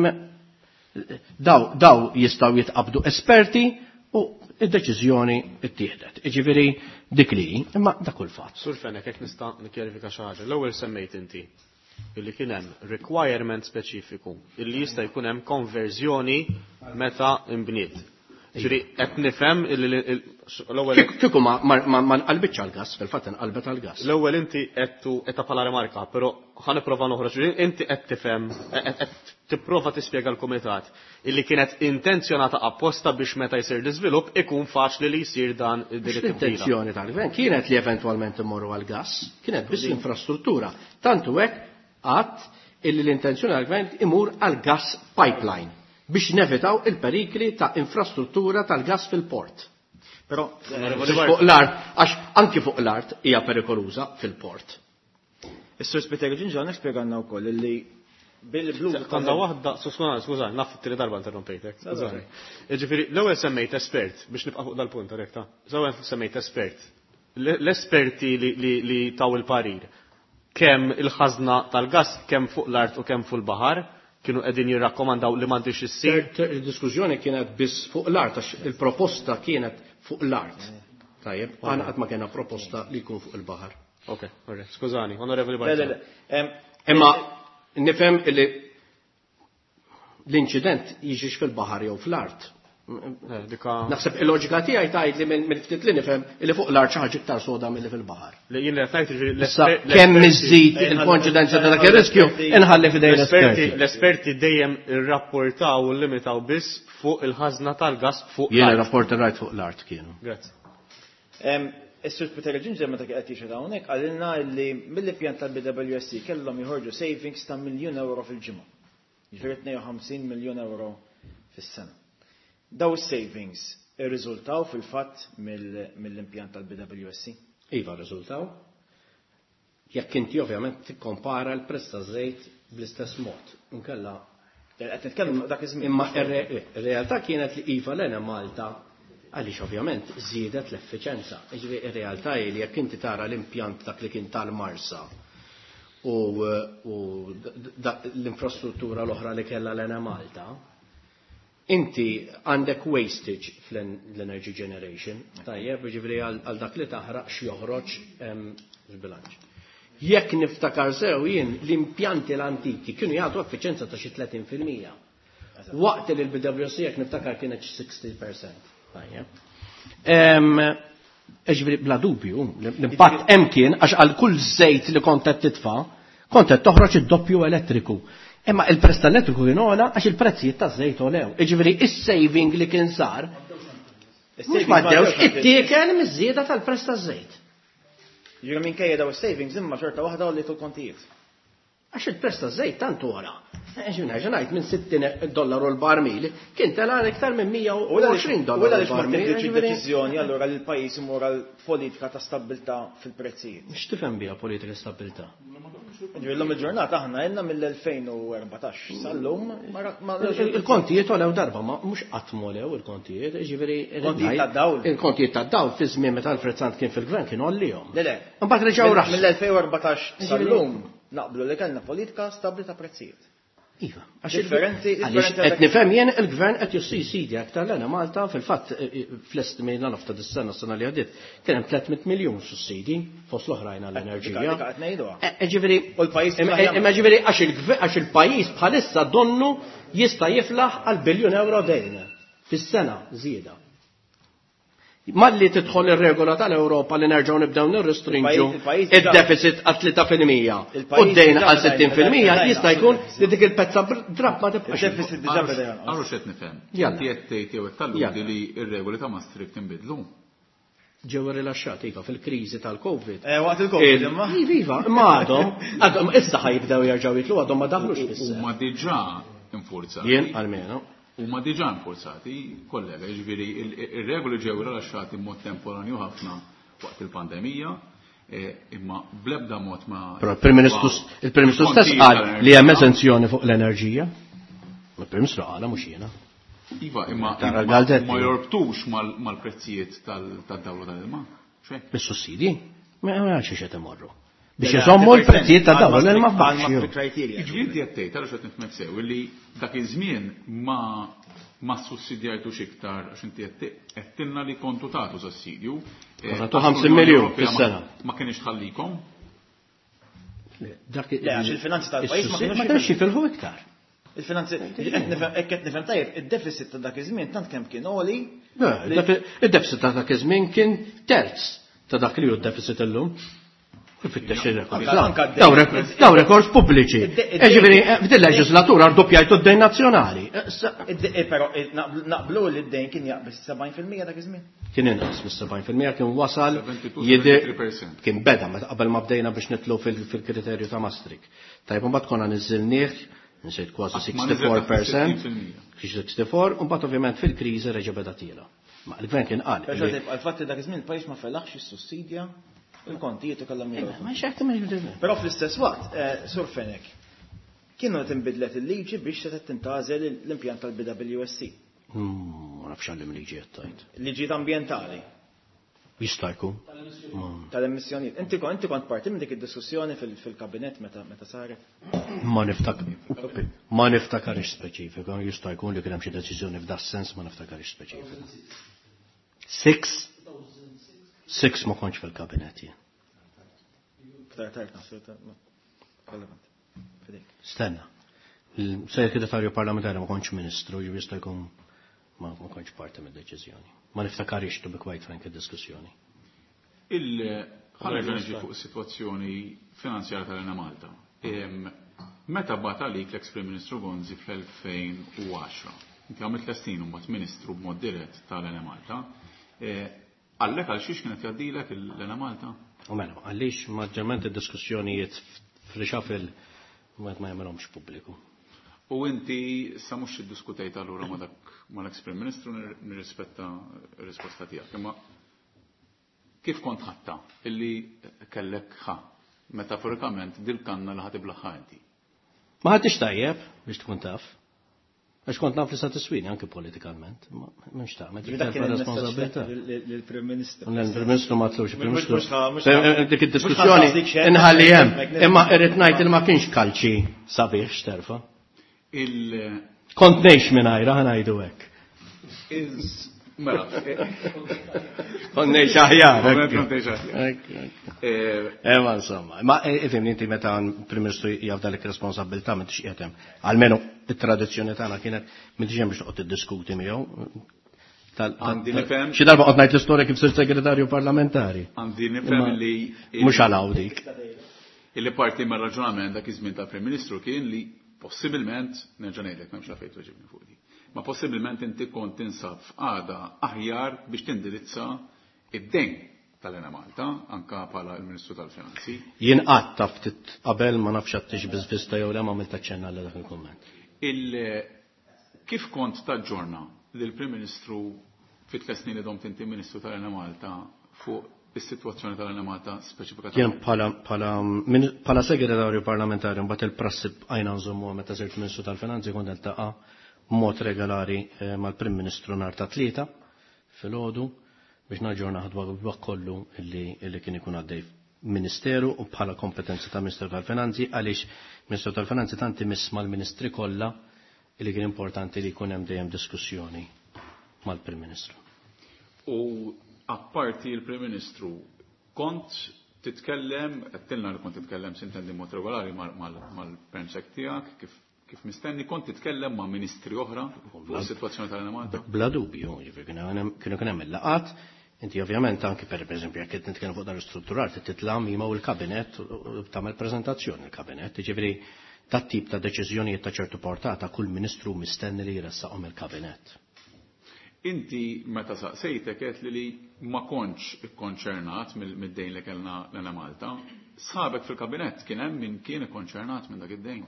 daw, daw jistaw jitqabdu esperti u id-deċiżjoni ittieħdet. Iġifieri dik li, imma dak kull fatt. Sur Fenech, jekk nista' nikkjarifika xi ħaġa. L-ewwel semmejt inti illi kien hemm requirement speċifiku illi jista' jkun hemm konverżjoni meta imbniet. Ġifieri qed nifhem l-ewwel Kieku ma nqalbitx għall-gas, fil-fatt inqalbet għall-gas. L-ewwel inti qed qed bħala rimarka, però ħa nipprova noħroġ, inti qed tifhem qed tipprova tispjega l-kumitat illi kienet intenzjonata apposta biex meta jsir l-iżvilupp ikun faċli li jsir dan id-direttiva. L-intenzjoni tal-gvern kienet li eventwalment immorru għall-gas, kienet biss l-infrastruttura. Tantu hekk għadd illi l-intenzjoni tal-gvern imur għall-gas pipeline biex nevitaw il-perikli ta' infrastruttura tal-gas fil-port. Però fuq l-art, għax anki fuq l-art hija perikoluża fil-port. Is-Sur Spiteri Ġinġan spjegana wkoll li bil-blu Għandha waħda, skuża, naf it-tieni darba interrompejtek. Skużani. Ġifieri l-ewwel semmejt espert biex nibqa' fuq dal-punt rekta. L-ewwel semmejt espert. L-esperti li taw il-parir kemm il-ħażna tal-gas kemm fuq l-art u kemm fuq il-baħar kienu qegħdin jirrakkomandaw li m'għandix issir. Il-diskussjoni kienet biss fuq l-art għax il-proposta kienet fuq l-art. Tajjeb, aħna qatt ma kellna proposta li jkun fuq il-baħar. Ok, skużani, Onorevoli Bartolo. Imma nifhem li l-inċident jiġix fil-baħar jew fl-art. Naħseb il-loġika tiegħi tgħid li minn ftit li nifhem li fuq l-art xi ħaġa iktar soda milli fil-baħar. Jien li qed ngħid kemm iżżid il-konċidenza ta' dak ir-riskju inħalli f'idejn l-esperti. L-esperti dejjem irrapportaw u limitaw biss fuq il-ħażna tal-gas fuq l-art. Jien rapport rajt fuq l-art kienu. Grazzi. Is-Sur Spiteri Ġinġer meta qed jixhed hawnhekk qalilna li mill-pjan tal-B W S C kellhom joħorġu savings ta' miljun euro fil-ġimgħa. Jiġifieri tnejn u ħamsin miljun euro fis-sena. Daw is-savings irriżultaw fil-fatt mill-impjant tal-B W S C? Iva rriżultaw. Jekk inti ovvjament tikkompara l-prezz taż-żejt bl-istess mod. Inkella qed nitkellmu fuq dak iż-żmien. Imma ir-realtà kienet li iva l-Ena Malta għaliex ovvjament żiedet l-effiċenza. Jiġifieri ir-realtà hi li jekk inti tara l-impjant dak li kien tal-Marsa u l-infrastruttura l-oħra li kellha l-Ena Malta, inti għandek wastage fl-energy generation, tajjeb, jiġifieri għal dak li taħraq x'joħroġ żbilanċ. Jekk niftakar sew jien l-impjanti l-antiki kienu jagħtu effiċenza ta' xi tletin fil-mija. Waqt li l-B W S C jekk niftakar kienet xi sixty percent. Tajjeb. Jiġifieri bla dubju, l-impatt hemm kien għax għal kull żejt li kont qed titfa', kont qed toħroġ id-doppju elettriku. Imma il-prezz tal-elettriku kien ogħla għax il-prezzijiet taż-żejt għolew. Jiġifieri is-saving li kien sar mhux m'għaddewx ittiekel miż-żieda tal-prezz taż-żejt. Jiġifieri minkejja daw is-savings imma xorta waħda għolliet il-kontijiet. Għax il-prezz taż-żejt tant ogħla. Ġifieri nerġa' ngħid minn sittin dollaru l-barmil kien tela' iktar minn mija u għoxrin dollaru U għaliex ma l-barmil, tieħdx jiġifieri id-deċiżjoni allura li l-pajjiż imur għal politika ta' stabbiltà fil-prezzijiet? X'tifhem biha politika ta' stabbiltà? Ġifieri llum il-ġurnata aħna għandna mill-elfejn u erbatax sal-lum ma ra-, ma Il-kontijiet għolew darba, ma mhux qatt m'għolew il-kontijiet, jiġifieri Kontijiet tad-dawl. Il-kontijiet tad-dawl fi żmien meta Alfred Sant kien fil-gvern kien għollihom. Le, le. Imbagħad reġgħu Mill- raħsu. Mill-elfejn u erbatax Jiġifieri sal-lum naqblu li kellna politika stabbli ta' prezzijiet. Iva, għax Differenti, għaliex differenti qed għal nifhem jien il-gvern qed jissidja aktar l-Ena Malta fil-fatt, eh, eh, fl-estimi l-nofta dis-sena s-sena li għaddiet kien hemm tliet mitt miljun sussidi fost l-oħrajn għall-enerġija. Dik qed ngħiduha. Eh, eh, ġifieri, U l-pajjiż imma, tista' jagħmel. imma ġifieri għax il-gve-, għax il-pajjiż bħalissa donnu jista' jiflaħ għal biljun euro dejn fis-sena żieda. Malli tidħol ir-regola tal-Ewropa li nerġgħu nibdew nirrestrinġu Il-pajjiż diġà- id-deficit għal tlieta fil-mija Il-pajjiż u d-dejn diġà għal beda sittin fil-mija jgħid, jista' jkun li dik il-pezza br-, drapp ma tibqax. Il-deficit diġà beda jonqos. Għarru x'qed nifhem. Jalla. Inti qed tgħid jew qed talludi Jalla. li r-regoli ta' Maastricht inbidlu. Ġew rilaxxati iva fil-kriżi tal-Covid. Eh, waqt il-Covid, Il- imma. Iva, iva, imma għadhom, għadhom issa ħajbdew jerġgħu jitlu għadhom ma daħlux fis-seħħ. Huma diġà infurzati. Jien almenu. Huma diġà infurzati, kollega, jiġifieri il-, ir-regoli ġew rilaxxati b'mod temporanju ħafna waqt il-pandemija, eh, imma bl-ebda mod ma Però il-Prim Ministru s-, il-Prim Ministru stess Kontijiet qal tal-enerġija. li hemm eżenzjoni fuq l-enerġija. Il-Prim Ministru qala mhux jiena. Iva, imma Tara imma l-Galdetti. ma jorbtux mal-, mal-prezzijiet tal-, tad-dawla tal-ilma. Xejn. Bis-sussidi? Ma għalx qed imorru. Biex Le, le, iżommu għal l-prezzijiet ta' dawla għal l-ilma għal f'baxx. Maastricht criteria. Jiġifieri inti qed tgħid, għaliex qed nifhmek sew, illi dak iż-żmien ma, ma sussidjajtux iktar għax inti qed qed tilna li kontu tagħtu sussidju. Eh, Kontu għax ħamsin l-Unjoni miljun Ewropea ma- fis-sena. Ma kienx tħallikom? Le, dak Le, għax il-finanzi tal-pajjiż ma is-sussidju kienux ma kienux jifilħu iktar. Il-finanzi, qed nifhem, hekk qed nifhem tajjeb, id-deficit ta' dak iż-żmien tant kemm kien għoli Id-deficit ta' dak iż-żmien kien terz ta' dak li hu d-deficit illum. Fittex ir-rekords. Daw rekords pubbliċi. Ġifieri f'din leġislatura rdoppjajtu d-dejn nazzjonali. Però naqblu li d-dejn kien jaqbeż sebgħin fil-mija dak iż-żmien. Kien inqas mis-sebgħin fil-mija, kien wasal jidher kien beda meta qabel ma bdejna biex nitlu fil-kriterju ta' Maastricht. Tajb imbagħad konna niżilnieh, nsejt kważi sixty-four percent, sixty-four, u mbagħad ovvjament fil-kriżi reġa' beda tiela. Ma l-gvern kien qal. Però għal-fatt li dak iż-żmien il-pajjiż ma felaħx is-sussidja il-kontijiet u kellhom jagħmlu. Ma x'qed tagħmel. Però fl-istess waqt, Sur Fenech, kienu qed inbidlet il-liġi biex se tintgħażel l-impjant tal-B W S C. Ma nafx għallim liġi qed tgħid. Liġijiet ambjentali. Jista' jkun. Tal-emissjonijiet. Inti kon-, inti kont parti minn dik id-diskussjoni fil-, fil-kabinett meta, meta saret? Ma niftak-, ma niftakarx speċifika, jista' jkun li kien hemm xi deċiżjoni f'das sens, ma niftakarx speċifika. Six? Six ma kontx fil-kabinett jien. Iktar tard naħseb ta' relevant. Fidejk. Stenna. Il-segretarju parlamentari ma kontx ministru, ġifieri jista' jkun ma, ma kontx parti mid-deċiżjoni. Ma niftakarix, to be quite frank, id-diskussjoni. Il-ħareġ niġi fuq is-sitwazzjoni finanzjarja tal-Enemalta. Em, meta bagħat għalik l-ex Prim Ministru Gonzi fl-elfejn u għaxra, inti għamilt tliet snin u mbagħad Ministru b'mod dirett tal-Enemalta, e, għallek għal xiex kienet jgħaddilek l-Enemalta? U mela, għaliex maġġorment id-diskussjonijiet f'reshuffle ma jagħmilhomx pubbliku. U inti sa mhux iddiskutejt allura ma dak mal-ex Prim Ministru, nirrispetta r-risposta tiegħek. Imma kif kont ħatta illi kellek ħa metaforikament dil-kanna li ħatib l-ħa inti? Ma ħadtix tajjeb biex tkun taf. Għax kont naf li sa tiswini anke politikament, ma m'hemmx tagħmel, Ġifieri dak kien terfa' il-messaġġ responsabilità. lil-, lil-, lill-Prim Ministru. Lill-Prim Ministru ma tlux, il-Prim Mhux Ministru. mhux ħa-, mhux Eh, ħa- eh, dik mhux id-diskussjoni ħa- dik xejn, inħalli hemm. hemmhekk nifhem. Imma irrid ngħid li ma kienx kalċi sabiħ x'terfa'. Il- Kont ngħix mingħajra, ħa ngħidu hekk. Is- mela. Kont ngħix aħjar, Kont hekk. ngħix aħjar. Hekk, hekk. Eh, Eh, ma insomma, ma, eh, ifhimni inti meta Prim Ministru jafda lik responsabilità m'intix qiegħed hemm. Almenu it-tradizzjoni tagħna kienet m'intix hemm biex toqgħod tiddiskuti miegħu. Tal-, tal-, Għandi nifhem. Xi darba qgħod ngħid l-istorja kif sirt segretarju parlamentari. Għandi nifhem Imma li mhux għal hawn dik. Illi parti mir-raġunament dak iż-żmien tal-Prim Ministru kien li possibilment, nerġa' ngħidlek m'hemmx għalfejn tweġibni fuq di. Ma possibilment inti kont tinsab f'qagħda aħjar biex tindirizza id-dejn tal-Enemalta, anka bħala l-Ministru tal-Finanzi. Jien qatt taf ftit qabel ma nafx għattix biżvista jew le ma għamilt aċċenna għal dak il-kumment. Il-, kif kont taġġorna lill-Prim Ministru fit tliet snin li domt inti Ministru tal-Enemalta fuq is-sitwazzjoni tal-Enemalta speċifikatament? Jien bħala, bħala, min-, bħala segretarju parlamentari mbagħad il-prassi bqajna nżommuha meta sirt Ministru tal-Finanzi kont niltaqa' b'mod regolari, eh, mal-Prim Ministru nhar ta' tlieta filgħodu biex naġġorna ħadwa dak kollu illi, illi kien ikun għaddej Ministeru u bħala kompetenza ta' Ministru tal-Finanzi, għaliex Ministru tal-Finanzi tant imiss mal-Ministri kollha illi kien importanti li jkun hemm dejjem diskussjoni mal-Prim Ministru. U apparti l-Prim Ministru, kont titkellem, għedtilna li kont titkellem sintendi mod regolari mal-, mal-, mal-permsek tiegħek, kif, kif mistenni, kont titkellem ma' ministri oħra fuq is-sitwazzjoni tal-Enemalta? Bla dubju, ġifieri kienu hemm, kienu kien hemm il-laqat, inti ovvjament anki per eżempju jekk qed nitkellem fuq dan l-istrutturar, trid titla' miegħu il-kabinett u, u tagħmel preżentazzjoni il-kabinett, ġifieri dat tip ta' deċiżjonijiet ta' ċertu portata kull ministru mistenni li jressaqhom il-kabinett. Inti meta saqsejtek qed li li ma kontx ikkonċernat mill-, mid-dejn li kellna l-Enemalta, sħabek fil-kabinett kien hemm min kien ikkonċernat minn dak id-dejn.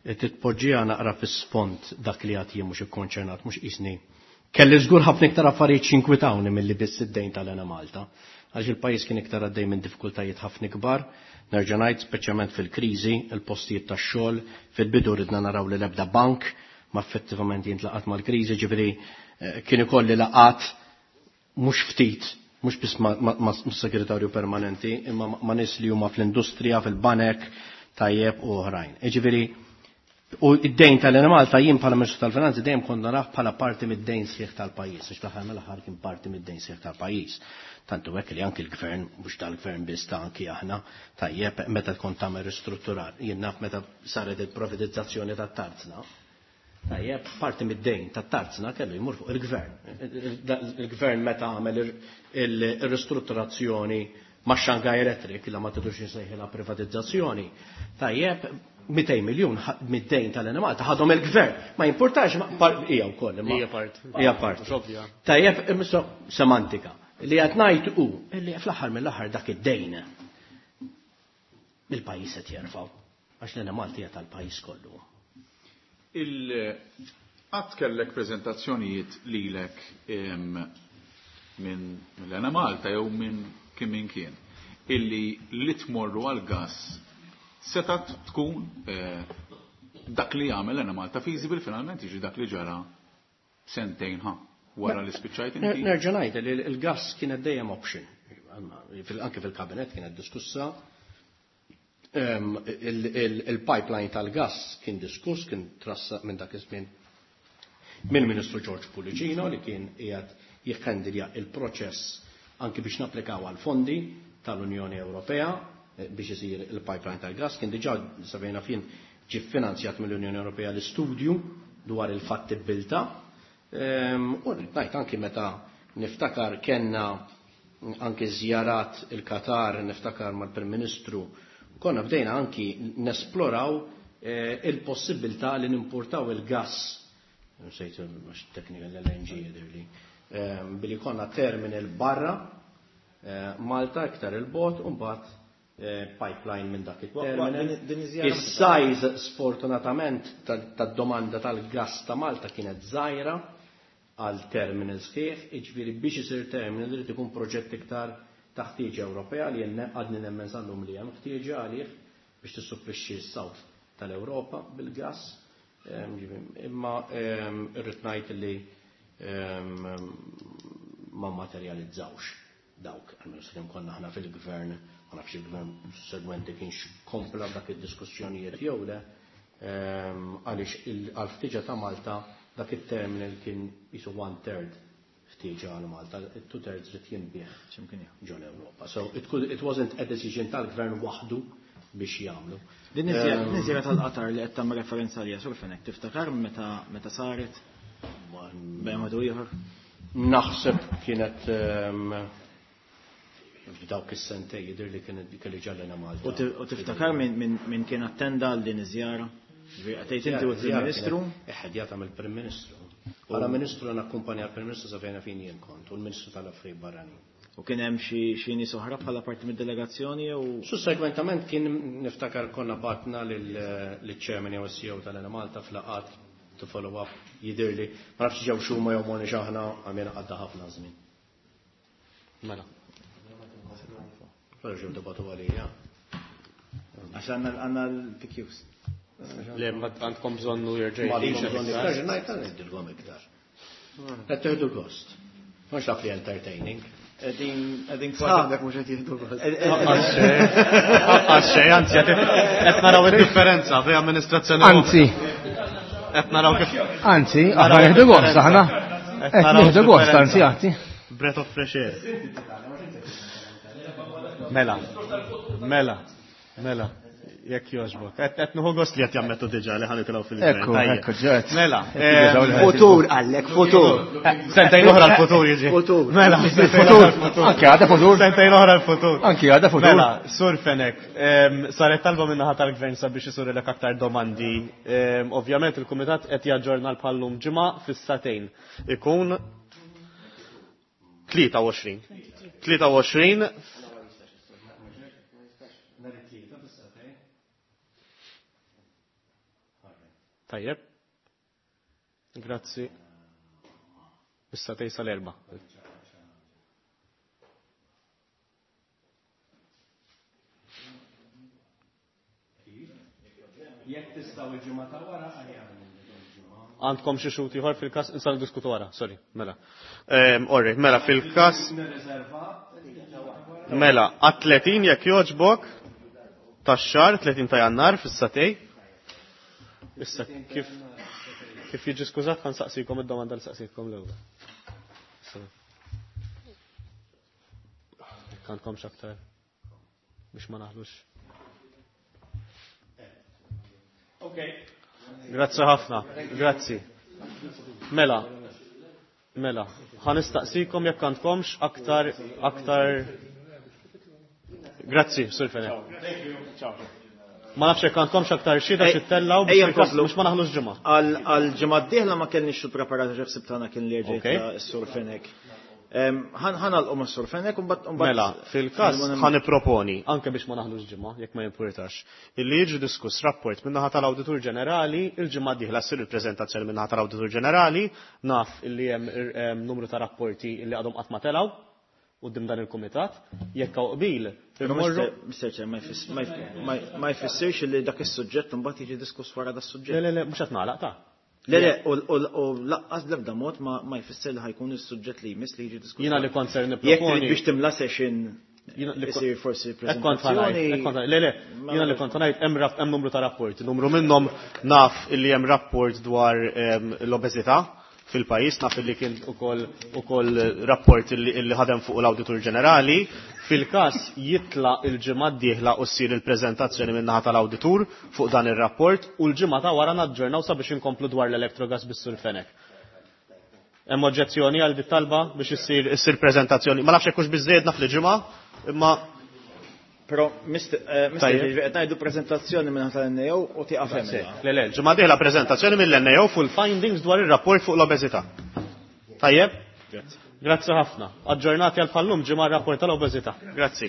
Qed titpoġġiha naqra fis-sfond dak li għad jien mhux ikkonċernat, mhux qisni. Kelli żgur ħafna iktar affarijiet x'inkwitawni milli biss id-dejn tal-Enemalta, għax il-pajjiż kien iktar għaddej minn diffikultajiet ħafna kbar, nerġa' ngħid speċjalment fil-kriżi, il-postijiet tax-xogħol, fil-bidu ridna naraw li l-ebda bank ma effettivament jintlaqat mal-kriżi, ġifieri, eh, kien ikolli laqat mhux ftit, mhux biss ma-, ma-, ma' segretarju permanenti, imma ma-, ma' nies li huma fl-industrija, fil-banek, tajjeb u oħrajn. Ġifieri, u id-dejn tal-Enemalta jien bħala Ministru tal-Finanzi dejjem konna naf bħala parti mid-dejn sħiħ tal-pajjiż, għax fl-aħħar mill-aħħar kien parti mid-dejn sħiħ tal-pajjiż. Tantu hekk li anki l-gvern, mhux tal-gvern biss ta' anki aħna, tajjeb meta tkun tagħmel ristrutturar. Jien naf meta saret il-privatizzazzjoni tat-tarzna. Tajjeb, parti mid-dejn tat-tarzna kellu jmur fuq il-gvern. Il-gvern meta għamel ir-ristrutturazzjoni ma' Shanghai Electric, la ma tidux insejħilha privatizzazzjoni. Tajjeb, mitejn miljun mid-dejn tal-Enemalta ħadhom il-gvern. Ma jimpurtax, hija wkoll. Hija part. Hija part. Tajjeb, semantika. Li qed ngħid hu li fl-aħħar mill-aħħar dak id-dejn il-pajjiż qed jerfgħu għax l-Enemalta hija tal-pajjiż kollu. Il-qatt kellek preżentazzjonijiet lilek minn l-Enemalta jew minn kien min kien illi li tmorru għal gas setat tkun dak li jagħmel l-Enemalta feasible finalment jiġi dak li ġara sentejn ħa wara li spiċċajt inti. Nerġa' ngħid li l-gas kienet dejjem option. Anke fil-kabinet kienet diskussa. Il-pipeline tal-gas kien diskuss, kien trassa minn dak iż-żmien mill-Ministru George Pullicino li kien qiegħed jikhandilja il-proċess anki biex napplikaw għal fondi tal-Unjoni Ewropea biex isir il-pipeline tal-gas. Kien diġà sabejna fin ġie finanzjat mill-Unjoni Ewropea l-istudju dwar il-fattibilità. U ngħid anki meta niftakar kellna anki żjarat il-Qatar, niftakar mal-Prim Ministru, konna bdejna anki nesploraw il-possibilità li nimportaw il-gas, nsejt mhux teknika l-L N G jidhirli, billi konna terminal barra Malta iktar il-bot u mbagħad pipeline minn dak it-terminal. Is-size sfortunatament tad-domanda tal-gas ta' Malta kienet żgħira għal terminal sħiħ, jiġifieri biex isir terminal irid ikun proġett iktar ta' ħtieġa Ewropea li għadni nemmen sal-lum li hemm ħtieġa għalih biex tissupplixxi s-South tal-Ewropa bil-gas. Imma irrid ngħid li ma materializzawx dawk, għalmenu sakemm konna aħna fil-gvern, ma nafx il-gvern segwenti kienx kompla dak id-diskussjonijiet jew le, għaliex għal-ħtieġa ta' Malta dak it-terminal kien jisu one third ħtieġa għal Malta, two thirds rid jinbih ġol Ewropa. So it, could, it wasn't a decision tal-gvern waħdu biex jagħmlu. Din iż-żjara tal-Qatar li qed tagħmel referenza għaliha Sur Fenech, tiftakar meta meta saret? Bejn wieħed u ieħor? Naħseb kienet f'dawk is-sentej jidher li kienet kelli ġallina Malta. U tiftakar min kien attenda għal din iż-żjara? Għatejt inti u l-Prim Ministru? Iħedjata mill-Prim Ministru. Bħala Ministru nakkumpanja l-Prim Ministru sa fejn fejn jien kont u l-Ministru tal-Affarijiet Barranin. U kien hemm xi nies oħra bħala parti mid-delegazzjoni jew? Sussegwentament kien niftakar konna batna lill-Chairman jew C E O tal-Enemalta fl-laqgħat to follow up jidhirli. Ma nafx ġew xuma jew morni xaħna għamilna għadda ħafna żmien. Mela. Però ġew debatu għalija. Għax għandna l-P Qs. Le, ma għandkom bżonnu jerġa' Ma għandkom bżonnu iktar, ngħid ngħidilkom iktar. Qed tieħdu gost. Mhux taf li entertaining. Qegħdin qegħdin sħabek mhux qed jieħdu gost. Għax xejn, anzi qed naraw id-differenza bejn amministrazzjoni. Anzi. Qed naraw kif. Anzi, aħna nieħdu gost aħna. Qed nieħdu gost, anzi, anzi. Breath of fresh air. Mela. Mela. Mela. Jekk jogħġbok. Qed nieħu gost li qed jammettu diġà li ħanitilgħu fil-gvern. Ekku, ekku, ġed. Mela. Futur għallek, futur. Sentejn oħra l-futur jiġi. Futur. Mela, futur. Anke għadha futur. Sentejn oħra l-futur. Anke għadha futur. Mela, Sur Fenech, saret talba minn naħa tal-gvern sabiex isurilek aktar domandi. Ovvjament il-kumitat qed jaġġorna l-bħallum ġimgħa fis-satejn. Ikun tlieta u għoxrin. Tlieta u għoxrin. Tajjeb. Grazzi. Issa tejsa l-erba. Jekk tistgħu il-ġimgħa ta' wara Għandkom xi xut ieħor fil-każ nistgħu niddiskutu wara, sorry, mela. Orri, mela fil-każ Mela, għat tletin jekk jogħġbok tax-xahar tletin ta' Jannar fis-satej. Issa kif kif jiġi skużat ħan saqsikom id-domanda li saqsitkom l-ewwel. Jekk għandkom x'aktar biex ma naħlux. Okay. Grazzi ħafna, grazzi. Mela, mela, ħa nistaqsikom jekk għandkomx aktar, aktar. Grazzi, Sur Fenech. Ma nafx jekk għandkomx aktar xhieda xi ttellgħu biex ma naħlux ġimgħa. Għal ġimgħa d-dieħla ma kellniex xi preparata ġef sibtana kien li ġejt is-Sur Fenech. Ħa nagħlqu mas-Sur Fenech u mbagħad. Mela, fil-każ ħa nipproponi, anke biex ma naħlux ġimgħa, jekk ma jimpurtax, illi jiġi diskuss rapport min-naħa tal-Awditur Ġenerali, il-ġimgħa d-dieħla ssir il-preżentazzjoni min-naħa tal-Awditur Ġenerali, naf illi hemm numru ta' rapporti illi għadhom qatt ma telgħu quddiem dan il-kumitat, jekk hawn qbil. Mister Chair, ma jfissirx li dak is-suġġett imbagħad jiġi diskuss wara da suġġett. Le, le, le, mhux qed nagħlaq ta'. Le, le, u lanqas l-ebda mod ma jfisser li ħa jkun is-suġġett li jmiss li jiġi diskuss. Jiena li kont ser nipproponi. Jekk trid biex timla session isir forsi prezentazzjoni. Le, le, jiena li kont ngħid hemm numru ta' rapporti, numru minnhom naf illi hemm rapport dwar l-obeżità fil-pajis, naf li kien ukoll ukoll rapport illi ħadem fuq l-Awditur Ġenerali. Fil-każ jitla il-ġimgħa d-dieħla u ssir il-preżentazzjoni min-naħa tal-Awditur fuq dan ir-rapport u l-ġimgħa ta' wara naġġornaw sabiex inkomplu dwar l-Electrogas bis-Sur Fenech. Hemm oġġezzjoni għal dit talba biex issir issir preżentazzjoni. Ma nafx hekk hux biżżejjed naf li ġimgħa, imma Però, Mister qed ngħidu preżentazzjoni minn tal-N A O u tieqaf hemm. Le, le, ġimgħa dieħla preżentazzjoni mill-N A O fuq il-findings dwar ir-rapport fuq l-obeżità. Tajjeb? Grazzi. Grazzi ħafna. Aġġornati għal bħal-lum ġimgħa rapport tal-obeżità. Grazzi.